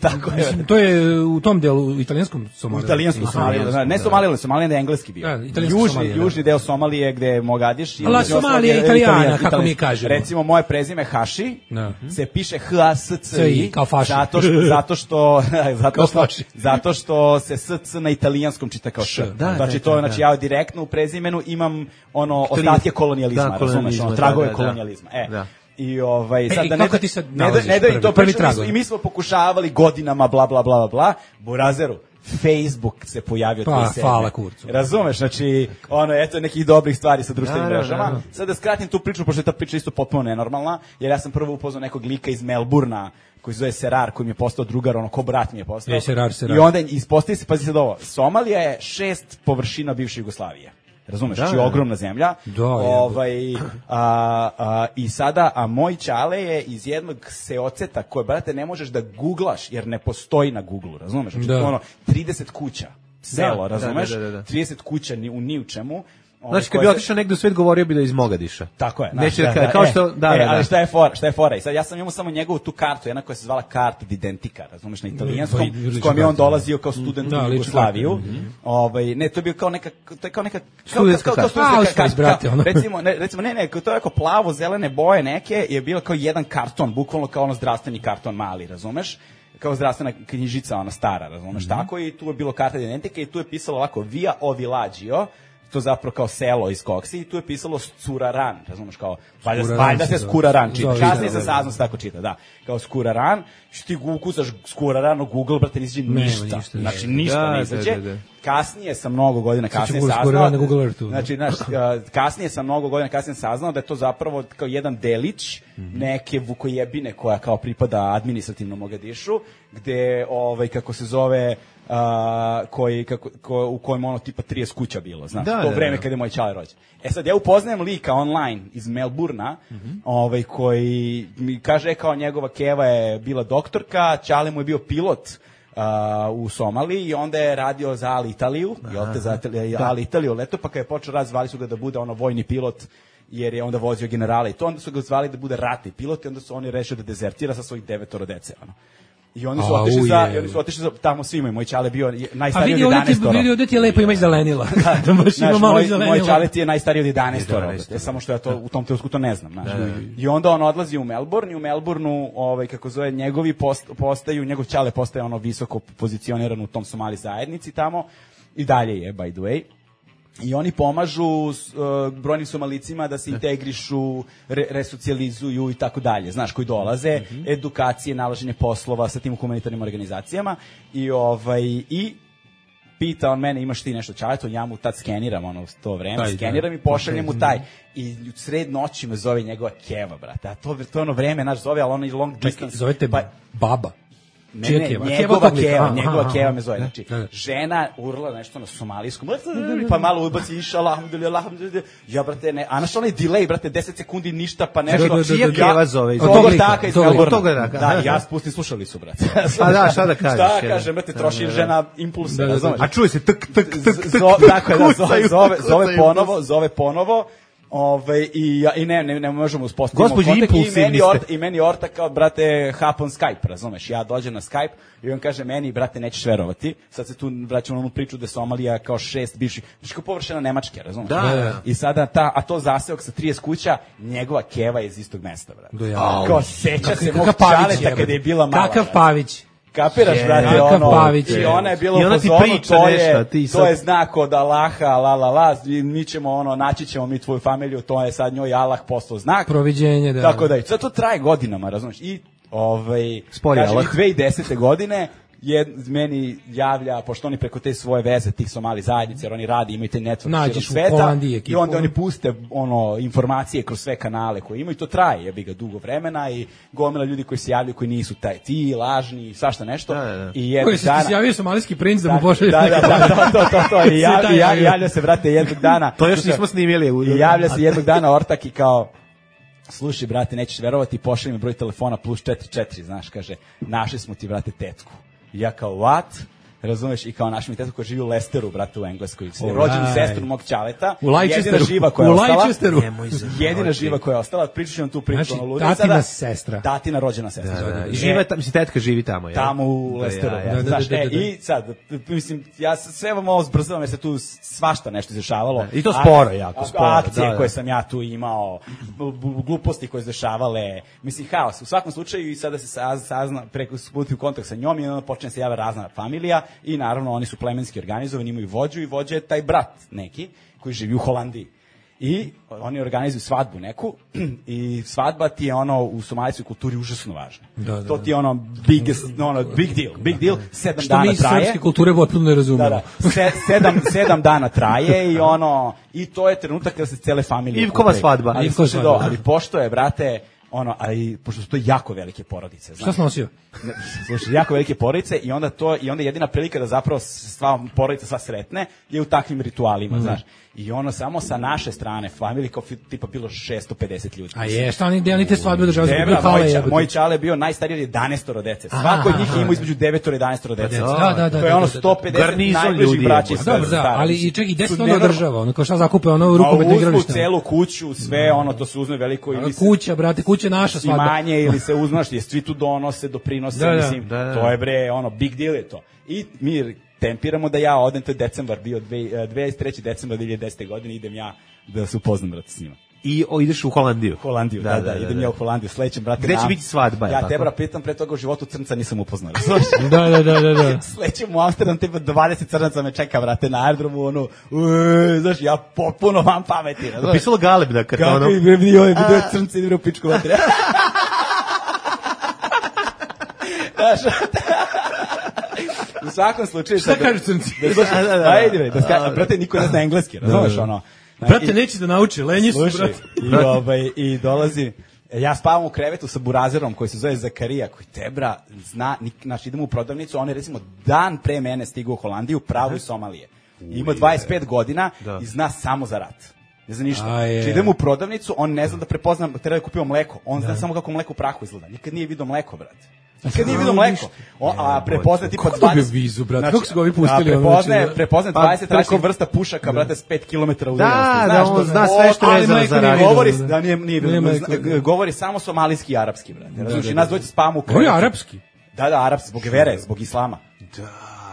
Tako je. Mislim, to je u tom delu, u italijanskom U Somalilandu. italijanskom Aha. Somalilandu, ne Somaliland, Somaliland je engleski bio. Da, italijanski Južni, Somaliland, da. južni deo Somalije gde je Mogadiš. i La između ostalog Somalija je Italijana, italijan, kako mi kažemo. Recimo, moje prezime Haši Da. se piše H A S C I, kao faši. zato što, zato što, zato Kao što, faši. zato što se S C na italijanskom čita kao Š. Da, Znači, da, to, da, znači, da. ja direktno u prezimenu imam ono, To nije- ostatke kolonijalizma, Da, razumeš, kolonijalizma, ono, tragove da, da, da. kolonijalizma. E, Da. I ovaj sad i da ne kako da, ti sad ne da, nalaziš ne da i prvi- to prvi pričamo, mi smo- tragovi? i mi smo pokušavali godinama bla bla bla bla bla Burazeru Facebook se pojavio Pa, dvadeset sedme. hvala kurcu. Razumeš, znači ono eto nekih dobrih stvari sa društvenim Da, da, mrežama. da. Sad da skratim tu priču pošto je ta priča isto potpuno nenormalna, jer ja sam prvo upoznao nekog lika iz Melburna koji se zove Serar, koji mi je postao drugar, ono ko brat mi je postao. E, Serar, Serar. I onda ispostavi se, pazi sad ovo, Somalija je šest površina bivše Jugoslavije. Razumeš, Da, znači da. ogromna zemlja. Da, ovaj, a, a, I sada, a moj ćale je iz jednog seoceta koje, brate, ne možeš da googlaš, jer ne postoji na Googlu, razumeš? Znači, Da. to je ono, trideset kuća, selo, Da, da, razumeš? da, da, da. trideset kuća ni, u ni u čemu. Ovaj, Znači, kad koje bi se- otišao negde u svet, govorio bi da je iz Mogadiša. Tako je. Neće znaš, da, kao e, što, da, e, da, da. ali šta je fora, šta je fora? I sad ja sam imao samo njegovu tu kartu, jedna koja se zvala karta d'identика, razumeš, na italijanskom, Pa, i- s kojom je on lična dolazio kao student Da, u lična Jugoslaviju. karta, Ovaj, ne, to je bio kao neka, to je kao neka, kao, Studentska kao, kao, karta. kao studentska Ausweis, karta, brate, ono. recimo, ne, recimo, ne, ne, to je kao plavo, zelene boje neke, je bilo kao jedan karton, bukvalno kao ono zdravstveni karton mali, razumeš? Kao zdravstvena knjižica, ona stara, razumeš, tako, i tu je bilo karta identike i tu je pisalo ovako, Via Ovillaggio, to zapravo kao selo iz Koksi, i tu je pisalo Skuraran, razumeš, kao, valjda, Skuraran valjda se se zove. Skuraran čita, Zove, kasnije da, sam da. saznao se tako čita, da, kao Skuraran, što ti ukucaš Skuraran u Google, brate, ne izađe Nema ništa, ništa, znači da. ništa Da, ne da, izađe, da, da. kasnije sam mnogo godina kasnije Google saznao, Skuraran na Google Earthu, da. znači, znaš, a, kasnije sam mnogo godina kasnije saznao da je to zapravo kao jedan delić neke Vukojebine koja kao pripada administrativnom Mogadišu, gde, ovaj, kako se zove, a, koji, kako, ko, u kojem ono tipa trideset kuća bilo, znaš, Da, to da, vreme da. kad je moj čale rođen. E sad, ja upoznajem lika online iz Melburna, ovaj, koji mi kaže, e, kao njegova keva je bila doktorka, čale mu je bio pilot a, u Somaliji i onda je radio za Ali Italiju, jel te, za Itali- Ali Italiju leto, pa kad je počeo rad, zvali su ga da bude ono vojni pilot, jer je onda vozio generale i to, onda su ga zvali da bude ratni pilot i onda su oni rešili da dezertira sa svojih devetoro dece, ono. I oni su Au, otišli za, je. i oni su otišli za, tamo svi imaju, moj čale bio je A najstariji vidi od ovdje ti, jedanaest. vidi ovdje ti je lepo ima i zelenila. Da, baš ima Znaš, malo moj, zelenila. moj čale ti je najstariji od jedanaest. jedanaest, E, samo što ja to u tom trenutku to ne znam. Znaš. I onda on odlazi u Melbourne i u Melbourneu, ovaj, kako zove, njegovi post, postaju, njegov čale postaje ono visoko pozicioniran u tom Somali zajednici tamo i dalje je, by the way. I oni pomažu s, uh, brojnim Somalicima da se integrišu, re, resocijalizuju i tako dalje, znaš, koji dolaze, edukacije, nalaženje poslova sa tim humanitarnim organizacijama i ovaj i pita on mene, imaš ti nešto čaleto, ja mu tad skeniram ono to vreme, Taj, da. skeniram i pošaljem mu taj. I u sred noći me zove njegova keva, brate. A to, to je ono vreme, naš zove, ali ono i long distance. Zovete pa, baba. ne, Čija ne, keva? njegova Keva tog lika. keva, Aha, njegova aha, keva aha. me zove. Znači, Da, da. žena urla nešto na somalijskom, pa malo ubaci iša, alhamdulillah, alhamdulillah. Ja, brate, ne, a naš onaj delay, brate, deset sekundi ništa, pa nešto. Da, da, da, Čija da. keva zove? Iz Od tog tog lika, ortaka iz tog lika. Melbournea. Tog ortaka, Da, aha. ja spustim slušalicu, brate. Pa da, šta da kažeš, Šta je. kažem, brate, troši žena impulse, Da, da, da. razumeš? A čuje se tek, tek, tek, tek, Zo, tek, dakle, da, zove, kucaju, zove, zove kucaju. ponovo, zove ponovo. Ove, i, ja, i ne, ne, ne možemo uspostaviti Gospođi, kontakt. I impulsivni meni, ste. orta, I meni orta kao, brate, hap on Skype, razumeš? Ja dođem na Skype i on kaže meni, brate, nećeš verovati. Sad se tu vraćamo na onu priču da je Somalija kao šest bivših, znači kao površina Nemačke, razumeš? Da, da, da. I sada ta, a to zaseok sa trideset kuća, njegova keva je iz istog mesta, brate. Do ja. Kao seća se mog Kakav Pavić čaleta je, kada je bila mala. Kakav brate. Pavić. Kapiraš, Je, brate, kakav ono, Pavić i je. ona je bila I u ona ti fazonu, priča to nešto, je, a ti to sad- je znak od Allaha, la la la, i mi ćemo, ono, naći ćemo mi tvoju familiju, to je sad njoj Allah poslao znak. Proviđenje, da. Tako da, i sad to traje godinama, razumiješ, i, ovaj, Spori kažem, Allah. i dve hiljade desete godine, jed, meni javlja, pošto oni preko te svoje veze, tih Somali zajednice, jer oni radi, imaju te network Nađeš širom u sveta, Holandiji ekipu. i onda oni puste ono, informacije kroz sve kanale koje imaju, i to traje, jebi ga, dugo vremena, i gomila ljudi koji se javljaju, koji nisu taj, ti, lažni, svašta nešto, Da, da, da. i jednog Koji se dana... ti javio somalijski princ da mu Da, pošalje. da, da, da, to, to, to, to, i, ja, taj i, ja, javio. i javlja se, brate, jednog dana... To još slušaj, nismo snimili. u- I javlja se jednog dana ortak i kao, slušaj, brate, nećeš verovati, pošalji mi broj telefona plus četiri četiri, znaš, kaže, našli smo ti, brate, tetku. I ja kao, what? razumeš, i kao naš mi tetu koji živi u Lesteru, brate, u Engleskoj, Alright. rođenu sestru mog ćaleta, U Leicesteru. jedina živa koja je U ostala, Leicesteru. jedina živa koja je ostala, pričat ću vam tu priču, Znači, ono lude tatina sada. sestra. Tatina rođena sestra. Da, da, E, živa tamo, mislim, tetka živi tamo, je. tamo u Lesteru. ja, ja. Da, da, Znaš, da, da, e, da. i sad, mislim, ja s- sve vam ovo zbrzavam jer se tu svašta nešto izrešavalo. I to sporo jako, sporo, Akcije da, da. koje sam ja tu imao, b- b- gluposti koje se dešavale, mislim, haos. U svakom slučaju i sada se sa- sazna, preko sputi u kontakt sa njom i onda počne se javlja razna familija i naravno oni su plemenski organizovani, imaju vođu i vođa je taj brat neki koji živi u Holandiji. I oni organizuju svadbu neku i svadba ti je ono u somalijskoj kulturi užasno važna. Da, da, to ti je ono biggest, ono big deal, big deal, sedam Što dana mi iz traje. srpske kulture potpuno ne razumemo. Da, da. Se, sedam, sedam dana traje i ono, i to je trenutak kada se cele familije Ivkova okupljaju. svadba. Ali, Ivkova slušaj, svadba, do, ali pošto je, brate, ono, ali pošto su to jako velike porodice, Šta znaš. si nosio? Ne, Slušaj, jako velike porodice i onda to i onda jedina prilika da zapravo sva porodica sva sretne je u takvim ritualima, znaš. I ono samo sa naše strane, family kao fi- tipa bilo šesto pedeset ljudi. A je, šta oni, gde oni te svadbe održavaju? Debra, Zbog hale moj, ča, jebote. moj čale je bio najstariji od jedanaestoro dece. Aha, Svako od njih aha. je imao između devet i jedanaest dece. dece, da, da, da, To je ono da, da, da. sto pedeset Garnizon najbližih ljudi, braća i jebote. Dobro, sestara. da, ali Mislim, i čekaj, gde se su to onda nenormalno- održava? Ono, kao šta zakupe, ono Ma rukometno uzmu igralište? celu kuću, sve ono, to se uzme veliko ili se Kuća, brate, kuća je naša svadba. imanje ili se uzmaš, je svi tu donose, doprinose, Da, da, mislim, da, da. to je bre, ono, big deal je to. I mi tempiramo da ja odem, to je decembar, bio dve- dvadeset treći decembar dve hiljade desete godine, idem ja da se upoznam, brate, s njima. I o, ideš u Holandiju. Holandiju, da, da, idem ja u Holandiju, sledećem, brate. Gde će na- biti svadba, je Ja tako? Debra pitam, pre toga u životu crnca nisam upoznao. razumeš? Da, da, da, da, da. Sledećem u Amsterdam, tipa dvadeset crnaca me čeka, brate, na aerodromu, ono, uee, znaš, ja potpuno vam pameti, razumeš? Pisalo Galeb da kad Kako ono... i bre, vidi, ovaj video crnci, ide u pičku vatre. Znaš, u svakom slučaju... Šta kažu crnci? Da, slušaj, Da, da, da. ajde, bre, da ska, brate, niko ne zna engleski, razumeš, ono. Brate, I- neće da nauči, lenji su, Slušaj, brate. i, ovaj, i dolazi, ja spavam u krevetu sa burazerom koji se zove Zakarija, koji Debra zna, nik, znači idemo u prodavnicu, on je recimo dan pre mene stigao u Holandiju, pravo iz Somalije. Ima dvadeset pet godina Da. i zna samo za rat. Ne zna ništa. A je. Znači idemo u prodavnicu, on ne zna da prepozna, treba da kupio mleko, on zna samo kako mleko u prahu izgleda. Nikad nije vidio mleko, brate. Nikad nije vidio mleko. O, a prepozna tipa Kako dobio dvadeset vizu, brate? Kako su ga ovi pustili, a ono, prepoznaje, znači, da- prepoznaje Pa, dvadeset preko- različitih vrsta pušaka, brate, s pet kilometara udaljenosti. Da, Znaš da, što on ne- zna sve što je ali vezano majko za mi rat. Govori, Da, da. da nije, nije, Nema zna- ekle- govori samo somaliski i arapski, brate. Razumiješ, da, i da. nas dođe spavamo u Govori krevetu. arapski. Da, da, arapski, zbog vere, zbog islama. Da,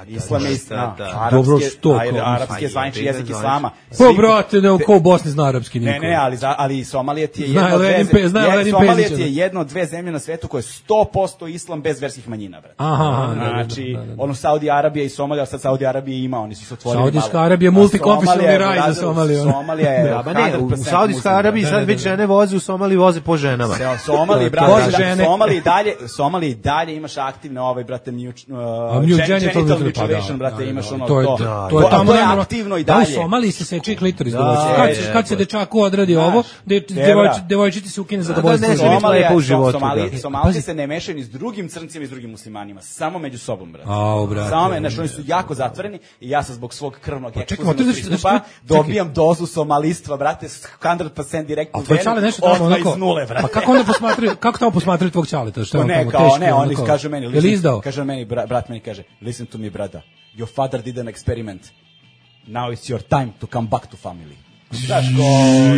Islam je da, islam. da. Arapski Dobro, je- što ajde, kao? arapski je Pa zvanični je, jezik zvanični. islama. Pa, Svi- brate, ne, ko Bosni zna arapski niko. Ne, ne, ali, za, ali Somalija ti je Zna jedna od dve, Lenin Pe- zna je- Lenin Somalija Pezića, ti je da. jedna od dve zemlje na svetu koje je sto posto islam bez verskih manjina, brate. Aha, aha, da, da, da, Znači, da, da. ono Saudi Arabija i Somalija, sad Saudi Arabija ima, oni su se otvorili malo. Saudijska Arabija je A multikonfesionalni Somalija je, raj za brate, Somaliju, ono. Somalija je Da, ba ne, u, u sto posto Saudijskoj muslim, Arabiji Da, sad da, već da. žene voze, u Somaliji voze po ženama. Se Somali, To- brate, Bože, da, žene. Somali i dalje, Somali i dalje imaš aktivne ovaj brate mu, uh, A gen- genital genital mutilation, mutilation, pa da, brate, da, imaš da, ono to je, to. da, To to je a tamo to je nemamo- aktivno i Da, u dalje. Somaliji se seče klitoris. Da, Da, kad, se, je, kad se je. dečaku odradi Znaš, ovo, de, Debra. devojči, devojčici se ukine za Da, dobojstvo. ne, žene. Somalija- lepo u životu, Somali, da. Somalci se ne mešaju ni s drugim crncima i s drugim muslimanima, samo među sobom, brate. Au, brate. Samo me, znači oni su jako zatvoreni i ja sam zbog svog krvnog čekaj, ekskluzivnog otvoriš- pristupa čekaj. dobijam dozu somalistva, brate, sto posto direktno A tvoj čale nešto tamo odmah onako... iz nule, brate. Pa kako onda posmatraju, kako tamo posmatraju tvog čaleta? Što je Pa on ne, tamo kao, teški, ne, oni onako- kažu meni, Je li listen, izdao? kaže meni, bra, brat meni kaže, listen to me, brother, your father did an experiment, now it's your time to come back to family. Znaš ko,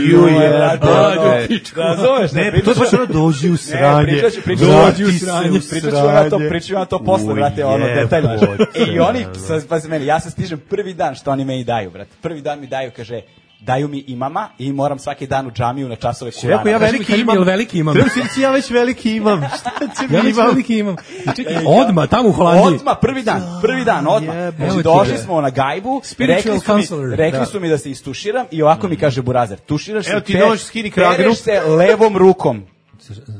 Ju, je, je, brate, brate. ono, razumeš, Ne, pričaš- to je baš ono dođi u sranje. Ne, pričat ću, pričat ću, Vrati dođi u se sranje, u pričat ću vam ja to, sranje. pričat ću vam to posle, U, brate, ono, detaljno. jebote, E, i oni, ono. sad, pazi meni, ja se stižem prvi dan što oni meni daju, brate, prvi dan mi daju, kaže, daju mi imama i moram svaki dan u džamiju na časove Kurana. Rekao ja Kaži mi, veliki kaži mi, imam. jel veliki imam? Treba si reći, ja već veliki imam. Šta će Ja mi već imam? veliki imam. I čekaj, E, odmah, tamo u Holandiji. Odmah, prvi dan, prvi dan, odmah. jebote. Znači, došli smo na gajbu, Spiritual rekli su, counselor. mi, rekli Da. su mi da se istuširam i ovako mi kaže Burazer, tuširaš Evo se, ti pe- nož, skini kragnu. pereš se levom rukom.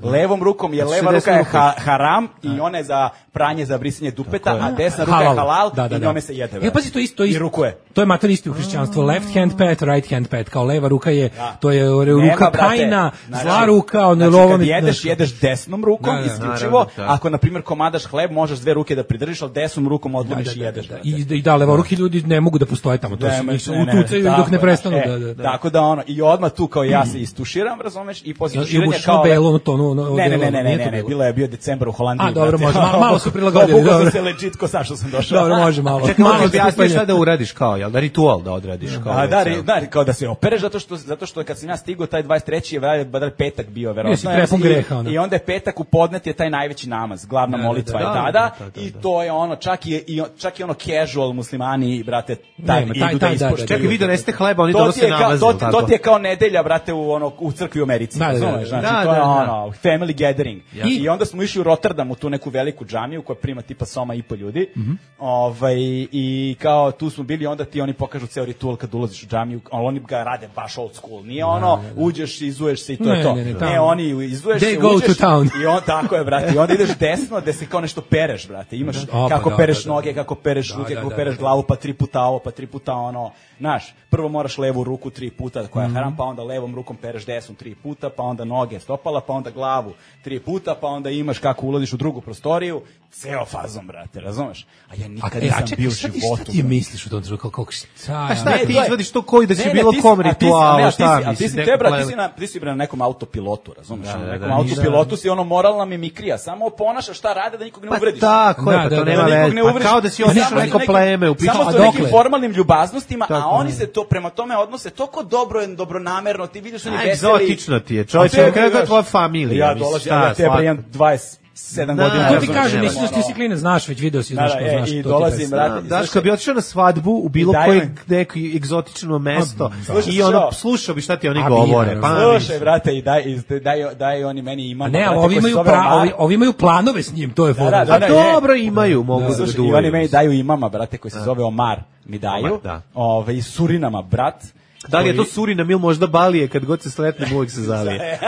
Levom rukom, jer Znači, leva ruka desnom je rukom. ha, haram i ona je za pranje, za brisanje dupeta, a desna ruka je halal Da, da, i da. njome se jede. E, brate. pazi, to isto, to I isto. rukuje. To je mater isti u hrišćanstvu, left hand pat, right hand pat, kao leva ruka je, to je ruka Nema, brate, Kaina, znači, zla ruka, ono znači, lovom. kad jedeš, jedeš desnom rukom, Da, da, isključivo, naravno, da. ako, na primjer, komadaš hleb, možeš dve ruke da pridržiš, ali desnom rukom odlomiš Da, i da, jedeš. da, da. brate. I, I da, levoruki ljudi ne mogu da postoje tamo, to su, Ne, njih se ne, ne, utucaju tako dok ne je, prestanu. e, Da, da, da. Tako da ono, i odmah tu kao ja se istuširam, razumeš, i posle I tuširanja obučeš kao... ono belo, ono to, ono- ono Ne, ne, ne, belo, ne, ne, nije ne, to ne, belo. bilo je bio decembar u Holandiji. A, dobro, brate. može, malo- malo su prilagodili, Obukao dobro. sam se legit ko sam što sam došao. Dobro, može malo. Čekaj, malo malo objasni skupanje. šta da uradiš kao, jel da ritual da odradiš kao. A, da, ovaj ri- ceo. da, kao da se opereš zato što zato što kad sam ja stigao taj dvadeset treći je valjda badal petak bio verovatno. Jesi prepun I- greha, ono. I onda je petak u podnet je taj najveći namaz, glavna Da, da, molitva da, je da, tada da, da, da, i da. to je ono čak i, i čak i ono casual muslimani brate taj Nema, idu taj- da taj, da, da, ispoštuju. Čekaj, vi donesete hleba, oni To ti donose je kao namaz, to, jel ti- tako? to ti je kao nedelja brate u ono u crkvi u Americi, Da, da, da, razumeš? da. Znači Da, to je da, da. ono family gathering. Ja. I onda smo išli u Rotterdam u tu neku veliku džamiju koja prima tipa soma i po ljudi. Mhm. Ovaj i kao tu smo bili onda ti oni pokažu ceo ritual kad ulaziš u džamiju, ali oni ga rade baš old school. Nije ono uđeš, izuješ se i to Ne, je to. ne, ne, Ne, tamo. oni izuješ They se, go uđeš to town. i on tako je brate. I onda ideš desno gde se kao nešto pereš brate. Imaš pa kako da, pereš da, da. noge, kako pereš Da, ruke, da, kako da, pereš da. glavu, pa tri puta ovo, pa tri puta ono. Znaš, prvo moraš levu ruku tri puta koja je Mhm. haram, pa onda levom rukom pereš desnom tri puta, pa onda noge, stopala, pa onda glavu tri puta, pa onda imaš kako ulaziš u drugu prostoriju, ceo fazom, brate, razumeš? A ja A, nikad e, a nisam čekaj, bio u šta ti, životu. šta ti brate. misliš u tom trenutku? Kako, šta, A šta Ne, ti to je- izvadiš to koji da će Ne, ne, bilo ti si- kom a ti si- a ne, ritualu, a ti šta si- a ti misliš? si neko te, brate, pleme? ti si na, ti si bre na nekom autopilotu, razumeš? Da, na da, nekom da, autopilotu si ono moralna mimikrija, samo ponašaš šta rade da nikog ne Pa uvrediš. tako je, Da, pa da, to da, nema Da nikog veze. ne Pa uvrediš. kao da si Ne, otišao samo neko neki- pleme u Samo pitanju. sa A nekim dokle? formalnim ljubaznostima, Tako a oni je. se to prema tome odnose toliko dobro, dobronamerno, ti vidiš oni A, veseli. egzotično ti je, čovječe, A tebi, kakva je znaš, tvoja familija, Ja mislim, dolazim, šta, ja tebe svako. imam dvadeset sedam Da, godina. to To ti ne kažem, znam, mislim da ti si klinac, znaš već, video si, Da, znaš da, to, e, znaš i to ti dolazim, predstavlja. brate, Da, Daško bi otišao na svadbu u bilo Daj koje mi. neko egzotično mesto Slušaj, i ono što? slušao bi šta ti oni A, govore. bi, Pa, naravno. Slušaj, brate, i daj, i daj, daj oni meni imam. A ne, ali ovi imaju, pra, ovi, ovi imaju planove s njim, to je fora. da, A da, dobro imaju, mogu da Slušaj, i duvaju. oni meni daju imama, brate, koji se zove Omar, mi daju. Omar, da. Ove, iz Surinama, brat. Da li je to koji- Surinam ili možda Balije, kad god se sretnem uvijek se zalije.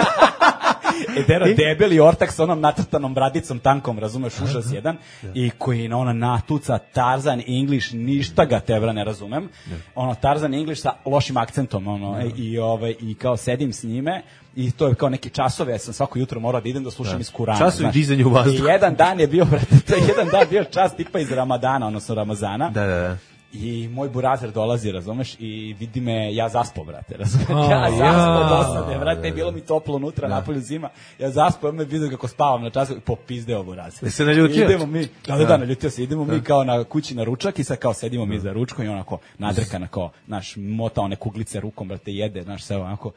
E, dero, debeli ortak sa onom nacrtanom bradicom tankom, razumeš, užas jedan, i koji na ona natuca Tarzan English, ništa ga tebra ne razumem, ono Tarzan English sa lošim akcentom, ono, e, i, ove, i kao sedim s njime, i to je kao neki časove, ja sam svako jutro morao da idem da slušam iz Kurana. Časovi znaš. dizanja u vazduh. I jedan dan je bio, brate, to je jedan dan bio čas tipa iz Ramadana, odnosno Ramazana. Da, da, da. I moj burazer dolazi, razumeš, i vidi me, ja zaspo, brate, razumeš, A, ja zaspo ja. dosade, brate, bilo mi toplo unutra, napolju zima, ja zaspo, on me vidio kako spavam na času, i popizdeo burazer. Jesi se naljutio? Idemo mi, da, da, da, naljutio se, idemo mi kao na kući na ručak i sad kao sedimo mi za ručkom i onako nadrkana kao, naš, mota one kuglice rukom, brate, jede, znaš, sve onako.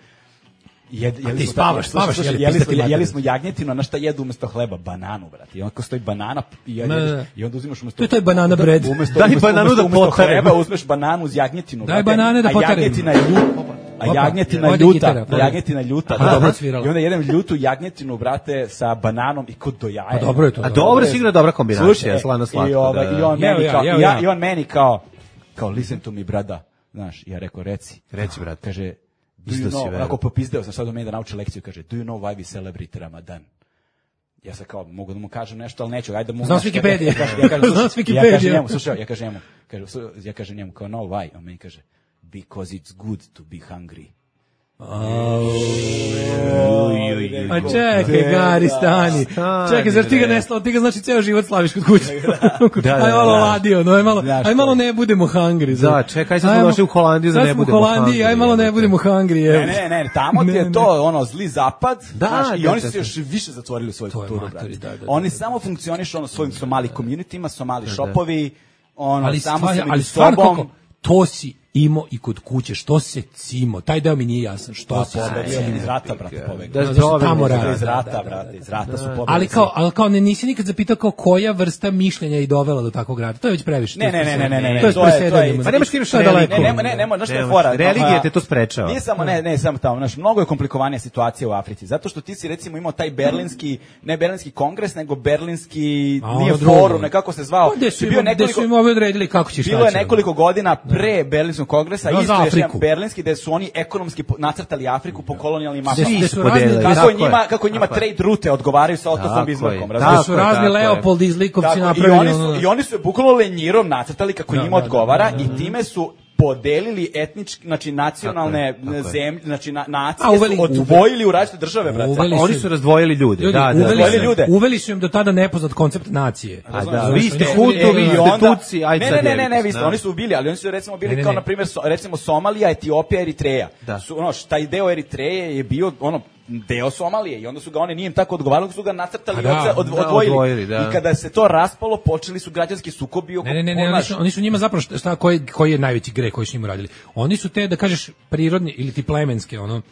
Jed, jeli ti smo spavaš, tako- spavaš, slušaj, jeli, jeli, pizda smo, ti mater. jeli smo jagnjetinu, a na šta jedu umesto hleba? Bananu, brate. I onako stoji banana i, jedeš, Ne, ne. i onda uzimaš umesto... To je taj banana bread. Umesto, Daj umesto, bananu da umesto, umesto potarem. hleba uzmeš bananu uz jagnjetinu. Daj brate, banane da a potarem. jagnjetina je ljuta. A Opa, jagnjetina ovdje ljuta. gitara, pa. Jagnjetina ljuta. Aha, da. dobro svirala. I onda jedem ljutu jagnjetinu, brate, sa bananom i kod do jaja. Pa dobro je to. A dobro, sigurno dobra kombinacija, Slušaj, slano slatko. I, ovaj, da, da. i on Jeo meni ja, kao, jeo i ja, ja. i on meni kao, kao, listen to me, brada. Znaš, ja rekao, reci. Reci, brate. Kaže, do Isto you si know, verujem. onako popizdeo sam sad do mene da nauči lekciju, kaže, do you know why we celebrate Ramadan? Ja sam kao, mogu da mu kažem nešto, ali neću, ajde da mu... Znam s Wikipedije. Ja kažem, ja kažem, Znam s slušaj, Wikipedije. ja kažem njemu, slušaj, ja kažem njemu, kaže, ja kažem njemu, kao, no, why? On meni kaže, because it's good to be hungry. A čekaj, Gari, stani. Stani, Čekaj, zar ti ga bre. ne slavi, ti ga znači ceo život slaviš kod kuće. Da, da, Aj malo da. ladio, no, aj malo, Znaš aj malo to. ne budemo hungry. zar? Da, čekaj, sad smo Ajmo- došli u Holandiju da sad ne smo u budemo Holandiji, aj hungry, malo ne jebote. budemo hungry, evo. Ne, ne, ne, tamo ti Ne, je ne. to, ono, zli zapad, Da, znaš, i da, oni da, su se da. još više zatvorili u svoju To je kulturu, matori, brate. da, da, da. Oni samo funkcionišu, ono, svojim somali communityma, somali shopovi, ono, Ali samo stvarno, se ali među stvarno sobom. kako, to si imao i kod kuće, što se cimo, taj deo mi nije jasan, što Pa, se pobegli cimo. iz rata, brate, pobegli. Da, Da, zašto dobro, tamo da, rade. Iz rata, brate, iz rata su pobegli. Ali kao, ali kao ne nisi nikad zapitao kao koja vrsta mišljenja i dovela do takvog rada. To je već previše. Ne, ne, ne, ne, ne, ne, To je to je- to presedanje. je- Pa nemaš kriviš To je daleko. Ne, ne, ne, ne, znaš što je Nemaš. fora? Religija A, te to sprečava. Nije samo, ne, ne, samo tamo, znaš, mnogo je komplikovanija situacija u Africi, zato što ti si recimo imao taj berlinski, ne berlinski kongres, nego berlinski, A, nije ono drugo. forum, ne kako se zvao. Pa gde su I bio im, gde su im ovi odredili kako će šta Bilo je će. nekoliko godina pre berlinskog kongresa, Da, isto za još jedan Afriku. berlinski, gde su oni ekonomski po- nacrtali Afriku po kolonijalnim Gde su- mapama. gde su su razni, podelili. gde su- Kako Tako njima, je. kako njima Tako je. trade rute odgovaraju sa Tako Ottosom je. Bismarckom, Tako razumiješ? su je, razni tako je. Leopoldi iz Likovci Tako, i, napravili. oni su, ono- I oni su je bukvalno lenjirom nacrtali kako Da, njima da, da, odgovara da, da, i time su podelili etnički, znači nacionalne Tako je, tako je. zemlje, znači na, nacije A, uveli- su odvojili u različite države, brate. Uveli Oni su- su razdvojili ljude. Ljudi, da, da, uveli, da, su, da. ljude. uveli su im do tada nepoznat koncept nacije. A da, Znaš, vi oni ste su- hutovi, e, vi i ste onda- tuci, ajde ne, sad ne, ne, ne, jelite ne, se, vi ste, da. oni su bili, ali oni su recimo bili Ne, ne, kao ne. na primjer so, recimo Somalija, Etiopija, Eritreja. Da. Su ono, taj deo Eritreje je bio ono deo Somalije i onda su ga oni nije im tako odgovaralo, su ga nacrtali A i da, odse- od, da, odvojili. odvojili, da. I kada se to raspalo, počeli su građanski sukobi oko Ne, ne, ne, ne, oni znaš, su, oni su njima zapravo šta, šta koji, koji je najveći greh koji su njima radili. Oni su te, da kažeš, prirodni ili ti plemenske, ono,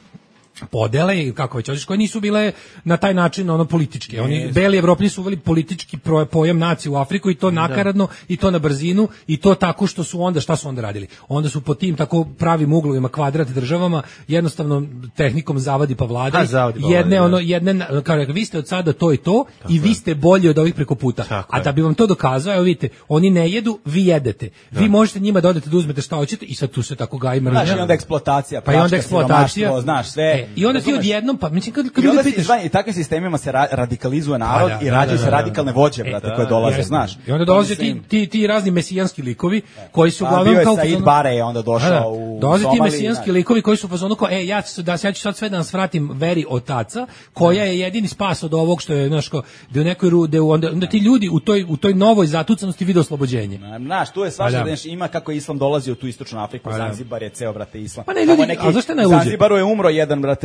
podele i kako već hoćeš, koje nisu bile na taj način ono političke. Oni beli Evropljani su uveli politički pro- pojam nacije u Afriku i to nakaradno i to na brzinu i to tako što su onda šta su onda radili. Onda su po tim tako pravim uglovima kvadrat državama jednostavno tehnikom zavadi pa vladaj. A, zavadi pa jedne vladaj, da. ono jedne na- kao rekao, vi ste od sada to i to i vi ste bolji od ovih preko puta. Tako A je. da bi vam to dokazao, evo vidite, oni ne jedu, vi jedete. Vi možete njima da odete da uzmete šta hoćete i sad tu se tako gaji mržnja. Znaš, i onda eksploatacija, Pa i onda pljačka, eksploatacija. siromaštvo, znaš, sve. E, I onda ti Razumeš? odjednom, pa mislim kad, kad I onda ljudi se, pitaš... znaš, i takvim sistemima se ra- radikalizuje narod Pa da, i da, rađaju da, se da, radikalne da. vođe, E, brate, da, koje dolaze, Jeste. znaš. I onda To dolaze ti, mislim- ti, ti razni mesijanski likovi koji su Pa uglavnom bio je kao... u Said fazonu- Bare je onda došao Da, da. u Dolaze ti Somaliji, mesijanski znaš. likovi koji su u fazonu kao, e, ja ću, da, ja ću sad sve da nas vratim veri otaca, koja je jedini spas od ovog što je, znaš, kao, da u nekoj ru, da u- onda, onda ti ljudi u toj, u toj novoj zatucanosti vide oslobođenje. Znaš, tu je svašta, Pa da. znaš, ima kako je islam dolazi u tu istočnu Afriku, Pa da. Zanzibar je ceo, brate, islam. Pa ne, Tamo ljudi, a zašto je najluđe? U Zanzibaru je umro jedan, brate,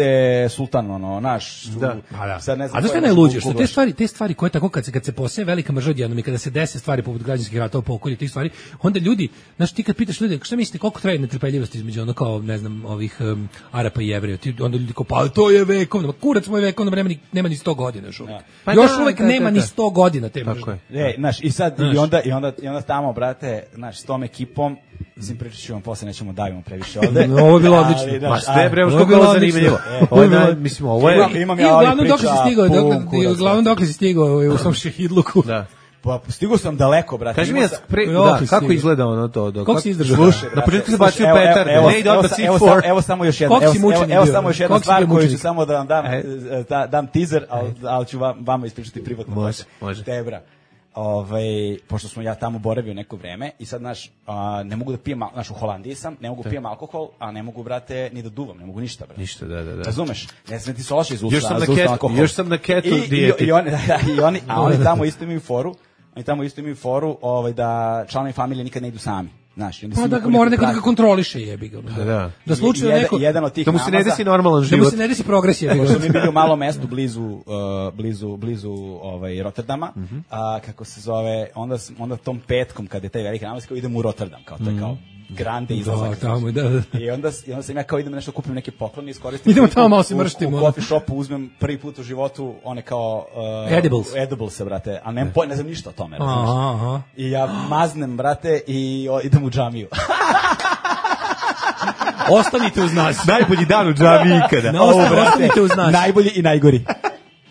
sultan, ono, naš. Da. Pa da. Sad ne znam A zašto ko je je najluđe? baš Što te Google. stvari, te stvari koje tako kad se kad se posije velika mržnja odjednom i kada se dese stvari poput građanskih ratova, pokolja tih stvari, onda ljudi, znaš, ti kad pitaš ljude, šta mislite koliko traje netrpeljivost između ono kao, ne znam, ovih um, Arapa i Jevreja, ti onda ljudi kao, pa to je vekovno, ma kurac moj vekovno, nema ni, nema ni sto godina još uvijek. Pa još da, uvijek da, nema da, ni da. sto godina te Tako mržnje. je. E, znaš, i sad, Znaš. i onda, i onda, i onda tamo, brate, znaš, s tom ekipom, mislim, pričat ću vam posle, nećemo davimo previše ovde. No, ovo je bilo Ali, odlično. znaš, Ma sve a- bre, Ovo je što bilo bilo odlično. zanimljivo. E, Ovo je ovo je naj- bilo- mislim, ovo je... Imam- imam I ja ovih uglavnom dok si priča stigao, dok, pun kurac, uglavnom dok si stigao u svom šehidluku. Da. Pa stigo sam daleko, brate. Kaži mi, Imao ja, sam- pre, Jo, da, ti kako stigao. izgleda ono to? Do, Koliko kako- si izdržao? Slušaj, Na brate, početku se slušaj, bacio evo, evo, petarde, evo, ne ide evo, odmah sa- C evo, četiri. samo- evo samo još jedna, Koliko evo, si evo, mučenik evo bio? samo još jedna Koliko si stvar bio koju ću mučenik? samo da vam dam, E. e, da, dam teaser, ali, ali ću vam, vama ispričati privatno. Može, posle. može. Tebra. Ovaj, pošto smo ja tamo boravio neko vreme i sad, znaš, a, ne mogu da pijem, al- znaš, u Holandiji sam, ne mogu pijem alkohol, a ne mogu, brate, ni da duvam, ne mogu ništa, brate. Ništa, da, da, da. Razumeš? Ne znam ti se loše iz usta, Još sam na za usta keto- alkohol. još sam na keto I- i- dijeti. I, oni, i oni, a oni tamo isto imaju foru, oni tamo isto imaju foru, ovaj, da članovi familije nikad ne idu sami. Znaš, i onda Pa svi da imaju ga mora neku neko da ga praksu. kontroliše, jebi ga. Da, da. Da slučajno Jedan- neko jedan od tih Da mu se ne namaza- desi normalan da mu život. se ne desi progresija, jebi Pošto mi ga. bili u malom mestu blizu uh, blizu blizu ovaj Rotterdama, Mhm. a kako se zove, onda s- onda tom petkom kad je taj veliki namaz kao idemo u Rotterdam, kao to je kao grande izlazak. Da, tamo, da, da. I onda s- i onda sam ja kao idem nešto kupim neke poklone i iskoristim. Idemo prvi tamo put malo se u- mrštimo, U ono. coffee shopu uzmem prvi put u životu one kao uh, Edibles. edibles, brate, a ne ne znam ništa o tome, razumeš? Aha, aha. I ja maznem, brate, i o, idem u džamiju. Ostanite uz nas. Najbolji dan u džami ikada. Ne, Ovo, osta- brate, ostanite uz nas. najbolji i najgori.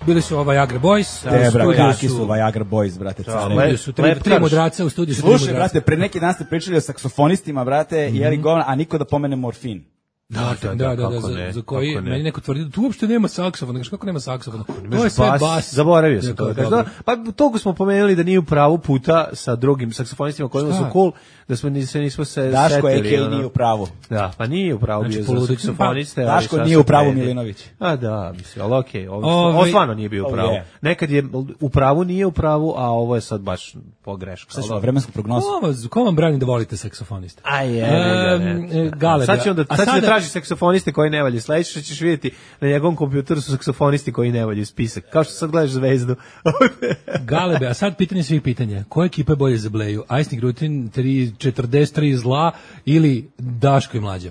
Bili su ova Viagra Boys. Te, u bra, studiju kakvi su Viagra Boys, brate, Da, care. U studiju su tri, Lep tri karš. mudraca, u studiju su tri Slušaj, mudraca. brate, pre neki dan ste pričali o saksofonistima, brate, Mhm. jeli govna, a niko da pomene morfin. Da, da, Da, da, da, kako za, ne, za koji kako ne. meni neko tvrdi da tu uopšte nema saksofona. Kažeš, kako nema saksofona? To Imaš je sve bas. Zaboravio sam Ja, to. kao, Da kažem. dobro. Pa toga smo pomenuli da nije u pravu puta sa drugim saksofonistima kojima Šta? su cool, da smo ni se nismo se Daško setili. Eke ono. nije u pravu. Da, pa nije u pravu Znači, bio za poludit- saksofoniste. Pa, ali Daško šta nije se u pravu vredi. Milinović. A da, mislim, ali okej, ovo, Ovaj- ovo stvarno nije bio u Oh, pravu. yeah. Nekad je u pravu, nije u pravu, a ovo je sad baš pogreška. Šta Ali ćemo, dobro. vremensku prognozu? Ko vam, ko vam brani da volite saksofoniste? Aj, je, Em, e, Galeb, sad će onda, a sad će sada- da traži saksofoniste koji ne valju. Sledeće što ćeš vidjeti na njegovom kompjuteru su saksofonisti koji ne valju, spisak. Kao što sad gledaš Zvezdu. Galebe, a sad pitanje svih pitanja. Koja ekipa je bolje za Bleju? Icing Rutin, tri četrdeset tri zla ili Daško i Mlađa?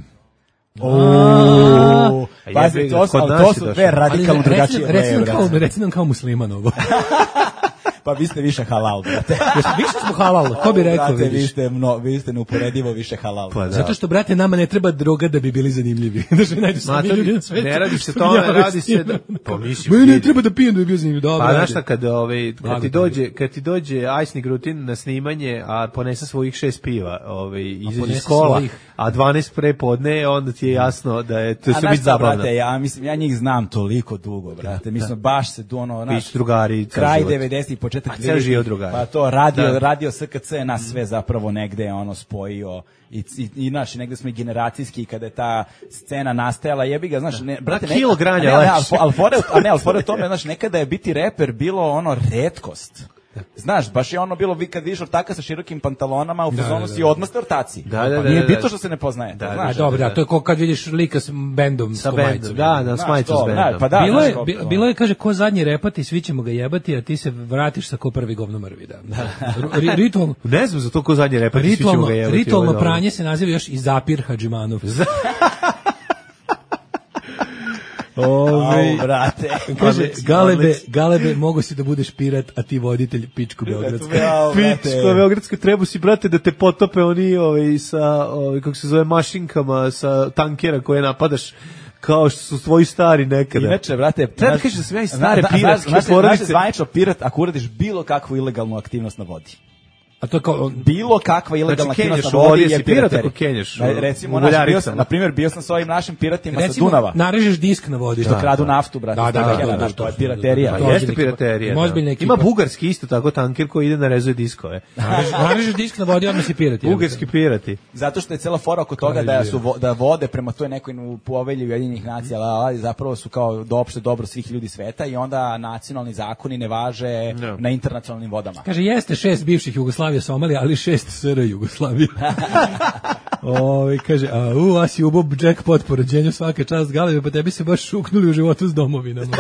Ooo, A pazi, jebi ga, to su, kod ali nas to je su došlo. dve radikalno Ali drugačije reci, reci, nam boje, kao, brate. reci nam kao musliman ovo. Pa vi ste više halal, brate. Jesi- više smo halal, ko bi Ovo, rekao, brate, vi vidiš. ste, mno, vi ste neuporedivo više halal. Pa da. Zato što, brate, nama ne treba droga da bi bili zanimljivi. Znaš, mi najdu sami Ma, to ljudi na svetu. ne radi se što tome, javljaju radi s tim. se da- pa mislim, Meni ne vidi. treba da pijem da bi bio zanimljiv. Dobro, Pa ajde. znaš šta, kad, ovaj, kad, Blago ti ti dođe, kad ti dođe Icing Rutin na snimanje, a ponese svojih šest piva ovaj, izađe ponese iz kola, svojih. a dvanaest pre podne, onda ti je jasno da je to A sve znaš biti šta, zabavno. brate, ja mislim, ja njih znam toliko dugo, brate. Mi smo baš se tu ono, naš, Pić drugari, ceo kraj život. devedesetih, početak A ceo dvedesetih, život drugari. pa to radio, Da. radio S K C nas sve zapravo negde ono spojio i, i, i naš, negde smo i generacijski kada je ta scena nastajala, jebi ga, znaš, ne, brate, Na kilo granja ne, ne, lepše. ali, fo- ali fore, a ne, ali fore u tome, znaš, nekada je biti reper bilo ono retkost. Znaš, baš je ono bilo, vi kad vidiš ortaka sa širokim pantalonama, u fazonu si odmah ste ortaci. Da, da, Pa da, nije da, bitno da. što se ne poznajete, Da, znaš. A dobro, da, to je kao kad vidiš lika s bendom, Sa s bendom, majicom. da, da, s Znaš majicom to, s da, bendom. pa da, bilo, znaš je, kako bi- to. bilo je, kaže, ko zadnji repati, svi ćemo ga jebati, a ti se vratiš sa ko prvi govno mrvi. Da. Ri- ritualno, Ne znam za to ko zadnje repati, svi ćemo ritualno, ga jebati. ritualno ovo je dobro. pranje se naziva još i Zapir Hadžimanov. Ove, Au, brate. kaže, Odlično, galebe, odlično. galebe, mogo si da budeš pirat, a ti voditelj pičku beogradsku. Au, brate. Pičko, Beogradsko, treba si, brate, da te potope oni, ovaj, sa, ovaj, kako se zove, mašinkama, sa tankera koje napadaš, kao što su tvoji stari nekada. Inače, brate, Treba znaš- kažeš da sam ja iz stare zna- zna- piratske znaš- porodice. Znaš, zvanično pirat ako uradiš bilo kakvu ilegalnu aktivnost na vodi. A to je kao, Bilo kakva ilegalna Znači, aktivnost kenjaš na u vodi vodi, je jesi pirat piraterija. ako kenjaš u- Na- Recimo, u naš, bio Buljaricama. sam, na primjer, bio sam sa ovim našim piratima recimo, sa Dunava. narežeš disk na vodi. Što Da, kradu da. naftu, brate. Da, da, tankera, da, da, znaš, da, to je da, piraterija. da, Pa da, jeste ozbiljna piraterija. ekipa. Da. Ozbiljna ekipa. Ima bugarski isto tako tanker koji ide na rezuje diskove. Narežeš, narežeš disk na vodi, odmah si pirat. jebote. Bugarski pirati. Zato što je cela fora oko toga da su vo- da vode prema toj nekoj povelji Ujedinjenih nacija, ali zapravo su kao do opšte dobro svih ljudi sveta i onda nacionalni zakoni ne važe No. na internacionalnim vodama. Kaže, jeste šest bivših Jugoslavije, Somalija, ali šest S R Jugoslavije. Ove, kaže, a u, a si ubo jackpot po rođenju svake čast galebe, pa tebi se baš šuknuli u životu s domovinama.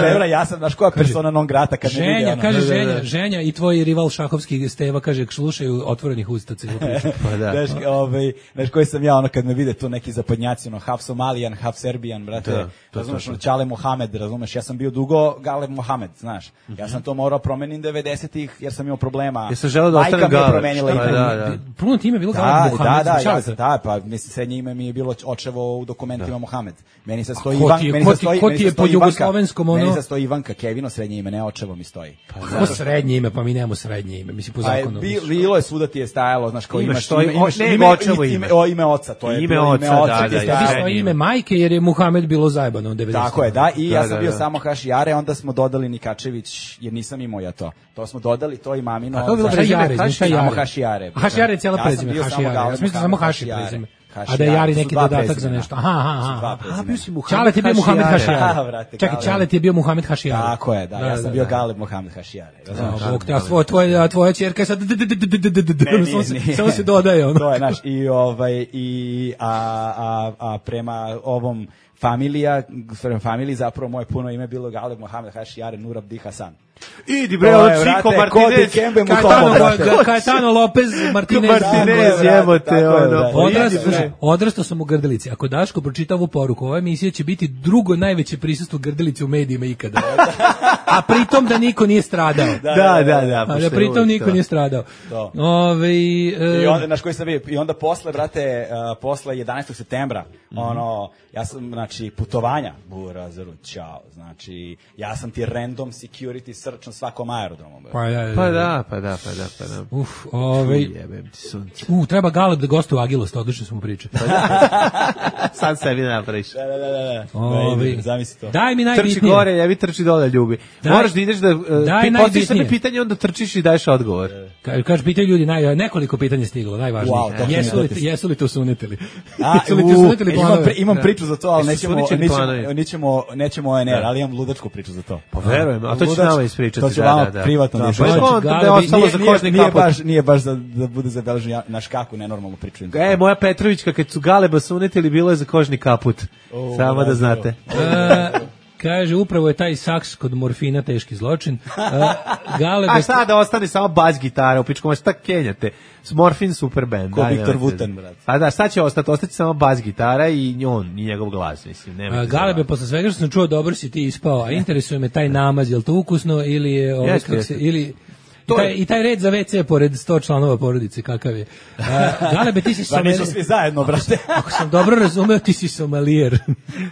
Dobra, ja sam, znaš, koja persona non grata kad ne vidi Ženja, ono. kaže Da, da, da. Ženja, Ženja i tvoj rival šahovski Steva, kaže, slušaju otvorenih usta celu priču. Pa da. Znaš, ovaj, znaš koji sam ja, ono, kad me vide tu neki zapadnjaci, ono, half Somalijan, half Serbijan, brate, Da, to, razumeš, to, to. ono, Čale Mohamed, razumeš, ja sam bio dugo Galeb Mohamed, znaš, ja sam to morao promenim devedesetih, jer sam imao problema. Ja sam želeo da Majka ostanem mi je Galeb. promenila Pa ime. da, da. Puno time je bilo Da, Galeb da, Mohamed. da, ja, Čaleta. da, pa mislim srednje ime mi je bilo očevo u dokumentima Mohamed. Meni se stoji ko Ivan, ti je- meni ko se ti- stoji, ko meni ti se je stoji po Ivanka. jugoslovenskom, ono? Meni se stoji Ivanka, Kevino srednje ime, ne očevo mi stoji. Ko srednje ime, pa mi nemamo srednje ime, mislim po Pa je, zakonu. bi- bilo je svuda ti je stajalo, znaš, kao Imaš imaš stoji- ime, imaš ne, ime, očevo ime, ime. o, ime oca, to je Ime bilo oca, ime oca da, ti je da, Ja stajalo. bi srednje ime ime. majke, jer je Muhamed bilo zajebano u devedesetim. Tako je, da, i ja Da, sam da, bio da. samo Hašijare, onda smo dodali Nikačević, jer nisam imao ja to. To smo dodali, to i mamino. A to je bilo za- Šta je prezime Jare, znaš šta je Samo Jare? Hašijare. Hašijare je cijela Ja sam prezime, bio samo Hašijare. Ja Galeb sam mislio samo Mohamed Haši prezime. Hašijare. A da je Jari To su neki dva dodatak za prezimena. nešto. Aha, aha, To su dva aha. prezimena. A, bio si Muhamed Čalet je bio Muhamed Hašijare. Hašijare. Da, brate, Čekaj, Galeb. Čalet je bio Muhamed Hašijare. Tako je, da, ja sam da, bio da. Galeb Mohamed Hašijare. razumeš? A, Bog te, a svoja, tvoja, a tvoja ćerka je sad d- d- d- d- d- d- d- d- Ne, nije, samo se- nije. samo se dodaje ono. To je, znaš, i ovaj, i, a, a, a prema ovom familija, prema familiji zapravo moje puno ime bilo Galeb Mohamed Hašijare Nur Abdi Hasan. Idi bre, To ovo je, Chico brate, Kodi Martinez. Kembe mu Kajetano, tomo, brate. Ka- Kajetano Lopez Martinez. Martinez, Tako je, jebote, tako je, ono. brate. pa Odrastao, idi, bre. slušaj, odrastao sam u Grdelici. Ako Daško pročita ovu poruku, ova emisija će biti drugo najveće prisustvo Grdelice u medijima ikada. A pritom da niko nije stradao. Da, da, da. A pošto da je pritom uvijek niko to. nije stradao. To. Ove, I e, onda, znaš koji sam bio, i onda posle, brate, uh, posle jedanaestog septembra, ono, ja sam, znači, putovanja, burazeru, čao, znači, ja sam ti random security search na svakom aerodromu. brate. pa, da, Pa da, pa da, pa da, pa da. Uf, ove, Jebem ti sunce. u, treba Galeb da gostuje u Agilost, odlično smo pričali. Sad sebi napraviš. Da, da, da, da, da. Ove, Da, ide, zamisli to. Daj mi Trči najbitnije. gore, jebi trči dole, ljubi. Daj- Moraš da ideš da uh, daj ti postaviš sebi najbitnije. pitanje, onda trčiš i daješ odgovor. Ka- Kaže, pitaju ljudi, naj, nekoliko pitanja je stiglo, najvažnije. Wow, to jesu, mi li, date. jesu li to sunetili? A, jesu li u, to sunetili imam, planove? pri, imam Da. priču za to, ali Jesu nećemo, suničeni nećemo, planovi? nećemo, nećemo O N R, ali imam ludačku priču za to. Pa verujem, a to ću Ludačku- nama ispričati. To ću da, vama da, da. privatno Da, da pa je ispričam. to da je Galebi, ostalo za Nije, kožni nije, kaput. baš, nije baš da, da bude zabeležen ja- naš kako nenormalnu priču. E, moja Petrovićka, kad su Galeba sunetili, bilo je za kožni kaput. O, Samo da bravo. znate. E, kaže, upravo je taj saks kod morfina teški zločin. E, Galebe, A šta da ostane samo bas gitara u pičku, šta kenjate? Morfin super band. Ko daj, Viktor nemojte. Vutan, brate. A da, šta će ostati? Ostati samo bas gitara i on, i njegov glas, mislim. A, Nemojte Galebe, zabavati. posle svega što sam čuo, dobro si ti ispao, a interesuje me taj namaz, je li to ukusno ili je, ovaj, Jeste, kako se, jeste. ili, to I taj, je- I taj red za ve ce pored sto članova porodice, kakav je. Uh, Galebe, ti si Pa nisu Somalijer. svi zajedno, brate. Ako sam dobro razumeo, ti si Somalijer.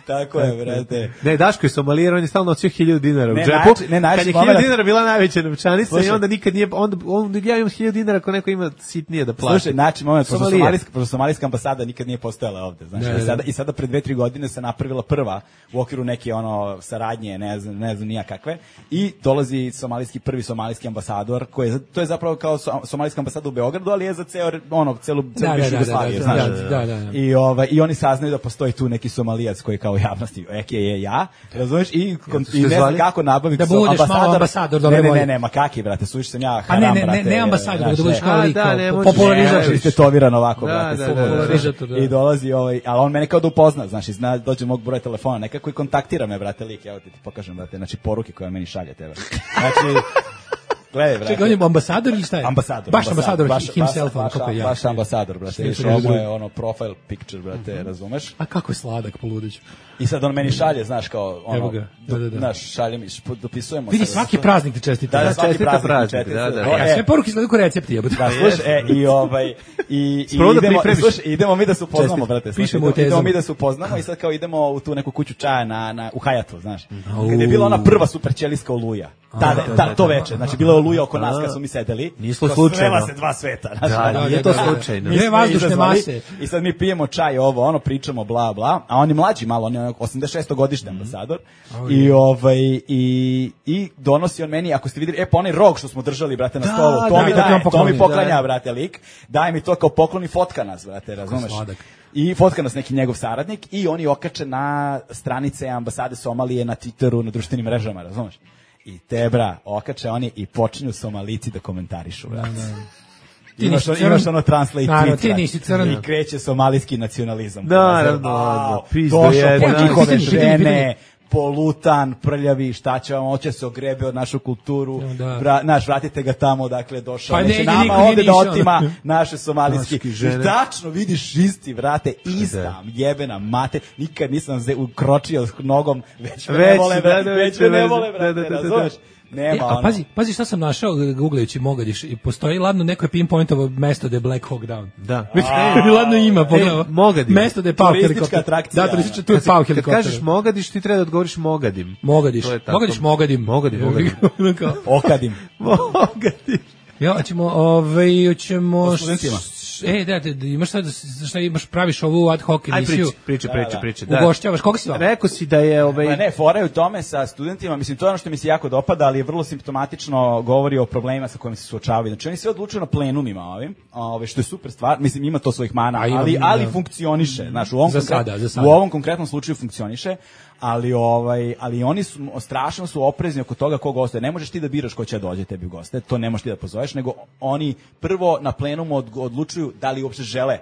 Tako je, brate. Ne, Daško je Somalijer, on je stalno nosio hiljadu dinara u Ne, džepu. najči- ne, najči Kad je moment- hiljadu dinara bila najveća novčanica Slušaj. i onda nikad nije, onda, onda ja imam hiljadu dinara ako neko ima sitnije da plati. Slušaj, znači, moment, pošto Somalijer. somalijska, pošto somalijska ambasada nikad nije postojala ovde, znači, Da, i da, da. sada, i sada pre dve, tri godine se napravila prva u okviru neke ono saradnje, ne znam, ne znam nija kakve, i dolazi somalijski, prvi somalijski ambasador, koji je, to je zapravo kao so, somalijska ambasada u Beogradu, ali je za ceo, ono, celu, celu Da, da, bivšu da, Jugoslaviju, da, znaš. da, da, da, da. I, ovaj, I oni saznaju da postoji tu neki somalijac koji kao javnosti, eke je ja, razumeš, i, kon- ste i ne znam zvali? kako nabaviti Da budeš malo ambasador dobre ne, ne, volje. ne, ne, ma kaki, brate, suviš sam ja A haram, ne, ne, ne, brate, ne ambasador, znaš, da budeš ne. kao A, lik, da, kao ne po- možeš- popularizator. Ne, istetoviran ovako, Da, brate, da, full, da, da. Popularizator, da. I dolazi ovaj, ali on mene kao da upozna, znaš, i zna, dođe mog broja telefona, nekako i kontaktira me, brate, lik, evo ti ti pokažem, brate, znači poruke koje meni šalje tebe. Znači, gledaj, brate. Čekaj, on je ambasador ili šta je? Ambasador. Baš ambasador, baš, himself, baš, ono kako baš, ja. baš ambasador, brate. Svi Viš, su ovo ljudi. je ono profile picture, brate, razumeš? A kako je sladak, poludeću. I sad on meni šalje, znaš, kao, ono, Evo ga, da, da, da. znaš, šalje mi, šp- dopisujemo. Vidi, se. svaki praznik ti čestita. Da, da, svaki čestita praznik, praznik, čestita. da, da. O, Ja, e, sve poruke izgledaju kao recepti, jebote. Da, slušaj, e, i ovaj, i, i Prvo da idemo, pripremiš. slušaj, idemo mi da se upoznamo, Čestit. brate. Slušaj, Pišemo u idemo, idemo tezama. mi da se upoznamo i sad kao idemo u tu neku kuću čaja na, na, u Hayatu, znaš. Kad je bila ona prva super ćelijska oluja. Tada, ta, to veče, znači bila je oluja oko nas kad smo mi sedeli. Nije to Kao slučajno. Srela se dva sveta. Znaš, Da, ono. nije to slučajno. Mi Dve smo vazdušne izazvali mase. I sad mi pijemo čaj, ovo, ono, pričamo, bla, bla, a on je mlađi malo, on je osamdeset šesto godišnji ambasador. I, ovaj, i, i donosi on meni, ako ste vidjeli, e, pa onaj rog što smo držali, brate, na Da, stolu, to da, mi da, daje, to on to pokloni, mi poklanja, da. brate, lik, daje mi to kao poklon i fotka nas, brate, razumeš? sladak. I fotka nas neki njegov saradnik i oni okače na stranice ambasade Somalije, na Twitteru, na društvenim mrežama, razumeš? I te, bra, okače oni i počinju Somalici da komentarišu, brate. Ti Imaš, nisi ono- crn. imaš ono translate Naravno, tweet, ti brate. nisi crn. I kreće somalijski nacionalizam. Da, naravno, Au, pizdo došao jedna. po njihove Pitanje, pitanje, pitanje. žene, polutan, prljavi, šta će vam, hoće se ogrebe od našu kulturu, Da. Vra, naš, vratite ga tamo, dakle, došao, Pa neće negdje nama niko nije ovde da išao. otima naše somalijski. Maški žene. I tačno vidiš isti, vrate, ista jebena mate, nikad nisam ze, ukročio nogom, već me ne Već, vole, da, brate, da, već već me ne veze. vole, Da, brate, da, da, da, da. razumeš? Nema E, a ono. pazi, pazi šta sam našao googlajući Mogadiš. I postoji ladno neko je pinpointovo mesto da je Black Hawk Down. Da. Već ladno ima, pogledaj. E, Mogadin. Mesto da je pao Turistička helikopter. atrakcija, Da, turistička, ono. tu je pao Kad helikopter. kažeš Mogadiš, ti treba da odgovoriš Mogadim. Mogadiš. To je tako. Mogadiš, Mogadim. Mogadim, Mogadim. Kao, Okadim. Mogadim. ja, ćemo, ovaj, ćemo... O studentima. E, da, da, da, imaš šta, da, šta imaš, praviš ovu ad hoc Aj emisiju. priči, priči, priči, da. priči. Da. Ugošćavaš, koga si vam? Rekao si da je ovaj Pa ne, fora je u tome sa studentima, mislim, to je ono što mi se jako dopada, ali je vrlo simptomatično govori o problemima sa kojima se suočavaju. Znači, oni sve odlučuju na plenumima ovim, ove, što je super stvar, mislim, ima to svojih mana, A ima, ali, da. ali funkcioniše. Znaš, u ovom, Za konkret- sada, za sada. u ovom konkretnom slučaju funkcioniše, ali ovaj ali oni su strašno su oprezni oko toga ko gostuje. Ne možeš ti da biraš ko će da dođe tebi u goste, to ne možeš ti da pozoveš, nego oni prvo na plenumu od, odlučuju da li uopšte žele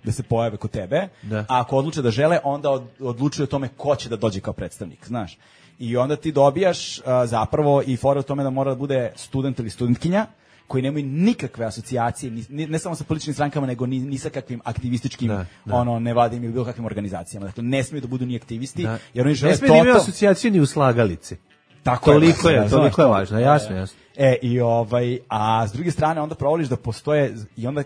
da se pojave kod tebe, Da. a ako odluče da žele, onda od, odlučuju o tome ko će da dođe kao predstavnik, znaš. I onda ti dobijaš a, zapravo i fora u tome da mora da bude student ili studentkinja, koji nemaju nikakve asocijacije, ni, ni- ne samo sa političkim strankama, nego ni, ni sa kakvim aktivističkim, Da, da. ono, nevladinim ili bilo kakvim organizacijama. Dakle, ne smiju da budu ni aktivisti, Da. jer oni žele ne sme da imaju toto- asocijaciju ni u slagalici. Tako Toliko je, razumeš, toliko je to. važno, jasno, jasno. E, i ovaj, a s druge strane onda provoliš da postoje, i onda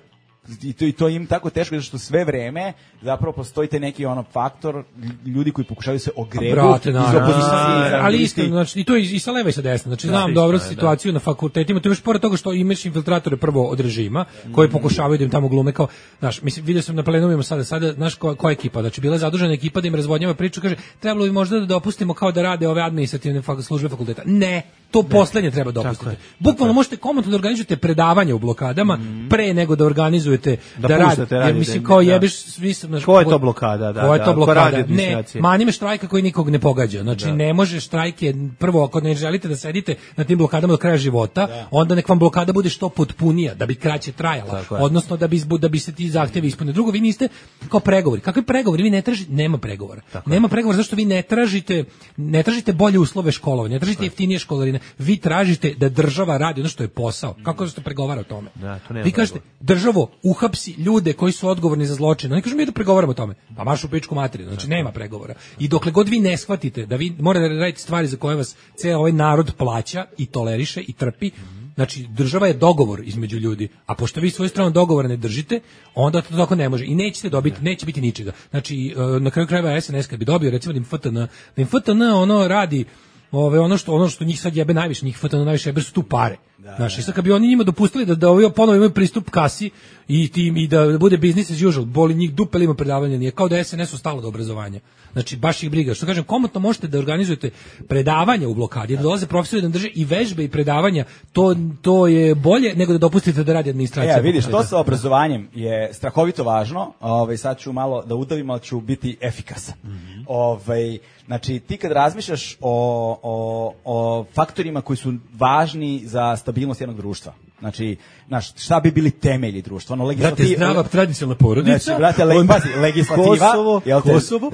i to, i to im tako teško, zato što sve vreme zapravo postoji taj neki ono faktor ljudi koji pokušavaju se ogrebu Brate, iz naravno. opozicije. Ali iskreno, znači, i to i, i sa leva i sa desna. Znači, znam isto dobro je, da. situaciju na fakultetima. To je još pored toga što imaš infiltratore prvo od režima, koji pokušavaju da im tamo glume kao, znaš, mislim, vidio sam na plenumima sada, sada, znaš, koja, koja ekipa, znači, bila je zadužena ekipa da im razvodnjava priču, kaže, trebalo bi možda da dopustimo kao da rade ove administrativne fak- službe fakulteta. Ne, to poslednje treba dopustiti. Bukvalno možete komotno da organizujete predavanja u blokadama pre nego da organizujete da, Da rade. puštate Jer radite, mislim, kao da. jebeš, svi sam, znaš, Ko je to blokada, da, ko je da, to ko blokada? radi Ne, administracije? manime štrajka koji nikog ne pogađa. Znači, ne može štrajke, prvo, ako ne želite da sedite na tim blokadama do kraja života, onda nek vam blokada bude što potpunija, da bi kraće trajala. Tako je. Odnosno, da bi, izbu- da bi se ti zahtevi ispunili. Drugo, vi niste kao pregovori. Kakvi pregovori? Vi ne tražite, nema pregovora. Nema pregovora zašto vi ne tražite, ne tražite bolje uslove školovanja, ne tražite jeftinije školarine. Vi tražite da država radi ono što je posao. Kako se pregovara o tome? Da, to nema Vi kažete, državo, uhapsi ljude koji su odgovorni za zločin. Ne kažemo mi da pregovaramo o tome. Pa maš u pičku materiju. Znači, nema pregovora. I dokle god vi ne shvatite da vi morate da radite stvari za koje vas ceo ovaj narod plaća i toleriše i trpi, Znači, država je dogovor između ljudi, a pošto vi svoju stranu dogovora ne držite, onda to tako ne može i nećete dobiti, neće biti ničega. Znači, na kraju krajeva S N S kad bi dobio, recimo da im F T N, da im F T N ono radi, ove, ono što ono što njih sad jebe najviše, njih F T N najviše jebe su tu pare. Da, znači, sad kad bi oni njima dopustili da da ovi ponovo imaju pristup kasi i tim i da bude business as usual, boli njih dupe, ima predavanja, nije kao da S N S-u stalo do obrazovanja. Znači, baš ih briga. Što kažem, komotno možete da organizujete predavanja u blokadi, da dolaze profesori da drže i vežbe i predavanja, to, to je bolje nego da dopustite da radi administracija. Ja, vidiš, to sa obrazovanjem je strahovito važno, ovaj, sad ću malo da udavim, ali ću biti efikasan. Mm-hmm. Ovaj, znači, ti kad razmišljaš o, o, o faktorima koji su važni za stabilnost jednog društva, znači, znaš, šta bi bili temelji društva? Ono, legislativa, brate, zdrava tradicionalna porodica, znači, brate, le, pazi, legislativa, Kosovo, jel te, Kosovo.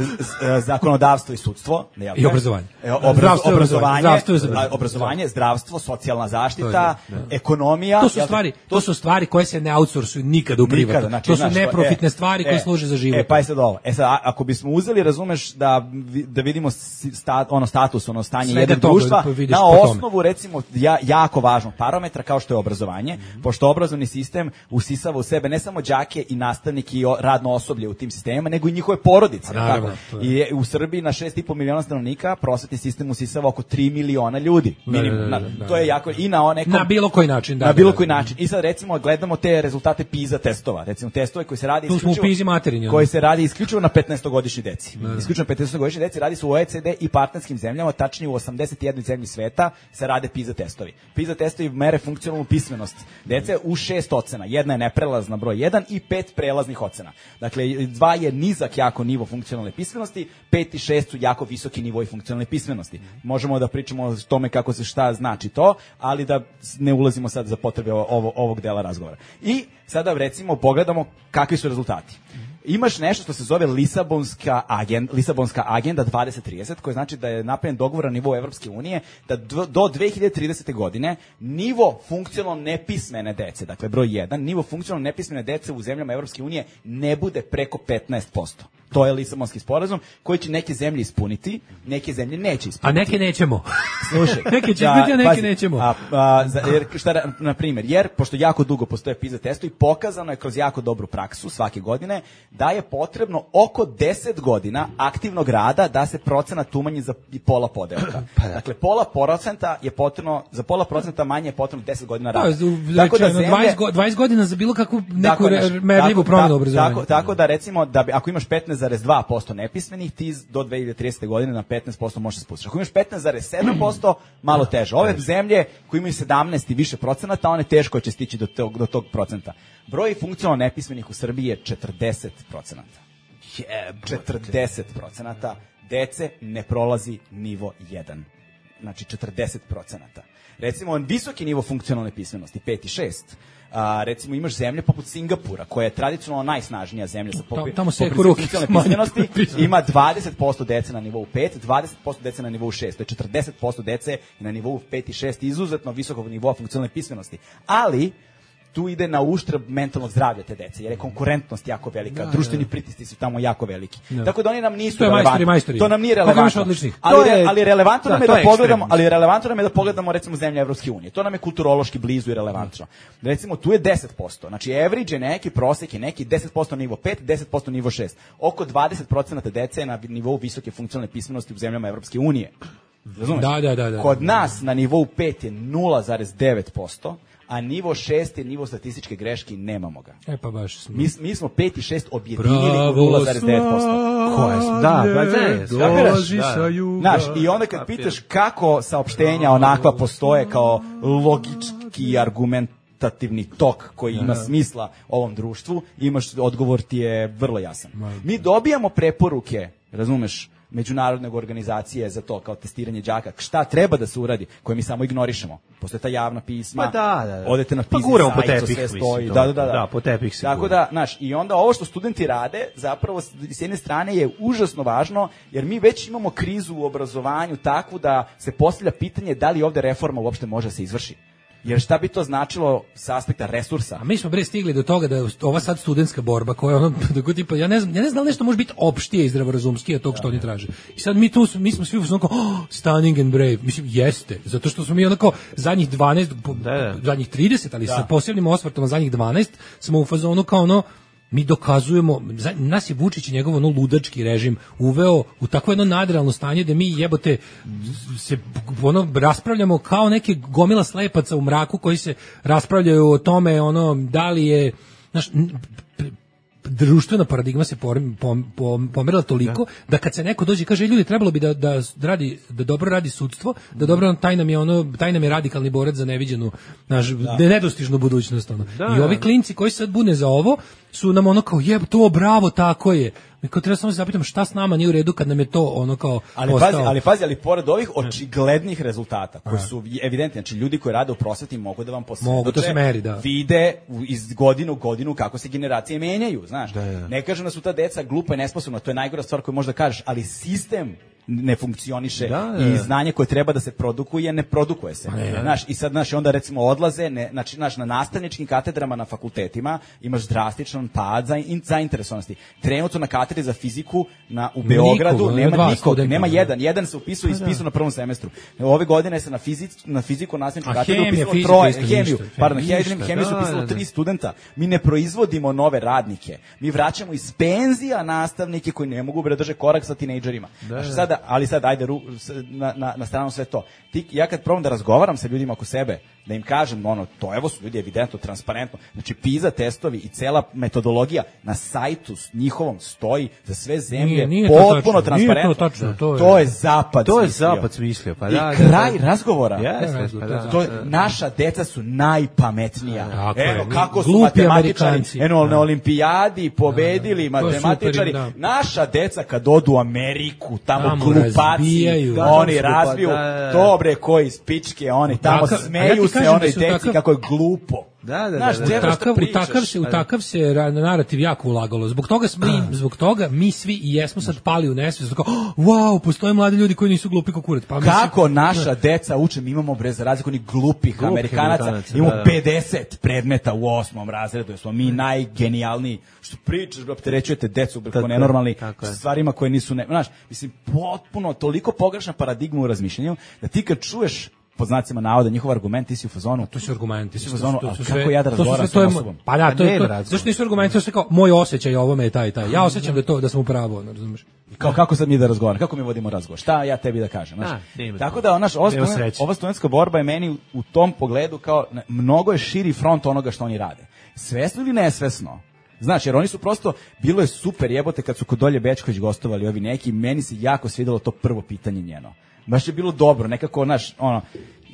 zakonodavstvo i sudstvo, jel te? I obrazovanje. E, obraz, zdravstvo, obrazovanje, zdravstvo, zdravstvo, obrazovanje, zdravstvo, socijalna zaštita, je, ekonomija. To su stvari, to su stvari koje se ne outsourcuju nikada u privatno. Znači, to su znaš, neprofitne e, stvari koje e, služe za život. E, pa je sad ovo. E sad, ako bismo uzeli, razumeš, da, da vidimo sta, ono status, ono stanje jednog društva, na osnovu, recimo, ja, jako važnog parametra, kao što je obrazovanje, mm-hmm. pošto obrazovni sistem usisava u sebe ne samo đake i nastavnike i radno osoblje u tim sistemima, nego i njihove porodice. Naravno, tako? I u Srbiji na šest i po miliona stanovnika prosvetni sistem usisava oko tri miliona ljudi. Minimum. Da, da, da, da, to je jako i na nekom, na bilo koji način, da. Na bilo da, koji da, način. I sad recimo gledamo te rezultate PISA testova, recimo testove koji se radi tu isključivo smo u PISA materinji, koji se radi isključivo na petnaestogodišnjoj deci. Da, da. Isključivo na petnaestogodišnjoj deci radi se u O E C D i partnerskim zemljama, tačnije u osamdeset jednoj zemlji sveta se rade PISA testovi. PISA testovi mere funkcionalnu pismenost dece u šest ocena. Jedna je neprelazna broj jedan i pet prelaznih ocena. Dakle, dva je nizak jako nivo funkcionalne pismenosti, pet i šest su jako visoki nivoi funkcionalne pismenosti. Možemo da pričamo o tome kako se šta znači to, ali da ne ulazimo sad za potrebe ovo, ovog dela razgovora. I sada recimo pogledamo kakvi su rezultati. Imaš nešto što se zove Lisabonska agenda, Lisabonska agenda dvadeset trideset, koja znači da je napravljen dogovor na nivou Evropske unije da do dve hiljade tridesete. godine nivo funkcionalno nepismene dece, dakle broj jedan, nivo funkcionalno nepismene dece u zemljama Evropske unije ne bude preko petnaest posto. To je Lisabonski sporazum koji će neke zemlje ispuniti, neke zemlje neće ispuniti. A neke nećemo. Slušaj, neke će biti, a neke pazi, nećemo. A, a, za, jer, šta, na primjer, jer pošto jako dugo postoje PISA testovi, pokazano je kroz jako dobru praksu svake godine da je potrebno oko deset godina aktivnog rada da se procenat umanji za pola podelka. Pa da. Dakle, pola procenta je potrebno, za pola procenta manje je potrebno deset godina rada. Da, tako da zemlje, dvadeset godina za bilo kakvu neku merljivu promjenu obrazovanja. Tako, tako da recimo, da bi, ako imaš petnaest zarez dva posto nepismenih, ti do dve hiljade tridesete. godine na petnaest posto možeš se spustiti. Ako imaš petnaest zarez sedam posto, malo teže. Ove zemlje koje imaju sedamnaest i više procenata, one teško će stići do tog, do tog procenta. Broj funkcionalno nepismenih u Srbiji je četrdeset procenata. četrdeset procenata dece ne prolazi nivo jedan. Znači četrdeset procenata. Recimo, visoki nivo funkcionalne pismenosti, pet i šest. A, recimo imaš zemlje poput Singapura, koja je tradicionalno najsnažnija zemlja sa poput funkcionalne pismenosti, ima dvadeset posto dece na nivou pet, dvadeset posto dece na nivou šest, to je četrdeset posto dece na nivou pet i šest, izuzetno visokog nivoa funkcionalne pismenosti. Ali tu ide na uštrb mentalnog zdravlja te dece, jer je konkurentnost jako velika, da, društveni da, pritisci su tamo jako veliki. Da. Tako da oni nam nisu relevantni. Majstori, to nam nije relevantno. Ali, je, ali relevantno da, nam je da pogledamo, ali relevantno nam je da pogledamo recimo zemlje Evropske unije. To nam je kulturološki blizu i relevantno. Da. Recimo tu je deset posto. Znači average je neki, prosek je neki, deset posto nivo pet, deset posto nivo šest. Oko dvadeset procenata dece je na nivou visoke funkcionalne pismenosti u zemljama Evropske unije. Razumeš? Da, da, da, da. Kod nas na nivou pet je nula zarez devet posto. A nivo šest je nivo statističke greške i nemamo ga. E pa baš smo. Mi, mi smo pet i šest objedinili u nula zarez devet posto. Koje su? Da, ba ne, dođi sa juga. Znaš, i onda kad pitaš kako saopštenja onakva postoje kao logički argument argumentativni tok koji ima smisla ovom društvu, imaš, odgovor ti je vrlo jasan. Mi dobijamo preporuke, razumeš, međunarodne organizacije za to, kao testiranje đaka, šta treba da se uradi, koje mi samo ignorišemo. Postoje ta javna pisma, pa da, da, da. Odete na PISA, pa guramo po sajt, tepih, sve stoji. Mislim, da, da, da, da. da, po tepih se Tako da, znaš, i onda ovo što studenti rade, zapravo s jedne strane je užasno važno, jer mi već imamo krizu u obrazovanju takvu da se postavlja pitanje da li ovde reforma uopšte može se izvrši. Jer šta bi to značilo sa aspekta resursa? A mi smo bre stigli do toga da ova sad studentska borba koja ono da tipa ja ne znam ja ne znam da li nešto može biti opštije i zdravorazumskije od tog što oni traže. I sad mi tu mi smo svi u onako oh, stunning and brave. Mislim jeste, zato što smo mi onako zadnjih dvanaest da, da. zadnjih trideset, ali da. sa posebnim osvrtom zadnjih dvanaest smo u fazonu kao ono mi dokazujemo, nas je Vučić i njegov ono ludački režim uveo u takvo jedno nadrealno stanje da mi jebote se ono raspravljamo kao neke gomila slepaca u mraku koji se raspravljaju o tome ono da li je znaš, društvena paradigma se pom, pom, pom, pomerila toliko da. da kad se neko dođe i kaže ljudi trebalo bi da, da radi da dobro radi sudstvo, da dobro taj nam je ono taj nam je radikalni borac za neviđenu naš da. nedostižnu budućnost ono. Da. I ovi klinci koji sad bune za ovo su nam ono kao jeb to bravo tako je. Mi kao treba samo se zapitamo šta s nama nije u redu kad nam je to ono kao ali postao. pazi, ali pazi, ali pored ovih očiglednih rezultata koji su evidentni, znači ljudi koji rade u prosveti mogu da vam posvedoče, mogu to se meri, da. Vide iz godine u godinu kako se generacije menjaju, znaš. Da, da. Ne kažem da su ta deca glupa i nesposobna, to je najgora stvar koju možda kažeš, ali sistem ne funkcioniše da, da. i znanje koje treba da se produkuje ne produkuje se. Znaš, i sad znaš, onda recimo odlaze, ne, znači znaš, na nastavničkim katedrama na fakultetima imaš drastičan pad za in, zainteresovanosti. Trenutno na katedri za fiziku na u Beogradu Niko, nema nikog, nema jedan, jedan se upisuje i ispisao na prvom semestru. Ove godine se na fiziku na fiziku nastavničku katedru upisalo troje, hemiju, pardon, hemiju, hemiju su upisalo tri studenta. Mi ne proizvodimo nove radnike. Mi vraćamo iz penzija nastavnike koji ne mogu da drže korak sa tinejdžerima. Znači sada ali sad ajde ru, na, na, na stranu sve to. Ti, ja kad probam da razgovaram sa ljudima oko sebe, da im kažem ono, to evo su ljudi evidentno, transparentno, znači PISA testovi i cela metodologija na sajtu s njihovom stoji za sve zemlje, nije, nije potpuno transparentno. Nije to tačno, to je, to je zapad to je smislio. zapad smislio. Pa I da, kraj da, da. razgovora. Yes, yes, pa da, to je, naša deca su najpametnija. Da, evo kako su glupi matematičari Amerikanci. Eno, na olimpijadi pobedili da, da. matematičari. Super, da. Naša deca kad odu u Ameriku, tamo, tamo glupaci, razbijaju. oni razbiju, da, da, da. dobre koji spičke, oni tamo Takav, smeju ja se onoj deci takav, kako je glupo. Da, da, Znaš, da, da, u takav, u takav se u takav se narativ jako ulagalo. Zbog toga smo mi, zbog toga mi svi i jesmo sad pali u nesvest. Kao, oh, wow, postoje mladi ljudi koji nisu glupi kao kurac. Pa kako mislim, naša deca uče, mi imamo bre za razliku onih glupih Glup, Amerikanaca, Amerikanaca, imamo da, da. pedeset predmeta u osmom razredu, smo mi najgenijalniji. Što pričaš, opterećujete decu bre, nenormalni stvarima koje nisu, ne, znaš, mislim potpuno toliko pogrešna paradigma u razmišljanju da ti kad čuješ pod znacima navoda njihov argument, ti si u fazonu. To su argumenti. Ti si u fazonu, to, to, to, kako ja da razgovaram sa osobom? Pa da, to je to. Zašto nisu argumenti, to sve kao moj osjećaj ovome je taj i taj. Ja osjećam da to da sam u pravu, ne razumeš? Kao kako sad mi da razgovaramo? Kako mi vodimo razgovor? Šta ja tebi da kažem, znači? Tako da onaš ova, ova studentska borba je meni u tom pogledu kao mnogo je širi front onoga što oni rade. Svesno ili nesvesno? Znaš, jer oni su prosto, bilo je super jebote kad su kod Olje Bećković gostovali ovi neki, meni se jako svidelo to prvo pitanje njeno. Baš je bilo dobro, nekako, znaš, ono,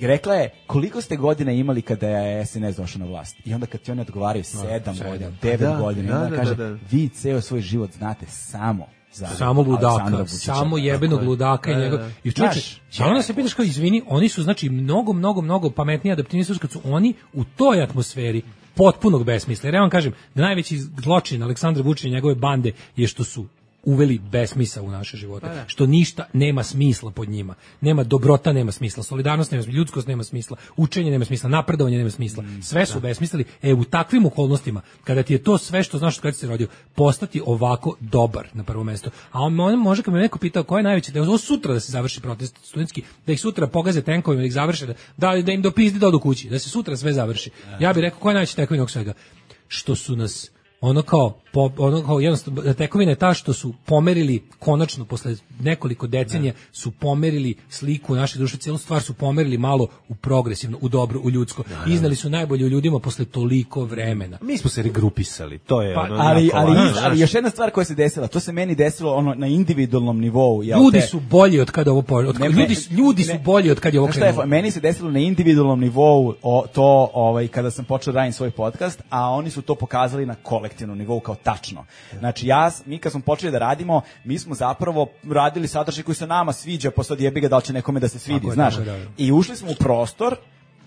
rekla je, koliko ste godina imali kada je es en es došao na vlast? I onda kad ti oni odgovaraju sedam godina, devet godina, da, onda da, kaže, da, da. vi ceo svoj život znate samo za samo ludaka, samo jebenog ludaka i njegov. I čučeš, a onda se pitaš kao, izvini, oni su, znači, mnogo, mnogo, mnogo pametniji, adaptivniji su kad su oni u toj atmosferi potpunog besmisla. Jer ja vam kažem, da najveći zločin Aleksandra Vučića i njegove bande je što su uveli besmisao u naše živote, što ništa nema smisla pod njima. Nema dobrota, nema smisla, solidarnost nema smisla, ljudskost nema smisla, učenje nema smisla, napredovanje nema smisla. Sve su besmislili. E, u takvim okolnostima, kada ti je to sve što znaš kada si se rodio, postati ovako dobar na prvo mesto. A on, on može, kad me neko pitao ko je najveći, da je ovo sutra da se završi protest studentski, da ih sutra pogaze tenkovima, da ih završe, da, da im dopizdi da odu kući, da se sutra sve završi. Ja bih rekao ko je najveći tekovina svega? Što su nas ono kao, po, ono kao jednostavno, tekovina je ta što su pomerili, konačno, posle nekoliko decenija, su pomerili sliku naše društva, cijelu stvar su pomerili malo u progresivno, u dobro, u ljudsko. Iznali su najbolje u ljudima posle toliko vremena. Mi smo se regrupisali, to je pa, ono... Ali, ali, ali, ali još jedna stvar koja se desila, to se meni desilo ono na individualnom nivou. Ja, ljudi te, su bolji od kada ovo... Od, ne, ljudi, ljudi ne, su bolji od kada je ovo krenulo. Je, meni se desilo na individualnom nivou o, to ovaj, kada sam počeo da radim svoj podcast, a oni su to pokazali na kolektivnom nivou kao tačno. Znači ja, mi kad smo počeli da radimo, mi smo zapravo radili sadržaj koji se nama sviđa, pa sad jebi ga da li će nekome da se svidi, znaš. I ušli smo u prostor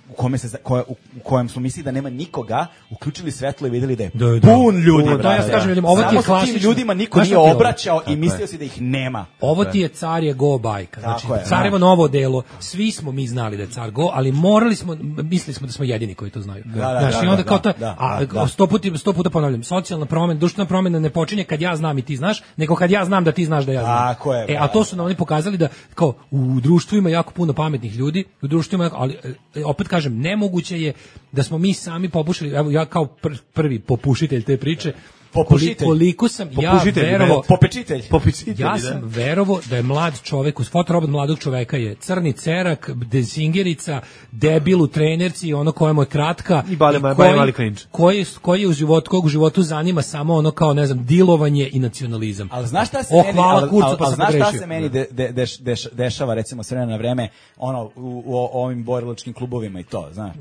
u kome se za- koje, u, u kojem smo mislili da nema nikoga, uključili svetlo i videli da je Da, da. pun ljudi. Pun, to ja brate. kažem ljudima, ovo ti je Samo sa tim klasično. ljudima niko Znaš nije šta ti je ovo? obraćao Tako i je. mislio si da ih nema. Ovo ti je car je go bajka. Znači, Tako je, carevo da. novo delo, svi smo mi znali da je car go, ali morali smo, mislili smo da smo jedini koji to znaju. Da, da, Znaš, da, i onda da, kao da, to, da, a da. sto puta, sto puta ponavljam, socijalna promena, društvena promena ne počinje kad ja znam i ti znaš, nego kad ja znam da ti znaš da ja znam. Tako je, E, a to su nam oni pokazali da, kao, u društvu ima jako puno pametnih ljudi, u društvu ima, jako- ali e, opet kažem, nemoguće je da smo mi sami popušili, evo ja kao pr- prvi popušitelj te priče, Popušitelj. koliko sam ja Popušitelj, verovao, Popečitelj. Popečitelj, ja da. sam verovo da je mlad čovek, uz fotorobot mladog čoveka je crni cerak, dezingerica, debil u trenerci, ono kojemu je kratka. I bale- koji- bale mali cringe. Koji, koji je u životu, kog u životu zanima samo ono kao, ne znam, dilovanje i nacionalizam. Ali znaš šta se O, meni, hvala ali, kurcu, ali- pa ali sam znaš šta pogrešio. se meni de, de, deš, deš, dešava recimo s vremena na vreme ono u, u ovim borilačkim klubovima i to, znaš.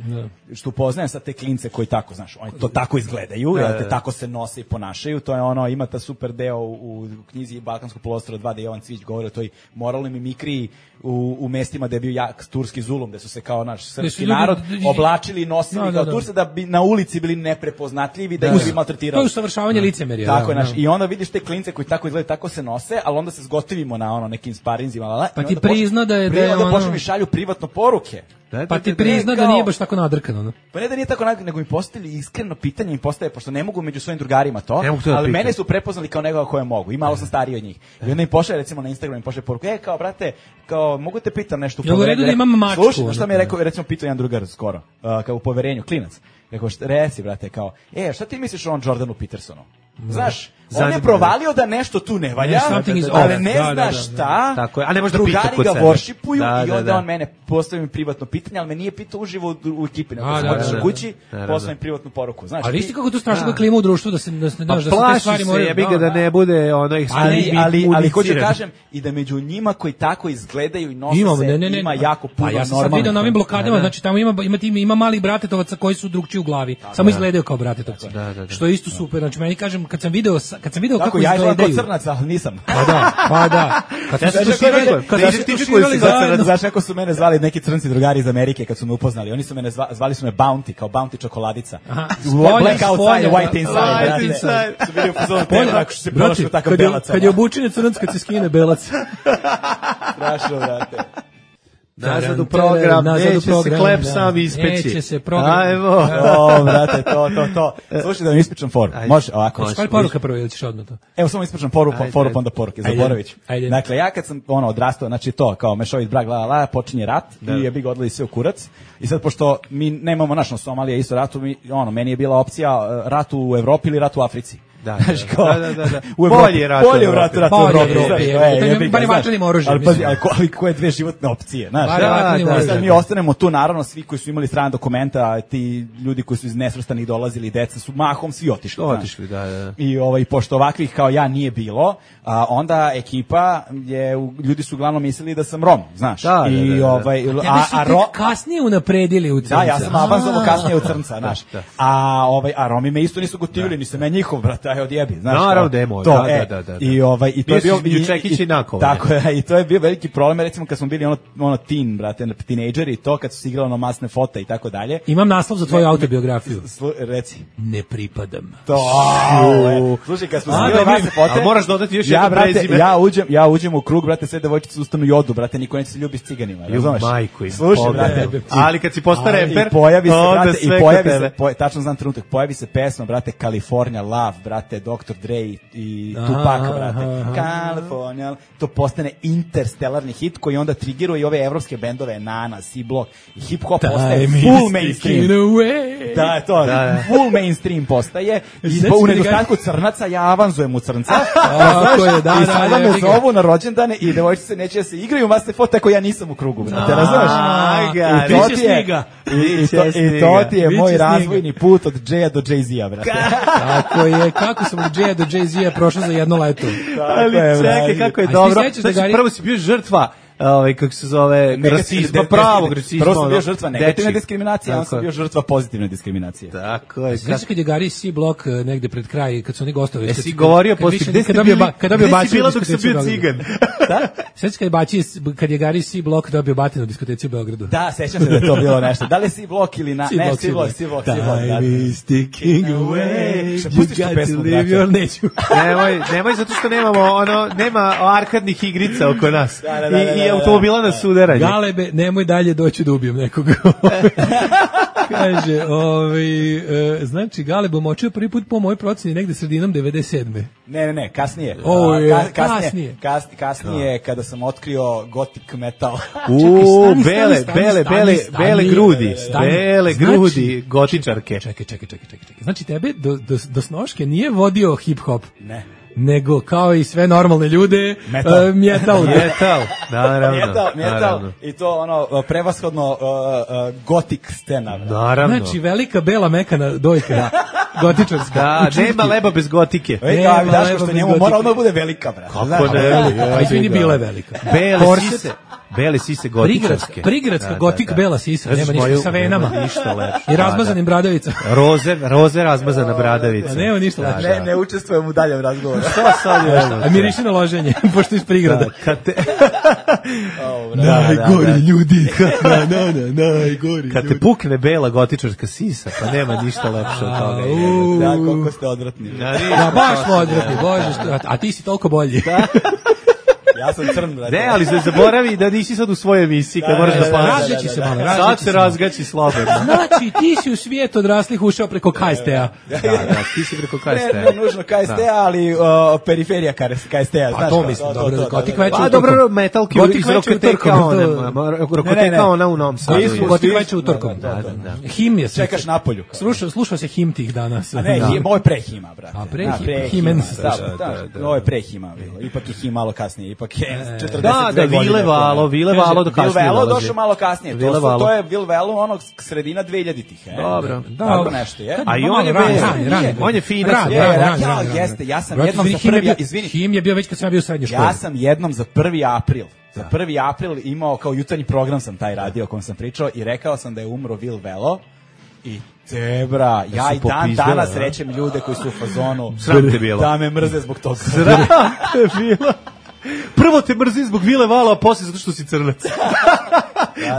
Što upoznajem sad te klince koji tako, znaš, oni to tako izgledaju, Da, jel da, te da. tako se nose i ponašaju, to je ono, ima ta super deo u, u knjizi Balkanskog poluostrva dva, da Jovan Cvić govori o toj moralnoj mimikriji u, u mestima gde je bio jak turski zulum, gde su se kao naš srpski ljudi- narod ljudi- oblačili i nosili Da, da, kao da. Turci da bi na ulici bili neprepoznatljivi, da, Da, ih da. bi maltretirali. To je usavršavanje licemerja. Tako je, da, znaš, da. i onda vidiš te klince koji tako izgledaju, tako se nose, ali onda se zgotivimo na ono nekim sparinzima, la, la, Pa i ti onda počne- prizna da je- da pri- je onda ono- počnu mi šalju privatno poruke. Da, da, Pa ti da, da. prizna da kao- nije baš tako nadrkano. No? Pa ne da nije tako, nag- nego mi postavili iskreno pitanje, mi postaje, pošto ne mogu među svojim drugarima to, Ne mogu to da ali pitam. mene su prepoznali kao nekoga koje mogu, i malo sam stariji od njih. I onda im pošalje, recimo na Instagramu, im pošalje poruku, e, kao, brate, kao, mogu te pitam nešto u Jel u poverenju? redu da imam mačku, Slušaj, ono, šta mi je kao? rekao, recimo, pitao jedan drugar skoro, uh, kao u poverenju, klinac. Rekao, šta, reci, brate, kao, e, šta ti misliš o on Jordanu Petersonu? Znaš, on je Zanima, provalio da nešto tu ne valja, Ne, something is ali off. ne Da, da, zna da, šta, Tako je, a ne može da pita drugari kod ga sebe. worshipuju Da, i da, onda da. on mene postavi mi privatno pitanje, ali me nije pitao uživo u, u ekipi, nego A, sam da, otišao da, da. kući, Da, da, poslao da. mi privatnu poruku. Znaš, Ali ti- viš ti kako tu strašna klima u društvu da se da se Pa znaš da se te plaši stvari se, moraju. jebi ga da ne bude ono ali, ekstremni ali, ali hoću da municiran. kažem i da među njima koji tako izgledaju i nose Imamo, se, ne, ne, ne. ima jako puno Pa ja sam sad normalnih. vidio na ovim blokadama, Da, da. znači tamo ima ima ima, ima malih bratetovaca koji su drugčiji u glavi. Samo izgledaju kao bratetovci. Da, da, da. Što je isto super. Znači meni kažem kad sam video sa- kad sam video Tako, kako ja izgledam kao izgledaju. crnac, ali nisam. Pa da, pa da. Kad smo se Znaš, tuširali, kako- kad znaš, smo se ti tuširali koji si sad zajedno. crnac, znaš kako su mene zvali neki crnci drugari iz Amerike kad su me upoznali. Oni su mene zva, zvali su me Bounty, kao Bounty čokoladica. Aha, Black spolja, outside, spolja, white inside. White brate. inside. Su bili u fazonu Polje, tebe, tako što se brate, ponašao takav kad je, belac. kad je ono. obučen crnac, kad se skine belac. Strašno, brate. Nazad u program, Nazad u neće se program, klep da. sam ispeći. Neće se program. Ajmo. O, brate, to, to, to. Slušaj da vam ispričam foru. Ajde. Može ovako. Može. Šalj poruka prvo ili ćeš odmah to? Evo samo ispričam foru, Ajde, foru ajde. pa onda poruke, Ajde. zaboravit ću. Ajde. Dakle, ja kad sam ono odrastao, znači to, kao mešovit brak, la, la, la, počinje rat Da. i je bi ga odlili sve u kurac. I sad, pošto mi nemamo naš, no Somalija isto ratu, mi, ono, meni je bila opcija uh, rat u Evropi ili rat u Africi. Da, da, Znaš, da, kao, da, da, da. u Evropi, Bolje je rat u bolje u Evropi. ratu, rat u Bolje Evropi. u Evropi, znaš, je, e, da jebi ga, barem znaš. vatrenim oružjem, Ali pazi, mislim. ali ko- ali koje dve životne opcije, znaš. Barem Da, vatrenim da, oružjem. sad mi ostanemo tu, naravno, svi koji su imali strana dokumenta, ti ljudi koji su iz nesvrstanih dolazili, deca su mahom svi otišli. znaš. Otišli, da, da. I ovaj pošto ovakvih kao ja nije bilo, a onda ekipa je u- ljudi su uglavnom mislili da sam Rom, znaš. Da, da, I da, da. ovaj Tebe a, su a tek Ro- kasnije unapredili u crnca. da, ja sam avanzovao A. kasnije u crnca, znaš. da. A ovaj a Romi me isto nisu gotivili, nisam ja njihov, brate, aj odjebi, znaš. Naravno kao, da je moj, to, da, e, da, da, da. I ovaj i to Bio je si bio između Čekića i Nakova, Tako je, i to je bio veliki problem, recimo kad smo bili ono ono teen, brate, tinejdžeri, to kad su se igrali na masne fote i tako dalje. Imam naslov za tvoju autobiografiju. Slu- Reci. Ne pripadam. To, au, e. Slušaj, kad smo A, se igrali dobro. masne fote, Ali moraš dodati još ja, jedno brate, prezime. ja uđem, ja uđem u krug, brate, sve devojčice ustanu i odu, brate, niko neće se ljubi s ciganima, razumeš? majku im, Slušaj, pogledaj. brate, Ali kad si postao a, reper, i pojavi se, onda brate, i sve pojavi kod se, tebe. po, tačno znam trenutak, pojavi se pesma, brate, California Love, brate, doktor Dre i Aha, Tupac, aha, brate, aha. California, to postane interstellarni hit koji onda triggeruje i ove evropske bendove, Nana, C-Block, i hip-hop postaje Time full is mainstream. ticking away. Da, je to, Da, da. full mainstream postaje i Znači, u kad nedostatku crnaca ja avanzujem u crnca. Tako je, da, I da, sada me jebi ga. zovu na rođendane i devojčice neće da se igraju u masne foto, tako ja nisam u krugu, brate, razumeš? Aj ga, I to biće ti je, sniga. i, i, Biće to, i to sniga. ti je Biće moj sniga. razvojni put od Džeja do Jay-Z-a, brate. Tako je, kako sam od Jay-a do Jay-Z-a prošao za jedno leto. Ali je, čekaj, brate. kako je A ti dobro. sećaš da Znači, Gari- prvo si bio žrtva ovaj, kako se zove, rasizma, pravog rasizma. Prvo sam bio ono, žrtva negativne dečiji. diskriminacije, a on sam Tako. bio žrtva pozitivne diskriminacije. Tako je. Znaš kad je Gary C. Block eh, negde pred kraj, kad su oni gostovali... Jesi kad- govorio kad poslije, više- gde kad ste dobio bili, ba- kad dobio gde si batinu bila u dok sam diskoteci bio u Beogradu. cigan? Sveći kad je baci, kad je Gary C. Block dobio batinu u diskoteci u Beogradu. Da, sećam se da je to bilo nešto. Da li je C-Block ili na... Ne, C-Block, C-Block, C-Block. da. Time is ticking away, Šta, you pustiš tu got to pesmu, live brate? your neću. nemoj, nemoj zato što nemamo ono, nema arkadnih igrica oko nas. Da, da, da, I, da, i da, automobila na sudaranje. Galebe, nemoj dalje doći da ubijem nekoga. Kaže, ovaj, e, znači, Galeb omočio prvi put po mojoj proceni negde sredinom devedeset sedme. Ne, ne, ne, kasnije. O, A, je, ka- kasnije. kasnije. Kasnije, kasnije kada sam otkrio gothic metal. U, stani, bele, stani, bele, stani, bele, stani, bele stani. grudi, Stani. bele Znači- grudi, gotičarke. Čekaj, čekaj, čekaj, čekaj. čekaj. Znači, tebe do, do, do snoške nije vodio hip-hop. Ne. Nego, kao i sve normalne ljude, Metal. e, metal. Metal, naravno. Metal, metal, naravno. i to ono, prevashodno uh, uh, gothic scena. Naravno. Znači, velika bela mekana dojka. Gotičarska. Da, U čutki. nema leba bez gotike. Ej, Nema kao mi daš leba što bez njemu gotike. mora odmah bude velika, brate. Kako Znaš, ne? ono, Pa izvini, bila je velika. Bele Korset. sise, bele sise Prigradska, gotičarske. prigradska Da, da, gotik da. bela sisa, Znaš nema moju- ništa sa venama. nema ništa lepše. I razmazanim bradavica. Da, da. Roze, roze razmazana bradavica. A nema ništa Da, lepše. da. Ne, ne učestvujem u daljem razgovoru. Šta sad je ovo? A miriši na loženje, pošto iz prigrada. Da, kad te, Najgori da, da. ljudi, na, na, na, najgori kad te ljudi. pukne bela gotičarska sisa, pa nema ništa lepše od toga. Au. Da, koliko ste odvratni. Da, ništa Da, baš lepše, odvratni, da, bože, da. što, a, a ti si toliko bolji. Ja sam crn, brate. Ne, ali ne zaboravi da nisi sad u svojoj emisiji, kad Da, moraš da, da da, paziš. Razgaći se malo, Sad razgaći se se malo. razgaći slobodno. Znači, ti si u svijet odraslih ušao preko K S T-a. Da, da, ti si preko K S T. Ne, ne nužno K S T, ali uh, periferija K S T. Pa to mislim, dobro, gotik veče Pa utorkom. dobro, metalki Gotik iz veče Rokoteka, utorkom, ona, to- Ne, ne, Rokoteka ne. ona u Novom Sadu. Svi su- Gotik svi- veče utorkom. Da, da, da, da. Him je Čekaš napolju. Slušao, slušao se him tih danas. A ne, Da. him, ovo je pre hima, brate. A, pre Da, him- pre himen hima, se da, sluša. da, Da, da, ovo je pre hima bilo. Ipak je him malo kasnije, ipak je četrdeset Da, dve da, godine. Vile Valo, Vile Valo do Vil kasnije Velo dolazi. došao malo kasnije. To, Vile su, Valo. to je Vil Velo onog sredina dvehiljaditih. E? Dobro. Da, Tako nešto je. A i Malo on je rani, bez- rani, rani. on je finac. Rani, Je, rani, rani, rani, ja, rani, rani. jeste, ja sam Brate, jednom izvini, za him je prvi- bio- izvini. Him je bio već kad sam ja bio u srednjoj školi. Ja sam jednom za prvi april, za prvi april imao kao jutarnji program sam taj radio o kom sam pričao i rekao sam da je umro Vil Velo i tebra, ja su i dan popizdele, danas a? rećem ljude koji su u fazonu Sram te bilo. da me mrze zbog toga. Sram te bilo. Prvo te mrzi zbog Vile Valo, a posle zato što si crnac.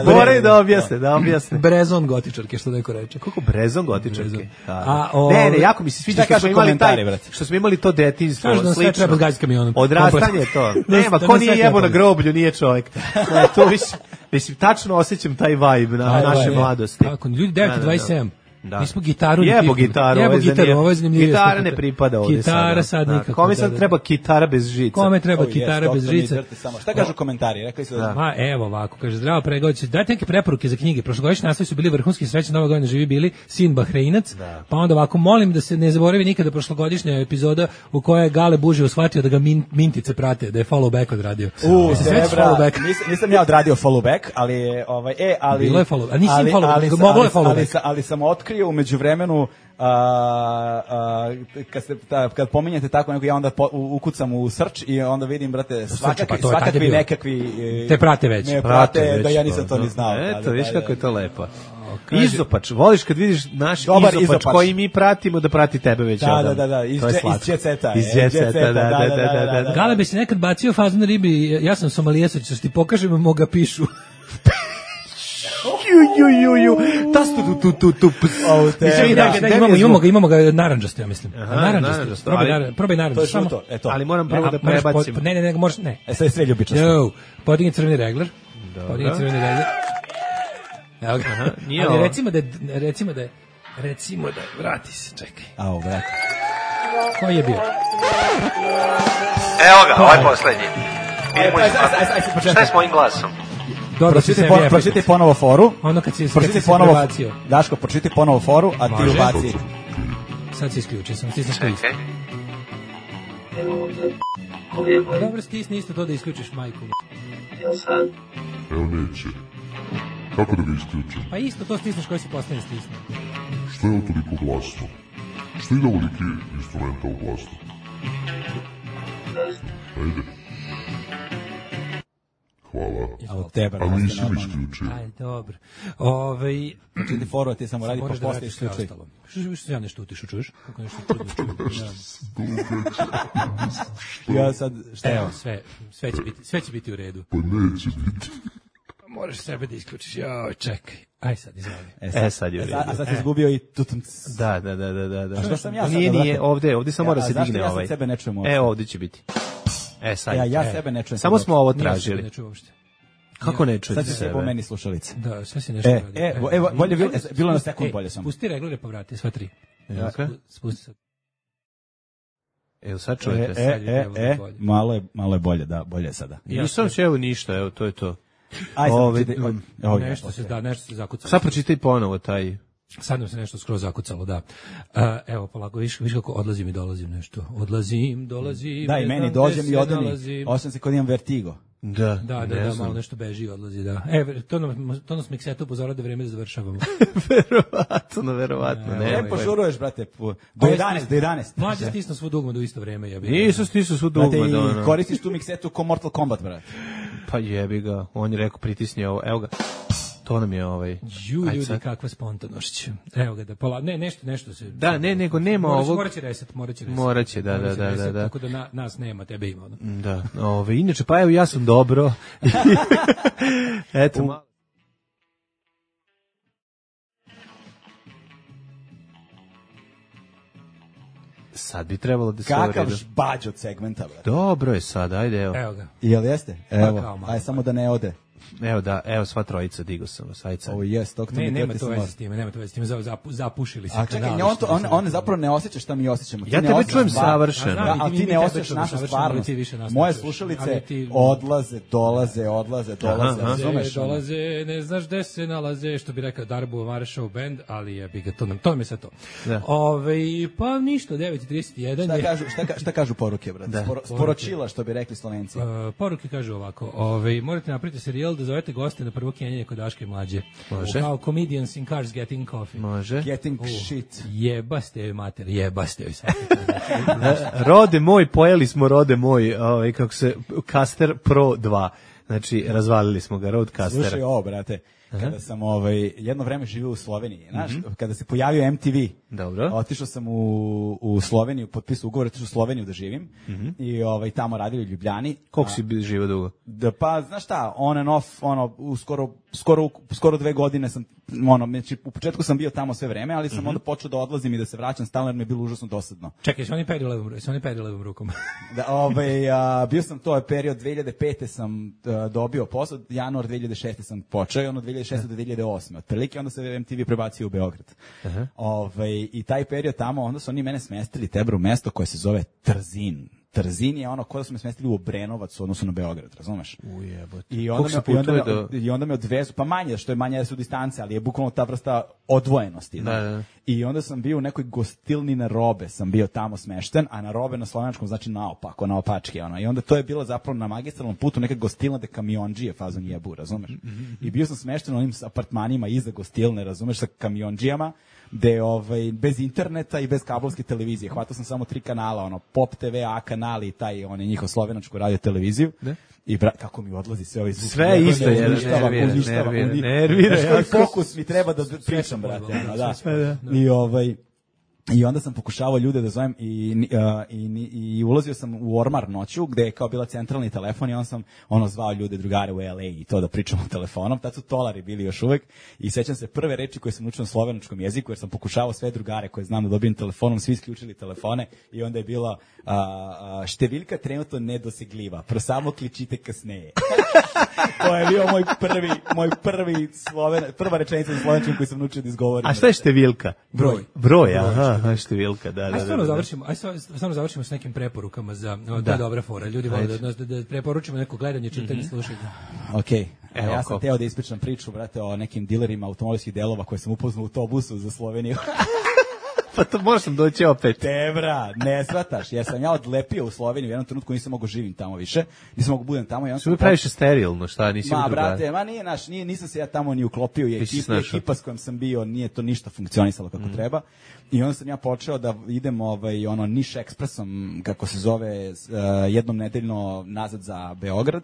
Moraju da objasne, da objasne. Brezon gotičarke, što neko reče. Kako brezon gotičarke. Brezon. Da, da. A, o- ne, ne, jako mi se sviđa Šta što kažu smo imali komentari, taj, brate? što smo imali to detinjstvo, Kažu da nas sve slično. treba s gajskim kamionom. Odrastanje je to. Da nas- Nema, da ko nas nije sve jebo na treba. groblju, nije čovjek. Ne, to više, mislim, tačno osjećam taj vibe na Aj, naše aj, mladosti. Tako, ljudi devet dvadeset sedam. Da. Mi smo gitaru ne Jebo pipnuli. gitaru, Jebo ovo je gitaru, zanimljivo. ovo je zanimljivije. Gitara ne pripada ovdje sada. Gitara sad Da. nikako. Kome da, sad da. treba gitara bez žica? Kome treba Oh, yes, gitara bez doktor mi žice? drti samo. Šta kažu komentari? Rekli su da... Ma evo ovako, kaže zdravo pregović. Dajte neke preporuke za knjige. Prošlogodišnji naslovi su bili vrhunski, srećan Nova godina živi bili, sin Bahreinac. Pa onda ovako molim da se ne zaboravi nikada prošlogodišnja epizoda u kojoj je Gale Bužio shvatio da ga min, mintice prate, da je follow back odradio. U, Se sećaš Debra, follow back? nisam, nisam ja odradio follow back, ali je, ovaj, e, ali... Bilo je follow- a nisi ali, follow back, ali, nego sam- moglo je ali, follow ali, back. sam- ali sam otkrio umeđu vremenu, a, a, kad, ste, ta, kad pominjete tako nego ja onda po, u, ukucam u search i onda vidim, brate, svakakvi, pa to je tad je svakakvi bilo. nekakvi... e, Te prate već. Me Prate prate, već da ja nisam to da. ni znao. Eto, Da, da, viš da, kako da. je to lepo. kaže- Izopač, voliš kad vidiš naš Dobar izopač, izopač. koji mi pratimo da prati tebe već Da, odavno. da, da, da, iz To je dže- iz slatko. jet seta, Iz e, jet jet seta, seta, da, da, da, da, da, da. Gale bi se nekad bacio fazon na ribi, ja sam Somalijesac, što ti pokažem, mo ga pišu. Ju, ju, ju, ju. Tastu tu, tu, tu, tu. ps. Au, te- Izvini, Da, da, da, daj mi imamo, zvuk. imamo ga, imamo ga narandžasto, ja mislim. Aha, Narandžasto. narandžasto, Probaj, ali- nar- probaj To je narandžasto. samo- žuto, e to. Ali moram prvo A, da moraš prebacim. pod- Ne, ne, ne, možeš, ne. E, sad je sve ljubičasto. No, podigni crveni regler. Podigni crveni regler. Evo ga. Aha, nije Ali ovo. recimo da je, recimo da je, recimo da je, vrati se, čekaj. Au, brate. Koji je bio? Evo ga, ovaj poslednji. Idemo Aj, iz... aj, aj, aj, aj, Šta je s mojim glasom? Dobro, si Pročitaj sebi pon- efekt. pročitaj ponovo foru. Ono kad si, kad si Pročitaj se ponovo. prebacio. Daško, pročitaj ponovo foru, a ti Može. ubaci. Sad se isključio sam, stisneš to isto. Čekaj. Dobro, stisni isto to da isključiš majku. Evo neće. Kako da ga isključim? Pa isto to stisneš koji si postavljen stisne. Što je ovo toliko glasno? Što ide ovoliki instrumental glasno? Ajde. Hvala. A od tebe A raste nisi mi normalno. isključio. Aj, dobro. Ove, Znači ti forward ti samo radi pa moraš da posle vratiš sve isključuj. ostalo. Što što ja nešto utišu, čuješ? Kako nešto čudno čujem. Ja sad, šta Evo, je? sve, sve će biti, sve će biti u redu. Pa neće biti. Moraš sebe da isključiš. Joj, čekaj. Aj sad, izvoli. E, sad je u A, redu. a sad si izgubio i tutum. Da, da, da, da, da. da. što sam ja sad, Nije, brate? nije, ovde, ovde samo Ja, mora a se zašto digne ja sad ovaj. sebe ne čujem uopšte? E, ovde će biti. E, sad. Ja, je. ja E. sebe ne čujem. Samo sad smo ovo Nije tražili. se ne čuva uopšte. Kako ne Sad čujete će se sebe? po meni slušalice. Da, sve si nešto E, radi. e, evo, bolje bilo, Ajde, bilo na spusti- sekund ej, bolje sam. Spusti reglere pa vrati, sva tri. Ja. Spu- Spusti sad. Evo, sad E, čujete. e, sad je e, trebalo e, bolje. malo je, malo je bolje, da, bolje je sada. Ja nisam će evo ništa, evo, to je to. Aj, sad Ove, čitaj, um, o, o, Nešto ja, se, da, nešto se zakucalo. Sad pročitaj ponovo taj. Sad nam se nešto skroz zakucalo, da. Uh, evo, polako, viš, viš kako odlazim i dolazim nešto. Odlazim, dolazim, Da, i ne meni znam dođem gde i se odem i nalazim. osjećam se kod imam vertigo. Da, Da, da, ne da, znam. malo nešto beži i odlazi, da. E, to nam, to nas Mikseto upozorava da je vreme da završavamo. Verovatno, verovatno. Ne, Ne, E, ne, požuruješ, brate, po- do Ovo je jedanaest, do jedanaest. Mlađe stisnu svu dugma do isto vreme, ja bih. Nisu stisnu svu Brate, dugma, da i ono. koristiš tu miksetu ko Mortal Kombat, brate. Pa jebi ga, on je rekao pritisni ovo, evo ga. To nam je ovaj. Ju, Ajde ljudi, sad. kakva spontanost. Evo ga da pola, ne, nešto, nešto se. Da, ne, nego nema Morat će- ovog. Morat će reset, morat će reset. Morat će, da, Morat će da, da, reset, da, da. Tako da na, nas nema, tebe ima. Ono. Da, ove, inače, pa evo ja sam dobro. Eto, malo. Sad bi trebalo da se Kakav uredu. žbađ od segmenta, brate. Dobro je sad, ajde, evo. Evo ga. Jel jeste? Evo, kao malo. aj samo da ne ode. Evo da, evo sva trojica, digo sam vas, ajde sad. Ovo jest, tog Ne, nema to veze s time, nema to veze s time, za- zapu- zapušili se. A čekaj, kanali, on, što to, on, se- on zapravo ne osjeća šta mi osjećamo. Ti Ja ne tebe osjećaš čujem stvar- savršeno. Da, Znam, ali i ti mi ne tebe osjećaš čujemo našu savršeno, stvarnost. ali ti više nas ne Moje čuješ. slušalice Ali ti- odlaze, dolaze, odlaze, dolaze, Aha. razumeš? ono? Dolaze, ne znaš gde se nalaze, što bi rekao Darbo Maršov band, ali je bi ga to nam, to mi je sve to. Da. Ove, pa ništa, devet i trideset jedan Šta je. kažu, šta, ka- šta kažu poruke, brate? Da. Sporo, sporočila, što bi rekli Slovenci. Uh, poruke kažu ovako, ovaj morate napraviti serijal da zovete goste na prvo kenjanje kod Daške i Mlađe. Može. Kao comedians in cars getting coffee. Može. Getting U, shit. Jebaste joj mater, jebaste joj sad. Rode moj, pojeli smo rode moj, ovaj, kako se, Caster Pro dva. Znači, razvalili smo ga, Rodecaster. Slušaj ovo, brate. Kada sam ovaj, jedno vreme živio u Sloveniji, znaš, kada se pojavio M T V, Dobro. otišao sam u, u Sloveniju, potpisao ugovor, otišao u Sloveniju da živim i ovaj, tamo radili u Ljubljani. Koliko A, si bi živio dugo? Da, pa, znaš šta, on and off, ono, u skoro, skoro, skoro dve godine sam, ono, znači, u početku sam bio tamo sve vreme, ali sam onda počeo da odlazim i da se vraćam stalno jer mi je bilo užasno dosadno. Čekaj, se oni peri levom, se oni peri levom rukom. Da, ovaj, a, bio sam to je period dve hiljade pete sam a, dobio posao, januar dve hiljade šeste sam počeo i ono dve hiljade šeste do dve hiljade osme. Otprilike onda se M T V prebacio u Beograd. Ovaj, i taj period tamo, onda su oni mene smestili tebra u mesto koje se zove Trzin. Trzin je ono koje su me smestili u Obrenovac u odnosu na Beograd, razumeš? Ujebote. I onda, Koliko me, se i, onda me, putuje do... I onda me odvezu, pa manje, što je manje su distance, ali je bukvalno ta vrsta odvojenosti. Da, znaš. da. I onda sam bio u nekoj gostilni na Robe, sam bio tamo smešten, a na Robe na slovenačkom znači naopako, naopačke. Ono. I onda to je bilo zapravo na magistralnom putu neka gostilna de kamionđije fazon jebu, razumeš? I bio sam smešten u onim apartmanima iza gostilne, razumeš, sa kamionđijama, gde ovaj, bez interneta i bez kablovske televizije. Hvatao sam samo tri kanala, ono, Pop T V, A kanali i taj, on je njihov slovenačku radio televiziju. Da. I bra, kako mi odlazi sve ovaj zvuk. Sve Nego isto ne, je, uništava, nervira, uništava, nervira, uni- nervira Znaš koji jako. fokus mi treba da pričam, brate. ono, da. sve, da. I ovaj I onda sam pokušavao ljude da zovem i, uh, i, i ulazio sam u ormar noću gde je kao bila centralni telefon i on sam ono zvao ljude, drugare u L A i to da pričamo telefonom. Tad su tolari bili još uvek i sećam se prve reči koje sam učio na slovenačkom jeziku jer sam pokušavao sve drugare koje znam da dobijem telefonom, svi isključili telefone i onda je bila uh, uh, številjka trenutno nedosegljiva, pro samo kličite kasneje. To je bio moj prvi, moj prvi sloven, prva rečenica na slovenačkom koju sam naučio da izgovorim. A šta je številka? Broj. Broj, aha, aha, številka, da, da, Aj da. stvarno da. završimo, aj stvarno završimo s nekim preporukama za o, to je dobra fora. Ljudi vole da, da, da preporučimo neko gledanje, čitanje, slušanje. Okej, a Evo, ja sam ko- teo da ispričam priču, brate, o nekim dilerima automobilskih delova koje sam upoznao u autobusu za Sloveniju. Pa to možda sam doći opet. Tebra, ne shvataš, jer sam ja odlepio u Sloveniju, u jednom trenutku nisam mogao živim tamo više, nisam mogao budem tamo i onda Što mi praviš sterilno, šta, nisi Ma, u drugari? brate, ma nije naš, nije, nisam se ja tamo ni uklopio, je Ti si ekipa, snašao. ekipa s kojom sam bio, nije to ništa funkcionisalo kako treba. I onda sam ja počeo da idem ovaj, ono, Niš ekspresom, kako se zove, s- uh, jednom nedeljno nazad za Beograd.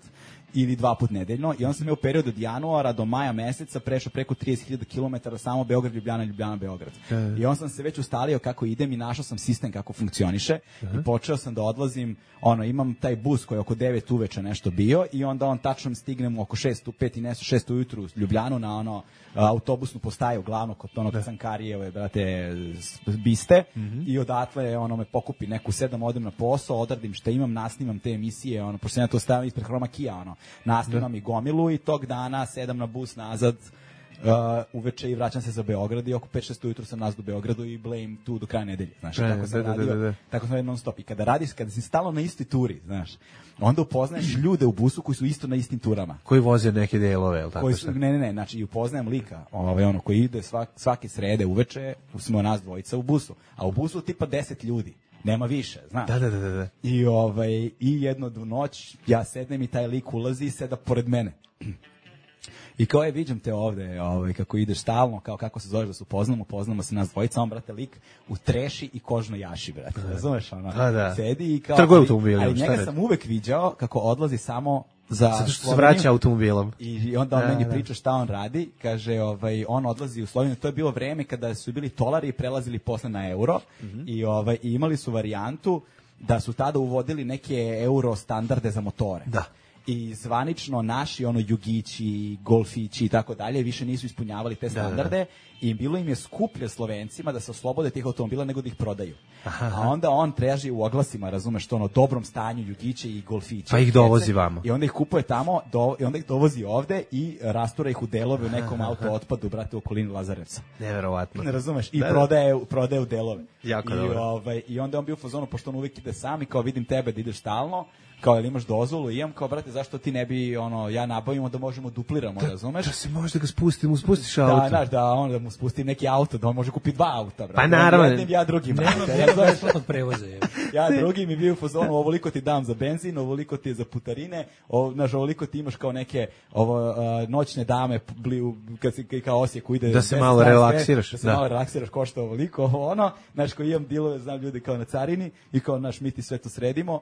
ili dva put nedeljno i on sam imao period od januara do maja meseca prešao preko trideset hiljada kilometara samo Beograd, Ljubljana, Ljubljana, Beograd. Uh. I on sam se već ustalio kako idem i našao sam sistem kako funkcioniše uh. i počeo sam da odlazim, ono, imam taj bus koji je oko devet uveče nešto bio i onda on tačno stignem oko šest u pet i nešto šest ujutru u Ljubljanu na ono autobusnu postaju glavno kod onog Cankarijeve, brate, biste mm-hmm. i odatle ono me pokupi neku sedam, odem na posao, odradim šta imam, nasnimam te emisije, ono, pošto ja to stavim ispred Hroma Kija, ono, nasnimam da. i gomilu i tog dana sedam na bus nazad uh, uveče i vraćam se za Beograd i oko pet šest ujutru sam nazad u Beogradu i blame tu do kraja nedelje, znaš, da, tako sam da, radio, da, da, da. tako sam radio non stop i kada radiš, kada si stalno na istoj turi, znaš, onda upoznaješ ljude u busu koji su isto na istim turama. Koji voze neke delove, je li tako? Koji su, ne, ne, ne, znači i upoznajem lika, ovaj, ono, koji ide svak, svake srede uveče, smo nas dvojica u busu, a u busu tipa deset ljudi. Nema više, znaš. Da, da, da, da. I, ovaj, i jednu noć ja sednem i taj lik ulazi i seda pored mene. I kao je, viđam te ovde, ovaj, kako ideš stalno, kao kako se zoveš da se upoznamo, poznamo se nas dvojica, on, brate, lik u treši i kožnoj jaši, brate, razumeš, ono, da, da. sedi i kao... Trguje automobilom, ali njega sam uvek viđao kako odlazi samo za... Zato što se vraća automobilom. I onda on da, meni da. priča šta on radi, kaže, ovaj, on odlazi u Sloveniju, to je bilo vreme kada su bili tolari i prelazili posle na euro, mm-hmm. i, ovaj, i imali su varijantu da su tada uvodili neke euro standarde za motore. Da. I zvanično naši ono Jugići, Golfići i tako dalje više nisu ispunjavali te standarde, da, da. I bilo im je skuplje Slovencima da se oslobode tih automobila nego da ih prodaju. Aha. A onda on traži u oglasima, razumeš, to ono dobrom stanju Jugiće i Golfiće. Pa ih dovozi vamo. I onda ih kupuje tamo, do, i onda ih dovozi ovde i rastura ih u delove u nekom auto otpadu, brate, u okolini Lazarevca. Neverovatno. Ne razumeš? I da, prodaje, prodaje u delove. Jako I, dobro. ovaj, I onda on bio u fazonu, pošto on uvijek ide sam i kao vidim tebe da ideš stalno, kao jel imaš dozvolu, imam, kao brate, zašto ti ne bi, ono, ja nabavimo da možemo dupliramo, da, razumeš? Da se može da ga spustim, mu spustiš auto. Da, znaš, da, on, da mu spustim neki auto, da on može kupiti dva auta, brate. Pa naravno. Jednim, ja drugim. Nema nema besplatnog prevoza. Je. Ja drugim mi bio u fazonu, ovoliko ti dam za benzin, ovoliko ti je za putarine, o, znaš, ovoliko ti imaš kao neke ovo, uh, noćne dame, bli, kad si kao Osijeku ide... Da se malo relaksiraš. Da se da. malo relaksiraš, košta ovoliko, ovo ono, znaš, ko imam dilove, znam ljudi kao na carini i kao, znaš, mi ti sve to sredimo.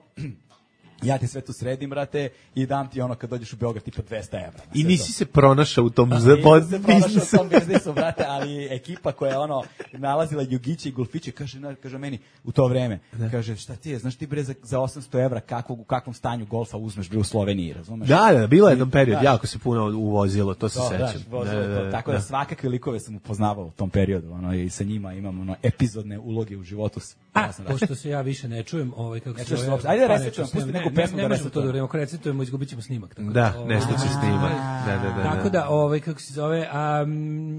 Ja ti sve tu sredim, brate, i dam ti ono kad dođeš u Beograd tipa dvesta evra. I nisi to. se pronašao u tom biznisu. se pronašao u tom biznisu, brate, ali ekipa koja je ono nalazila Jugiće i Golfiće, kaže, kaže meni u to vreme, da. kaže, šta ti je, znaš ti bre za, za osamsto evra kakvog, u kakvom stanju golfa uzmeš bre u Sloveniji, razumeš? Da, da, bilo je jedan period, da. jako se puno uvozilo, to se to, sećam. Da, da, da, tako da, da svakakve likove sam upoznavao u tom periodu, ono, i sa njima imam ono, epizodne uloge u životu. A, pošto se ja više ne čujem, ovaj, kako ne se zove... Ajde resetujem, pusti neku pesmu da resetujemo. Da, ako recitujemo, izgubit ćemo snimak. Tako da, da nešto će snimak. Da, da, da, tako da, ovaj, kako se zove, a,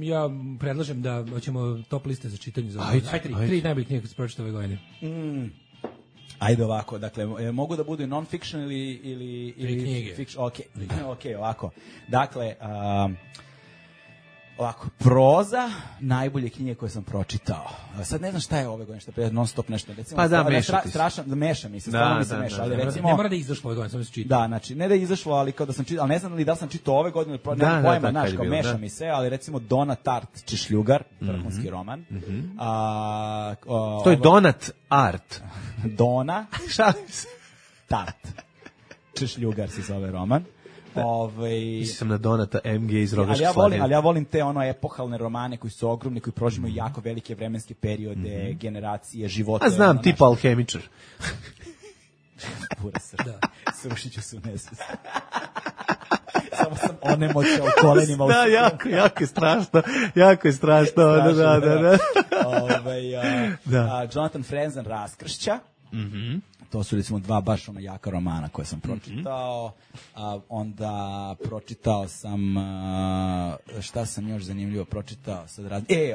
ja predlažem da hoćemo top liste za čitanje. Za ajde, ajde, tri, ajde. tri najboljih knjiga koje se pročita ove godine. Mm. Ajde ovako, dakle, mogu da budu i non-fiction ili... ili, ili fiction, ok, ok, ovako. Dakle, um, ovako, proza, najbolje knjige koje sam pročitao. Sad ne znam šta je ove godine, šta je non stop nešto. Recimo, pa da, stra, meša ti strašan, da meša mi se, stvarno mi se da, meša. Da, ali da, recimo, ne mora da je izašlo ove godine, samo se čita. Da, znači, ne da je izašlo, ali kao da sam čitao, ali ne znam li da li sam čitao ove godine, da, nemam pojma, da, znaš, kao bilo, meša da. mi se, ali recimo Donat Art Češljugar, vrhunski mm-hmm. roman. Mm-hmm. A, o, to je ovo, Donat Art. Dona Šalim se. Tart. Češljugar se zove roman. Ovaj sam na Donata M G iz Rogaške ali ja Slatine. volim, ali ja volim te ono epohalne romane koji su ogromni, koji prožimaju mm. jako velike vremenske periode, mm-hmm. generacije, živote. A znam, ono, tipa Alhemičar. Pura srda. Da. Srušit ću se u nesvest. Samo sam onemoćao kolenima. Da, jako, jako je strašno. Jako je strašno. strašno da, da, da. Ovaj, a, da. A, Jonathan Franzen Raskršća. Mhm. To su recimo dva baš ona jaka romana koje sam pročitao. A onda pročitao sam a, šta sam još zanimljivo pročitao sad rad... E,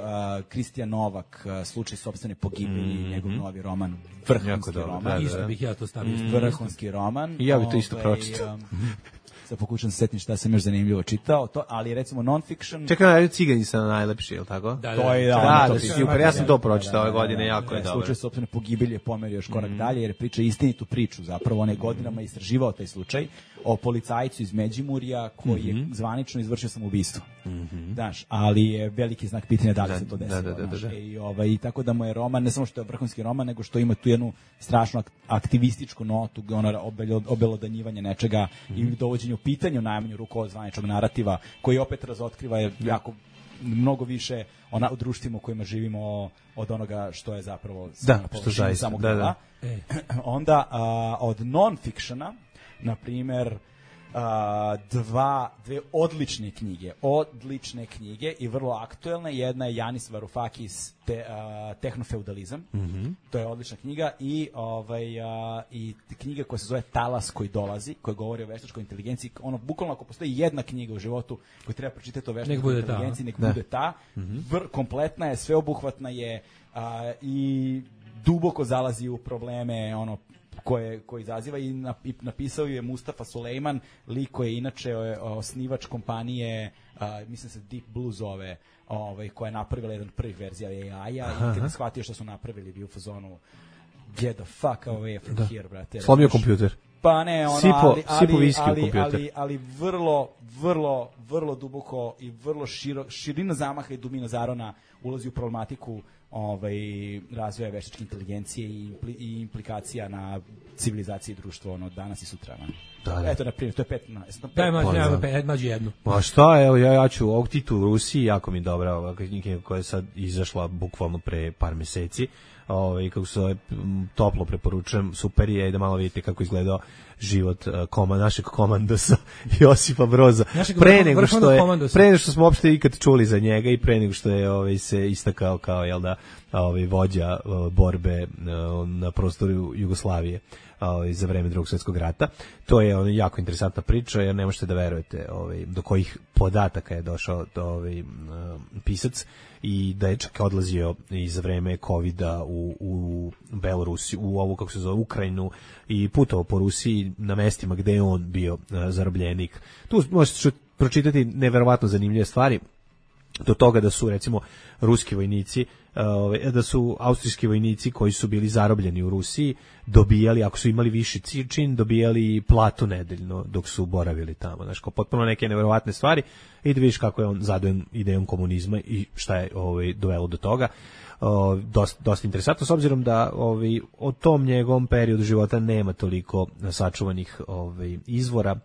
Kristijan Novak, Slučaj sopstvene pogibelji, mm-hmm. njegov novi roman, vrhunski roman. Da, da, da. Isto bih ja to stavio. Mm-hmm. Vrhunski roman. I ja bih to isto pročitao. Um, sad pokušam se setim šta sam još zanimljivo čitao, to, ali recimo non-fiction... Čekaj, Cigani su najlepši, je li tako? Da, da, to je, da, da, to da, super, ja sam to pročitao ove godine, jako je dobro. Slučaj sopstvene pogibelji je pomerio još korak mm. dalje, jer priča istinitu priču, zapravo on je godinama istraživao taj slučaj o policajcu iz Međimurja koji je mm-hmm. zvanično izvršio samoubistvo. Mm-hmm. Znaš, ali je veliki znak pitanja da li da, se to desilo. Da, da, da, da. I, ovaj, tako da mu je roman, ne samo što je vrhunski roman, nego što ima tu jednu strašnu aktivističku notu, ono obelodanjivanje nečega mm-hmm. i dovođenje u pitanje u najmanju ruku od zvaničnog narativa, koji opet razotkriva je jako mnogo više ona, u društvima u kojima živimo od onoga što je zapravo da, što zaista, samog da, dela. da. E. Onda a, od non-fictiona, na primjer, a, dva, dve odlične knjige, odlične knjige i vrlo aktuelne. Jedna je Yanis Varoufakis te, a, Tehnofeudalizam, Mm-hmm. to je odlična knjiga i ovaj a, i knjiga koja se zove Talas koji dolazi, koja govori o veštačkoj inteligenciji. Ono bukvalno ako postoji jedna knjiga u životu koju treba pročitati o veštačkoj inteligenciji, nek bude ta. Mm-hmm. Vr, kompletna je, sveobuhvatna je a, i duboko zalazi u probleme ono koje koji izaziva i, na, i napisao je Mustafa Sulejman, lik koji je inače osnivač kompanije, a, mislim se Deep Blue zove, ovaj, koja je napravila jedan prvih verzija A I-a i kada shvatio što su napravili bio u fazonu get the fuck away from da. here, brate. Slomio kompjuter. Pa ne, ono, Sipo, ali, sipo ali, viski u ali, kompjuter. ali, ali vrlo, vrlo, vrlo duboko i vrlo širo, širina zamaha i dubina zarona ulazi u problematiku ovaj, razvoja veštačke inteligencije i, impli, i implikacija na civilizaciji društva ono, danas i sutra. Da, da. Eto, na primjer, to je pet na... Daj, mađi, nema pet, mađi jednu. Ma šta, evo, ja, ja ću ovog Titu u Rusiji, jako mi je dobra ova knjiga koja je sad izašla bukvalno pre par meseci. Ovaj, kako se zove, toplo preporučujem, super je, da malo vidite kako izgledao život uh, koma, našeg komandosa Josipa Broza. Našeg pre nego što je, komandosa. pre nego što smo uopšte ikad čuli za njega i pre nego što je ovaj, se istakao kao, jel da, ovaj, vođa uh, borbe uh, na prostoru Jugoslavije ovaj, za vreme Drugog svjetskog rata. To je ovaj, jako interesantna priča, jer ne možete da verujete ovaj, do kojih podataka je došao do, ovaj, uh, pisac i da je čak odlazio i za vreme kovida u, u Belorusiju, u ovu, kako se zove, Ukrajinu i putovao po Rusiji na mestima gde je on bio uh, zarobljenik. Tu možete pročitati neverovatno zanimljive stvari, do toga da su recimo ruski vojnici, uh, da su austrijski vojnici koji su bili zarobljeni u Rusiji dobijali, ako su imali viši čin, dobijali platu nedeljno dok su boravili tamo. Znaš, kao potpuno neke neverovatne stvari i da vidiš kako je on zadojen idejom komunizma i šta je ovaj, dovelo do toga. Uh, dosta, dosta interesantno, s obzirom da ovaj, o tom njegovom periodu života nema toliko sačuvanih ovaj, izvora.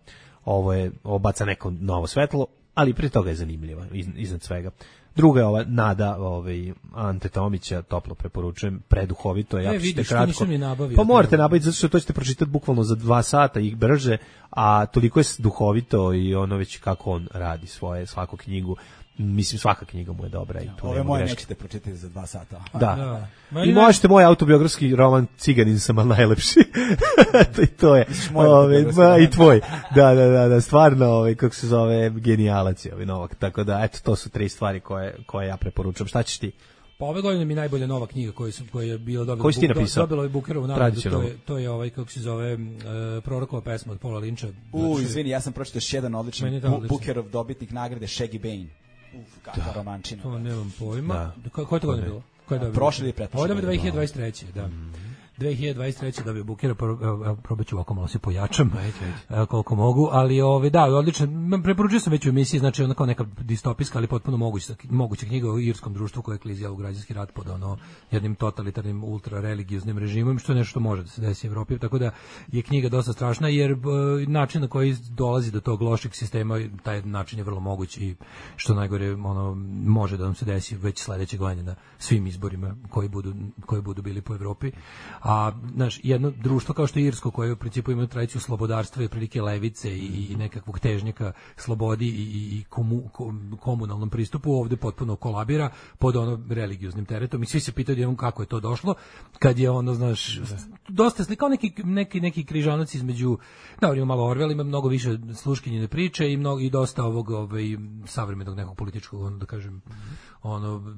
Ovo je obaca neko novo svetlo, ali prije toga je zanimljiva iznad svega. Druga je ova Nada, ovaj Ante Tomića, toplo preporučujem, preduhovito je, ja ćete kratko. Nisam ni nabavio. Pa morate nabaviti zato što to ćete pročitati bukvalno za dva sata i brže, a toliko je duhovito i ono već kako on radi svoje svaku knjigu. Mislim, svaka knjiga mu je dobra i tu ove nema moje greške. nećete pročitati za dva sata. Da. Da. I možete moj autobiografski roman Ciganin sam, ali najlepši. to, I to je. Ove, ma, i tvoj. Da, da, da, da, stvarno, ove, kako se zove, genijalac je ovaj Novak. Tako da, eto, to su tri stvari koje, koje ja preporučujem. Šta ćeš ti? Pa ove godine mi najbolja nova knjiga koju sam koja je bila dobila. Koju si ti napisao? Dobila je Bukerovu nagradu, to je to je ovaj kako se zove uh, Prorokova pesma od Paula Linča. U, izvini, ja sam pročitao još jedan odličan bu, Bukerov dobitnik nagrade Shaggy Bane. Uf, kakva romančina. To nemam pojma. Da. Ko, ko je to godine bilo? Ko je dobio? Prošli ili pretprošli? Ovo je dve hiljade dvadeset treće, da. dve hiljade dvadeset treće dobio Bukera, probat ću ovako malo se pojačam, koliko mogu, ali ove, da, odlično, preporučio sam već u emisiji, znači ona kao neka distopijska, ali potpuno moguća, moguća knjiga o irskom društvu koje je klizijalo u građanski rat pod ono, jednim totalitarnim, ultra-religioznim režimom, što je nešto što može da se desi u Evropi, tako da je knjiga dosta strašna, jer b, način na koji dolazi do tog lošeg sistema, taj način je vrlo moguć i što najgore ono, može da nam se desi već sledeće godine na svim izborima koji budu, koji budu bili po Evropi. A znaš, jedno društvo kao što je irsko, koje u principu ima tradiciju slobodarstva i prilike levice i, i nekakvog težnjaka slobodi i, i komu, komunalnom pristupu, ovde potpuno kolabira pod ono religioznim teretom i svi se pitaju jednom kako je to došlo, kad je ono, znaš, dosta slikao neki, neki, neki križanac između, da, ima malo Orwell, ima mnogo više sluškinjene priče i, mnogo, i dosta ovog ovaj, savremenog nekog političkog, ono, da kažem, ono,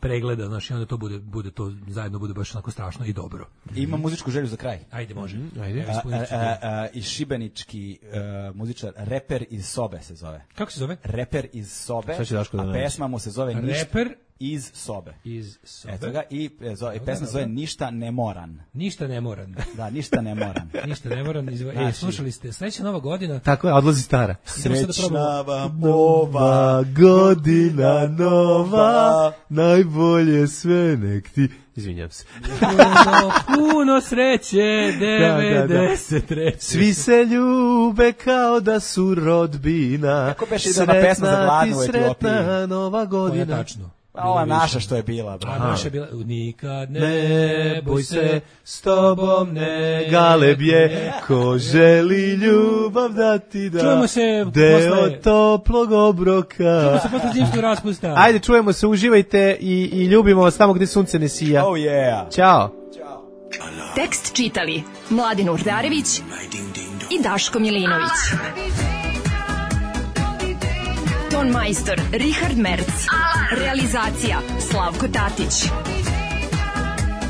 pregleda, znaš, i onda to bude, bude to zajedno bude baš onako strašno i dobro. Ima muzičku želju za kraj. Ajde, može. Mm-hmm. Ajde. A, a, a, a, I šibenički uh, muzičar, Reper iz sobe se zove. Kako se zove? Reper iz sobe, Šta će Daško da a nađe? pesma mu se zove Ništa. Reper iz sobe. Iz sobe. Eto ga, i e, zo, i pesma zove Ništa ne moran. Ništa ne moram. Da, ništa ne moram. Ništa ne moram. Izvo... Znači, e, slušali ste, sledeća nova godina. Tako je, odlazi stara. Srećna vam ova godina nova, najbolje sve nek ti... Izvinjam se. Puno, puno sreće, devedeset treće. Svi se ljube kao da su rodbina. Kako beše idena pesma za gladnu u Etiopiji? Sretna nova godina. To je tačno. Pa ova naša što je bila. Bro. A naša je bila, nikad ne, Ne boj se, s tobom ne galeb je, ko želi ljubav da ti da. Čujemo se deo posle- toplog obroka. Čujemo se posle zimskog raspusta. Ajde, čujemo se, uživajte i, i ljubimo vas tamo gde sunce ne sija. Oh yeah. Ćao. Tekst čitali Mladin Urdarević i Daško Milinović. Ton majstor Richard Merc. Realizacija Slavko Tatić.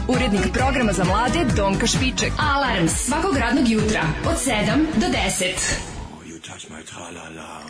Urednik programa za mlade Donka Špiček. Alarms svakog radnog jutra od sedam do deset. You touch my tra-la-la.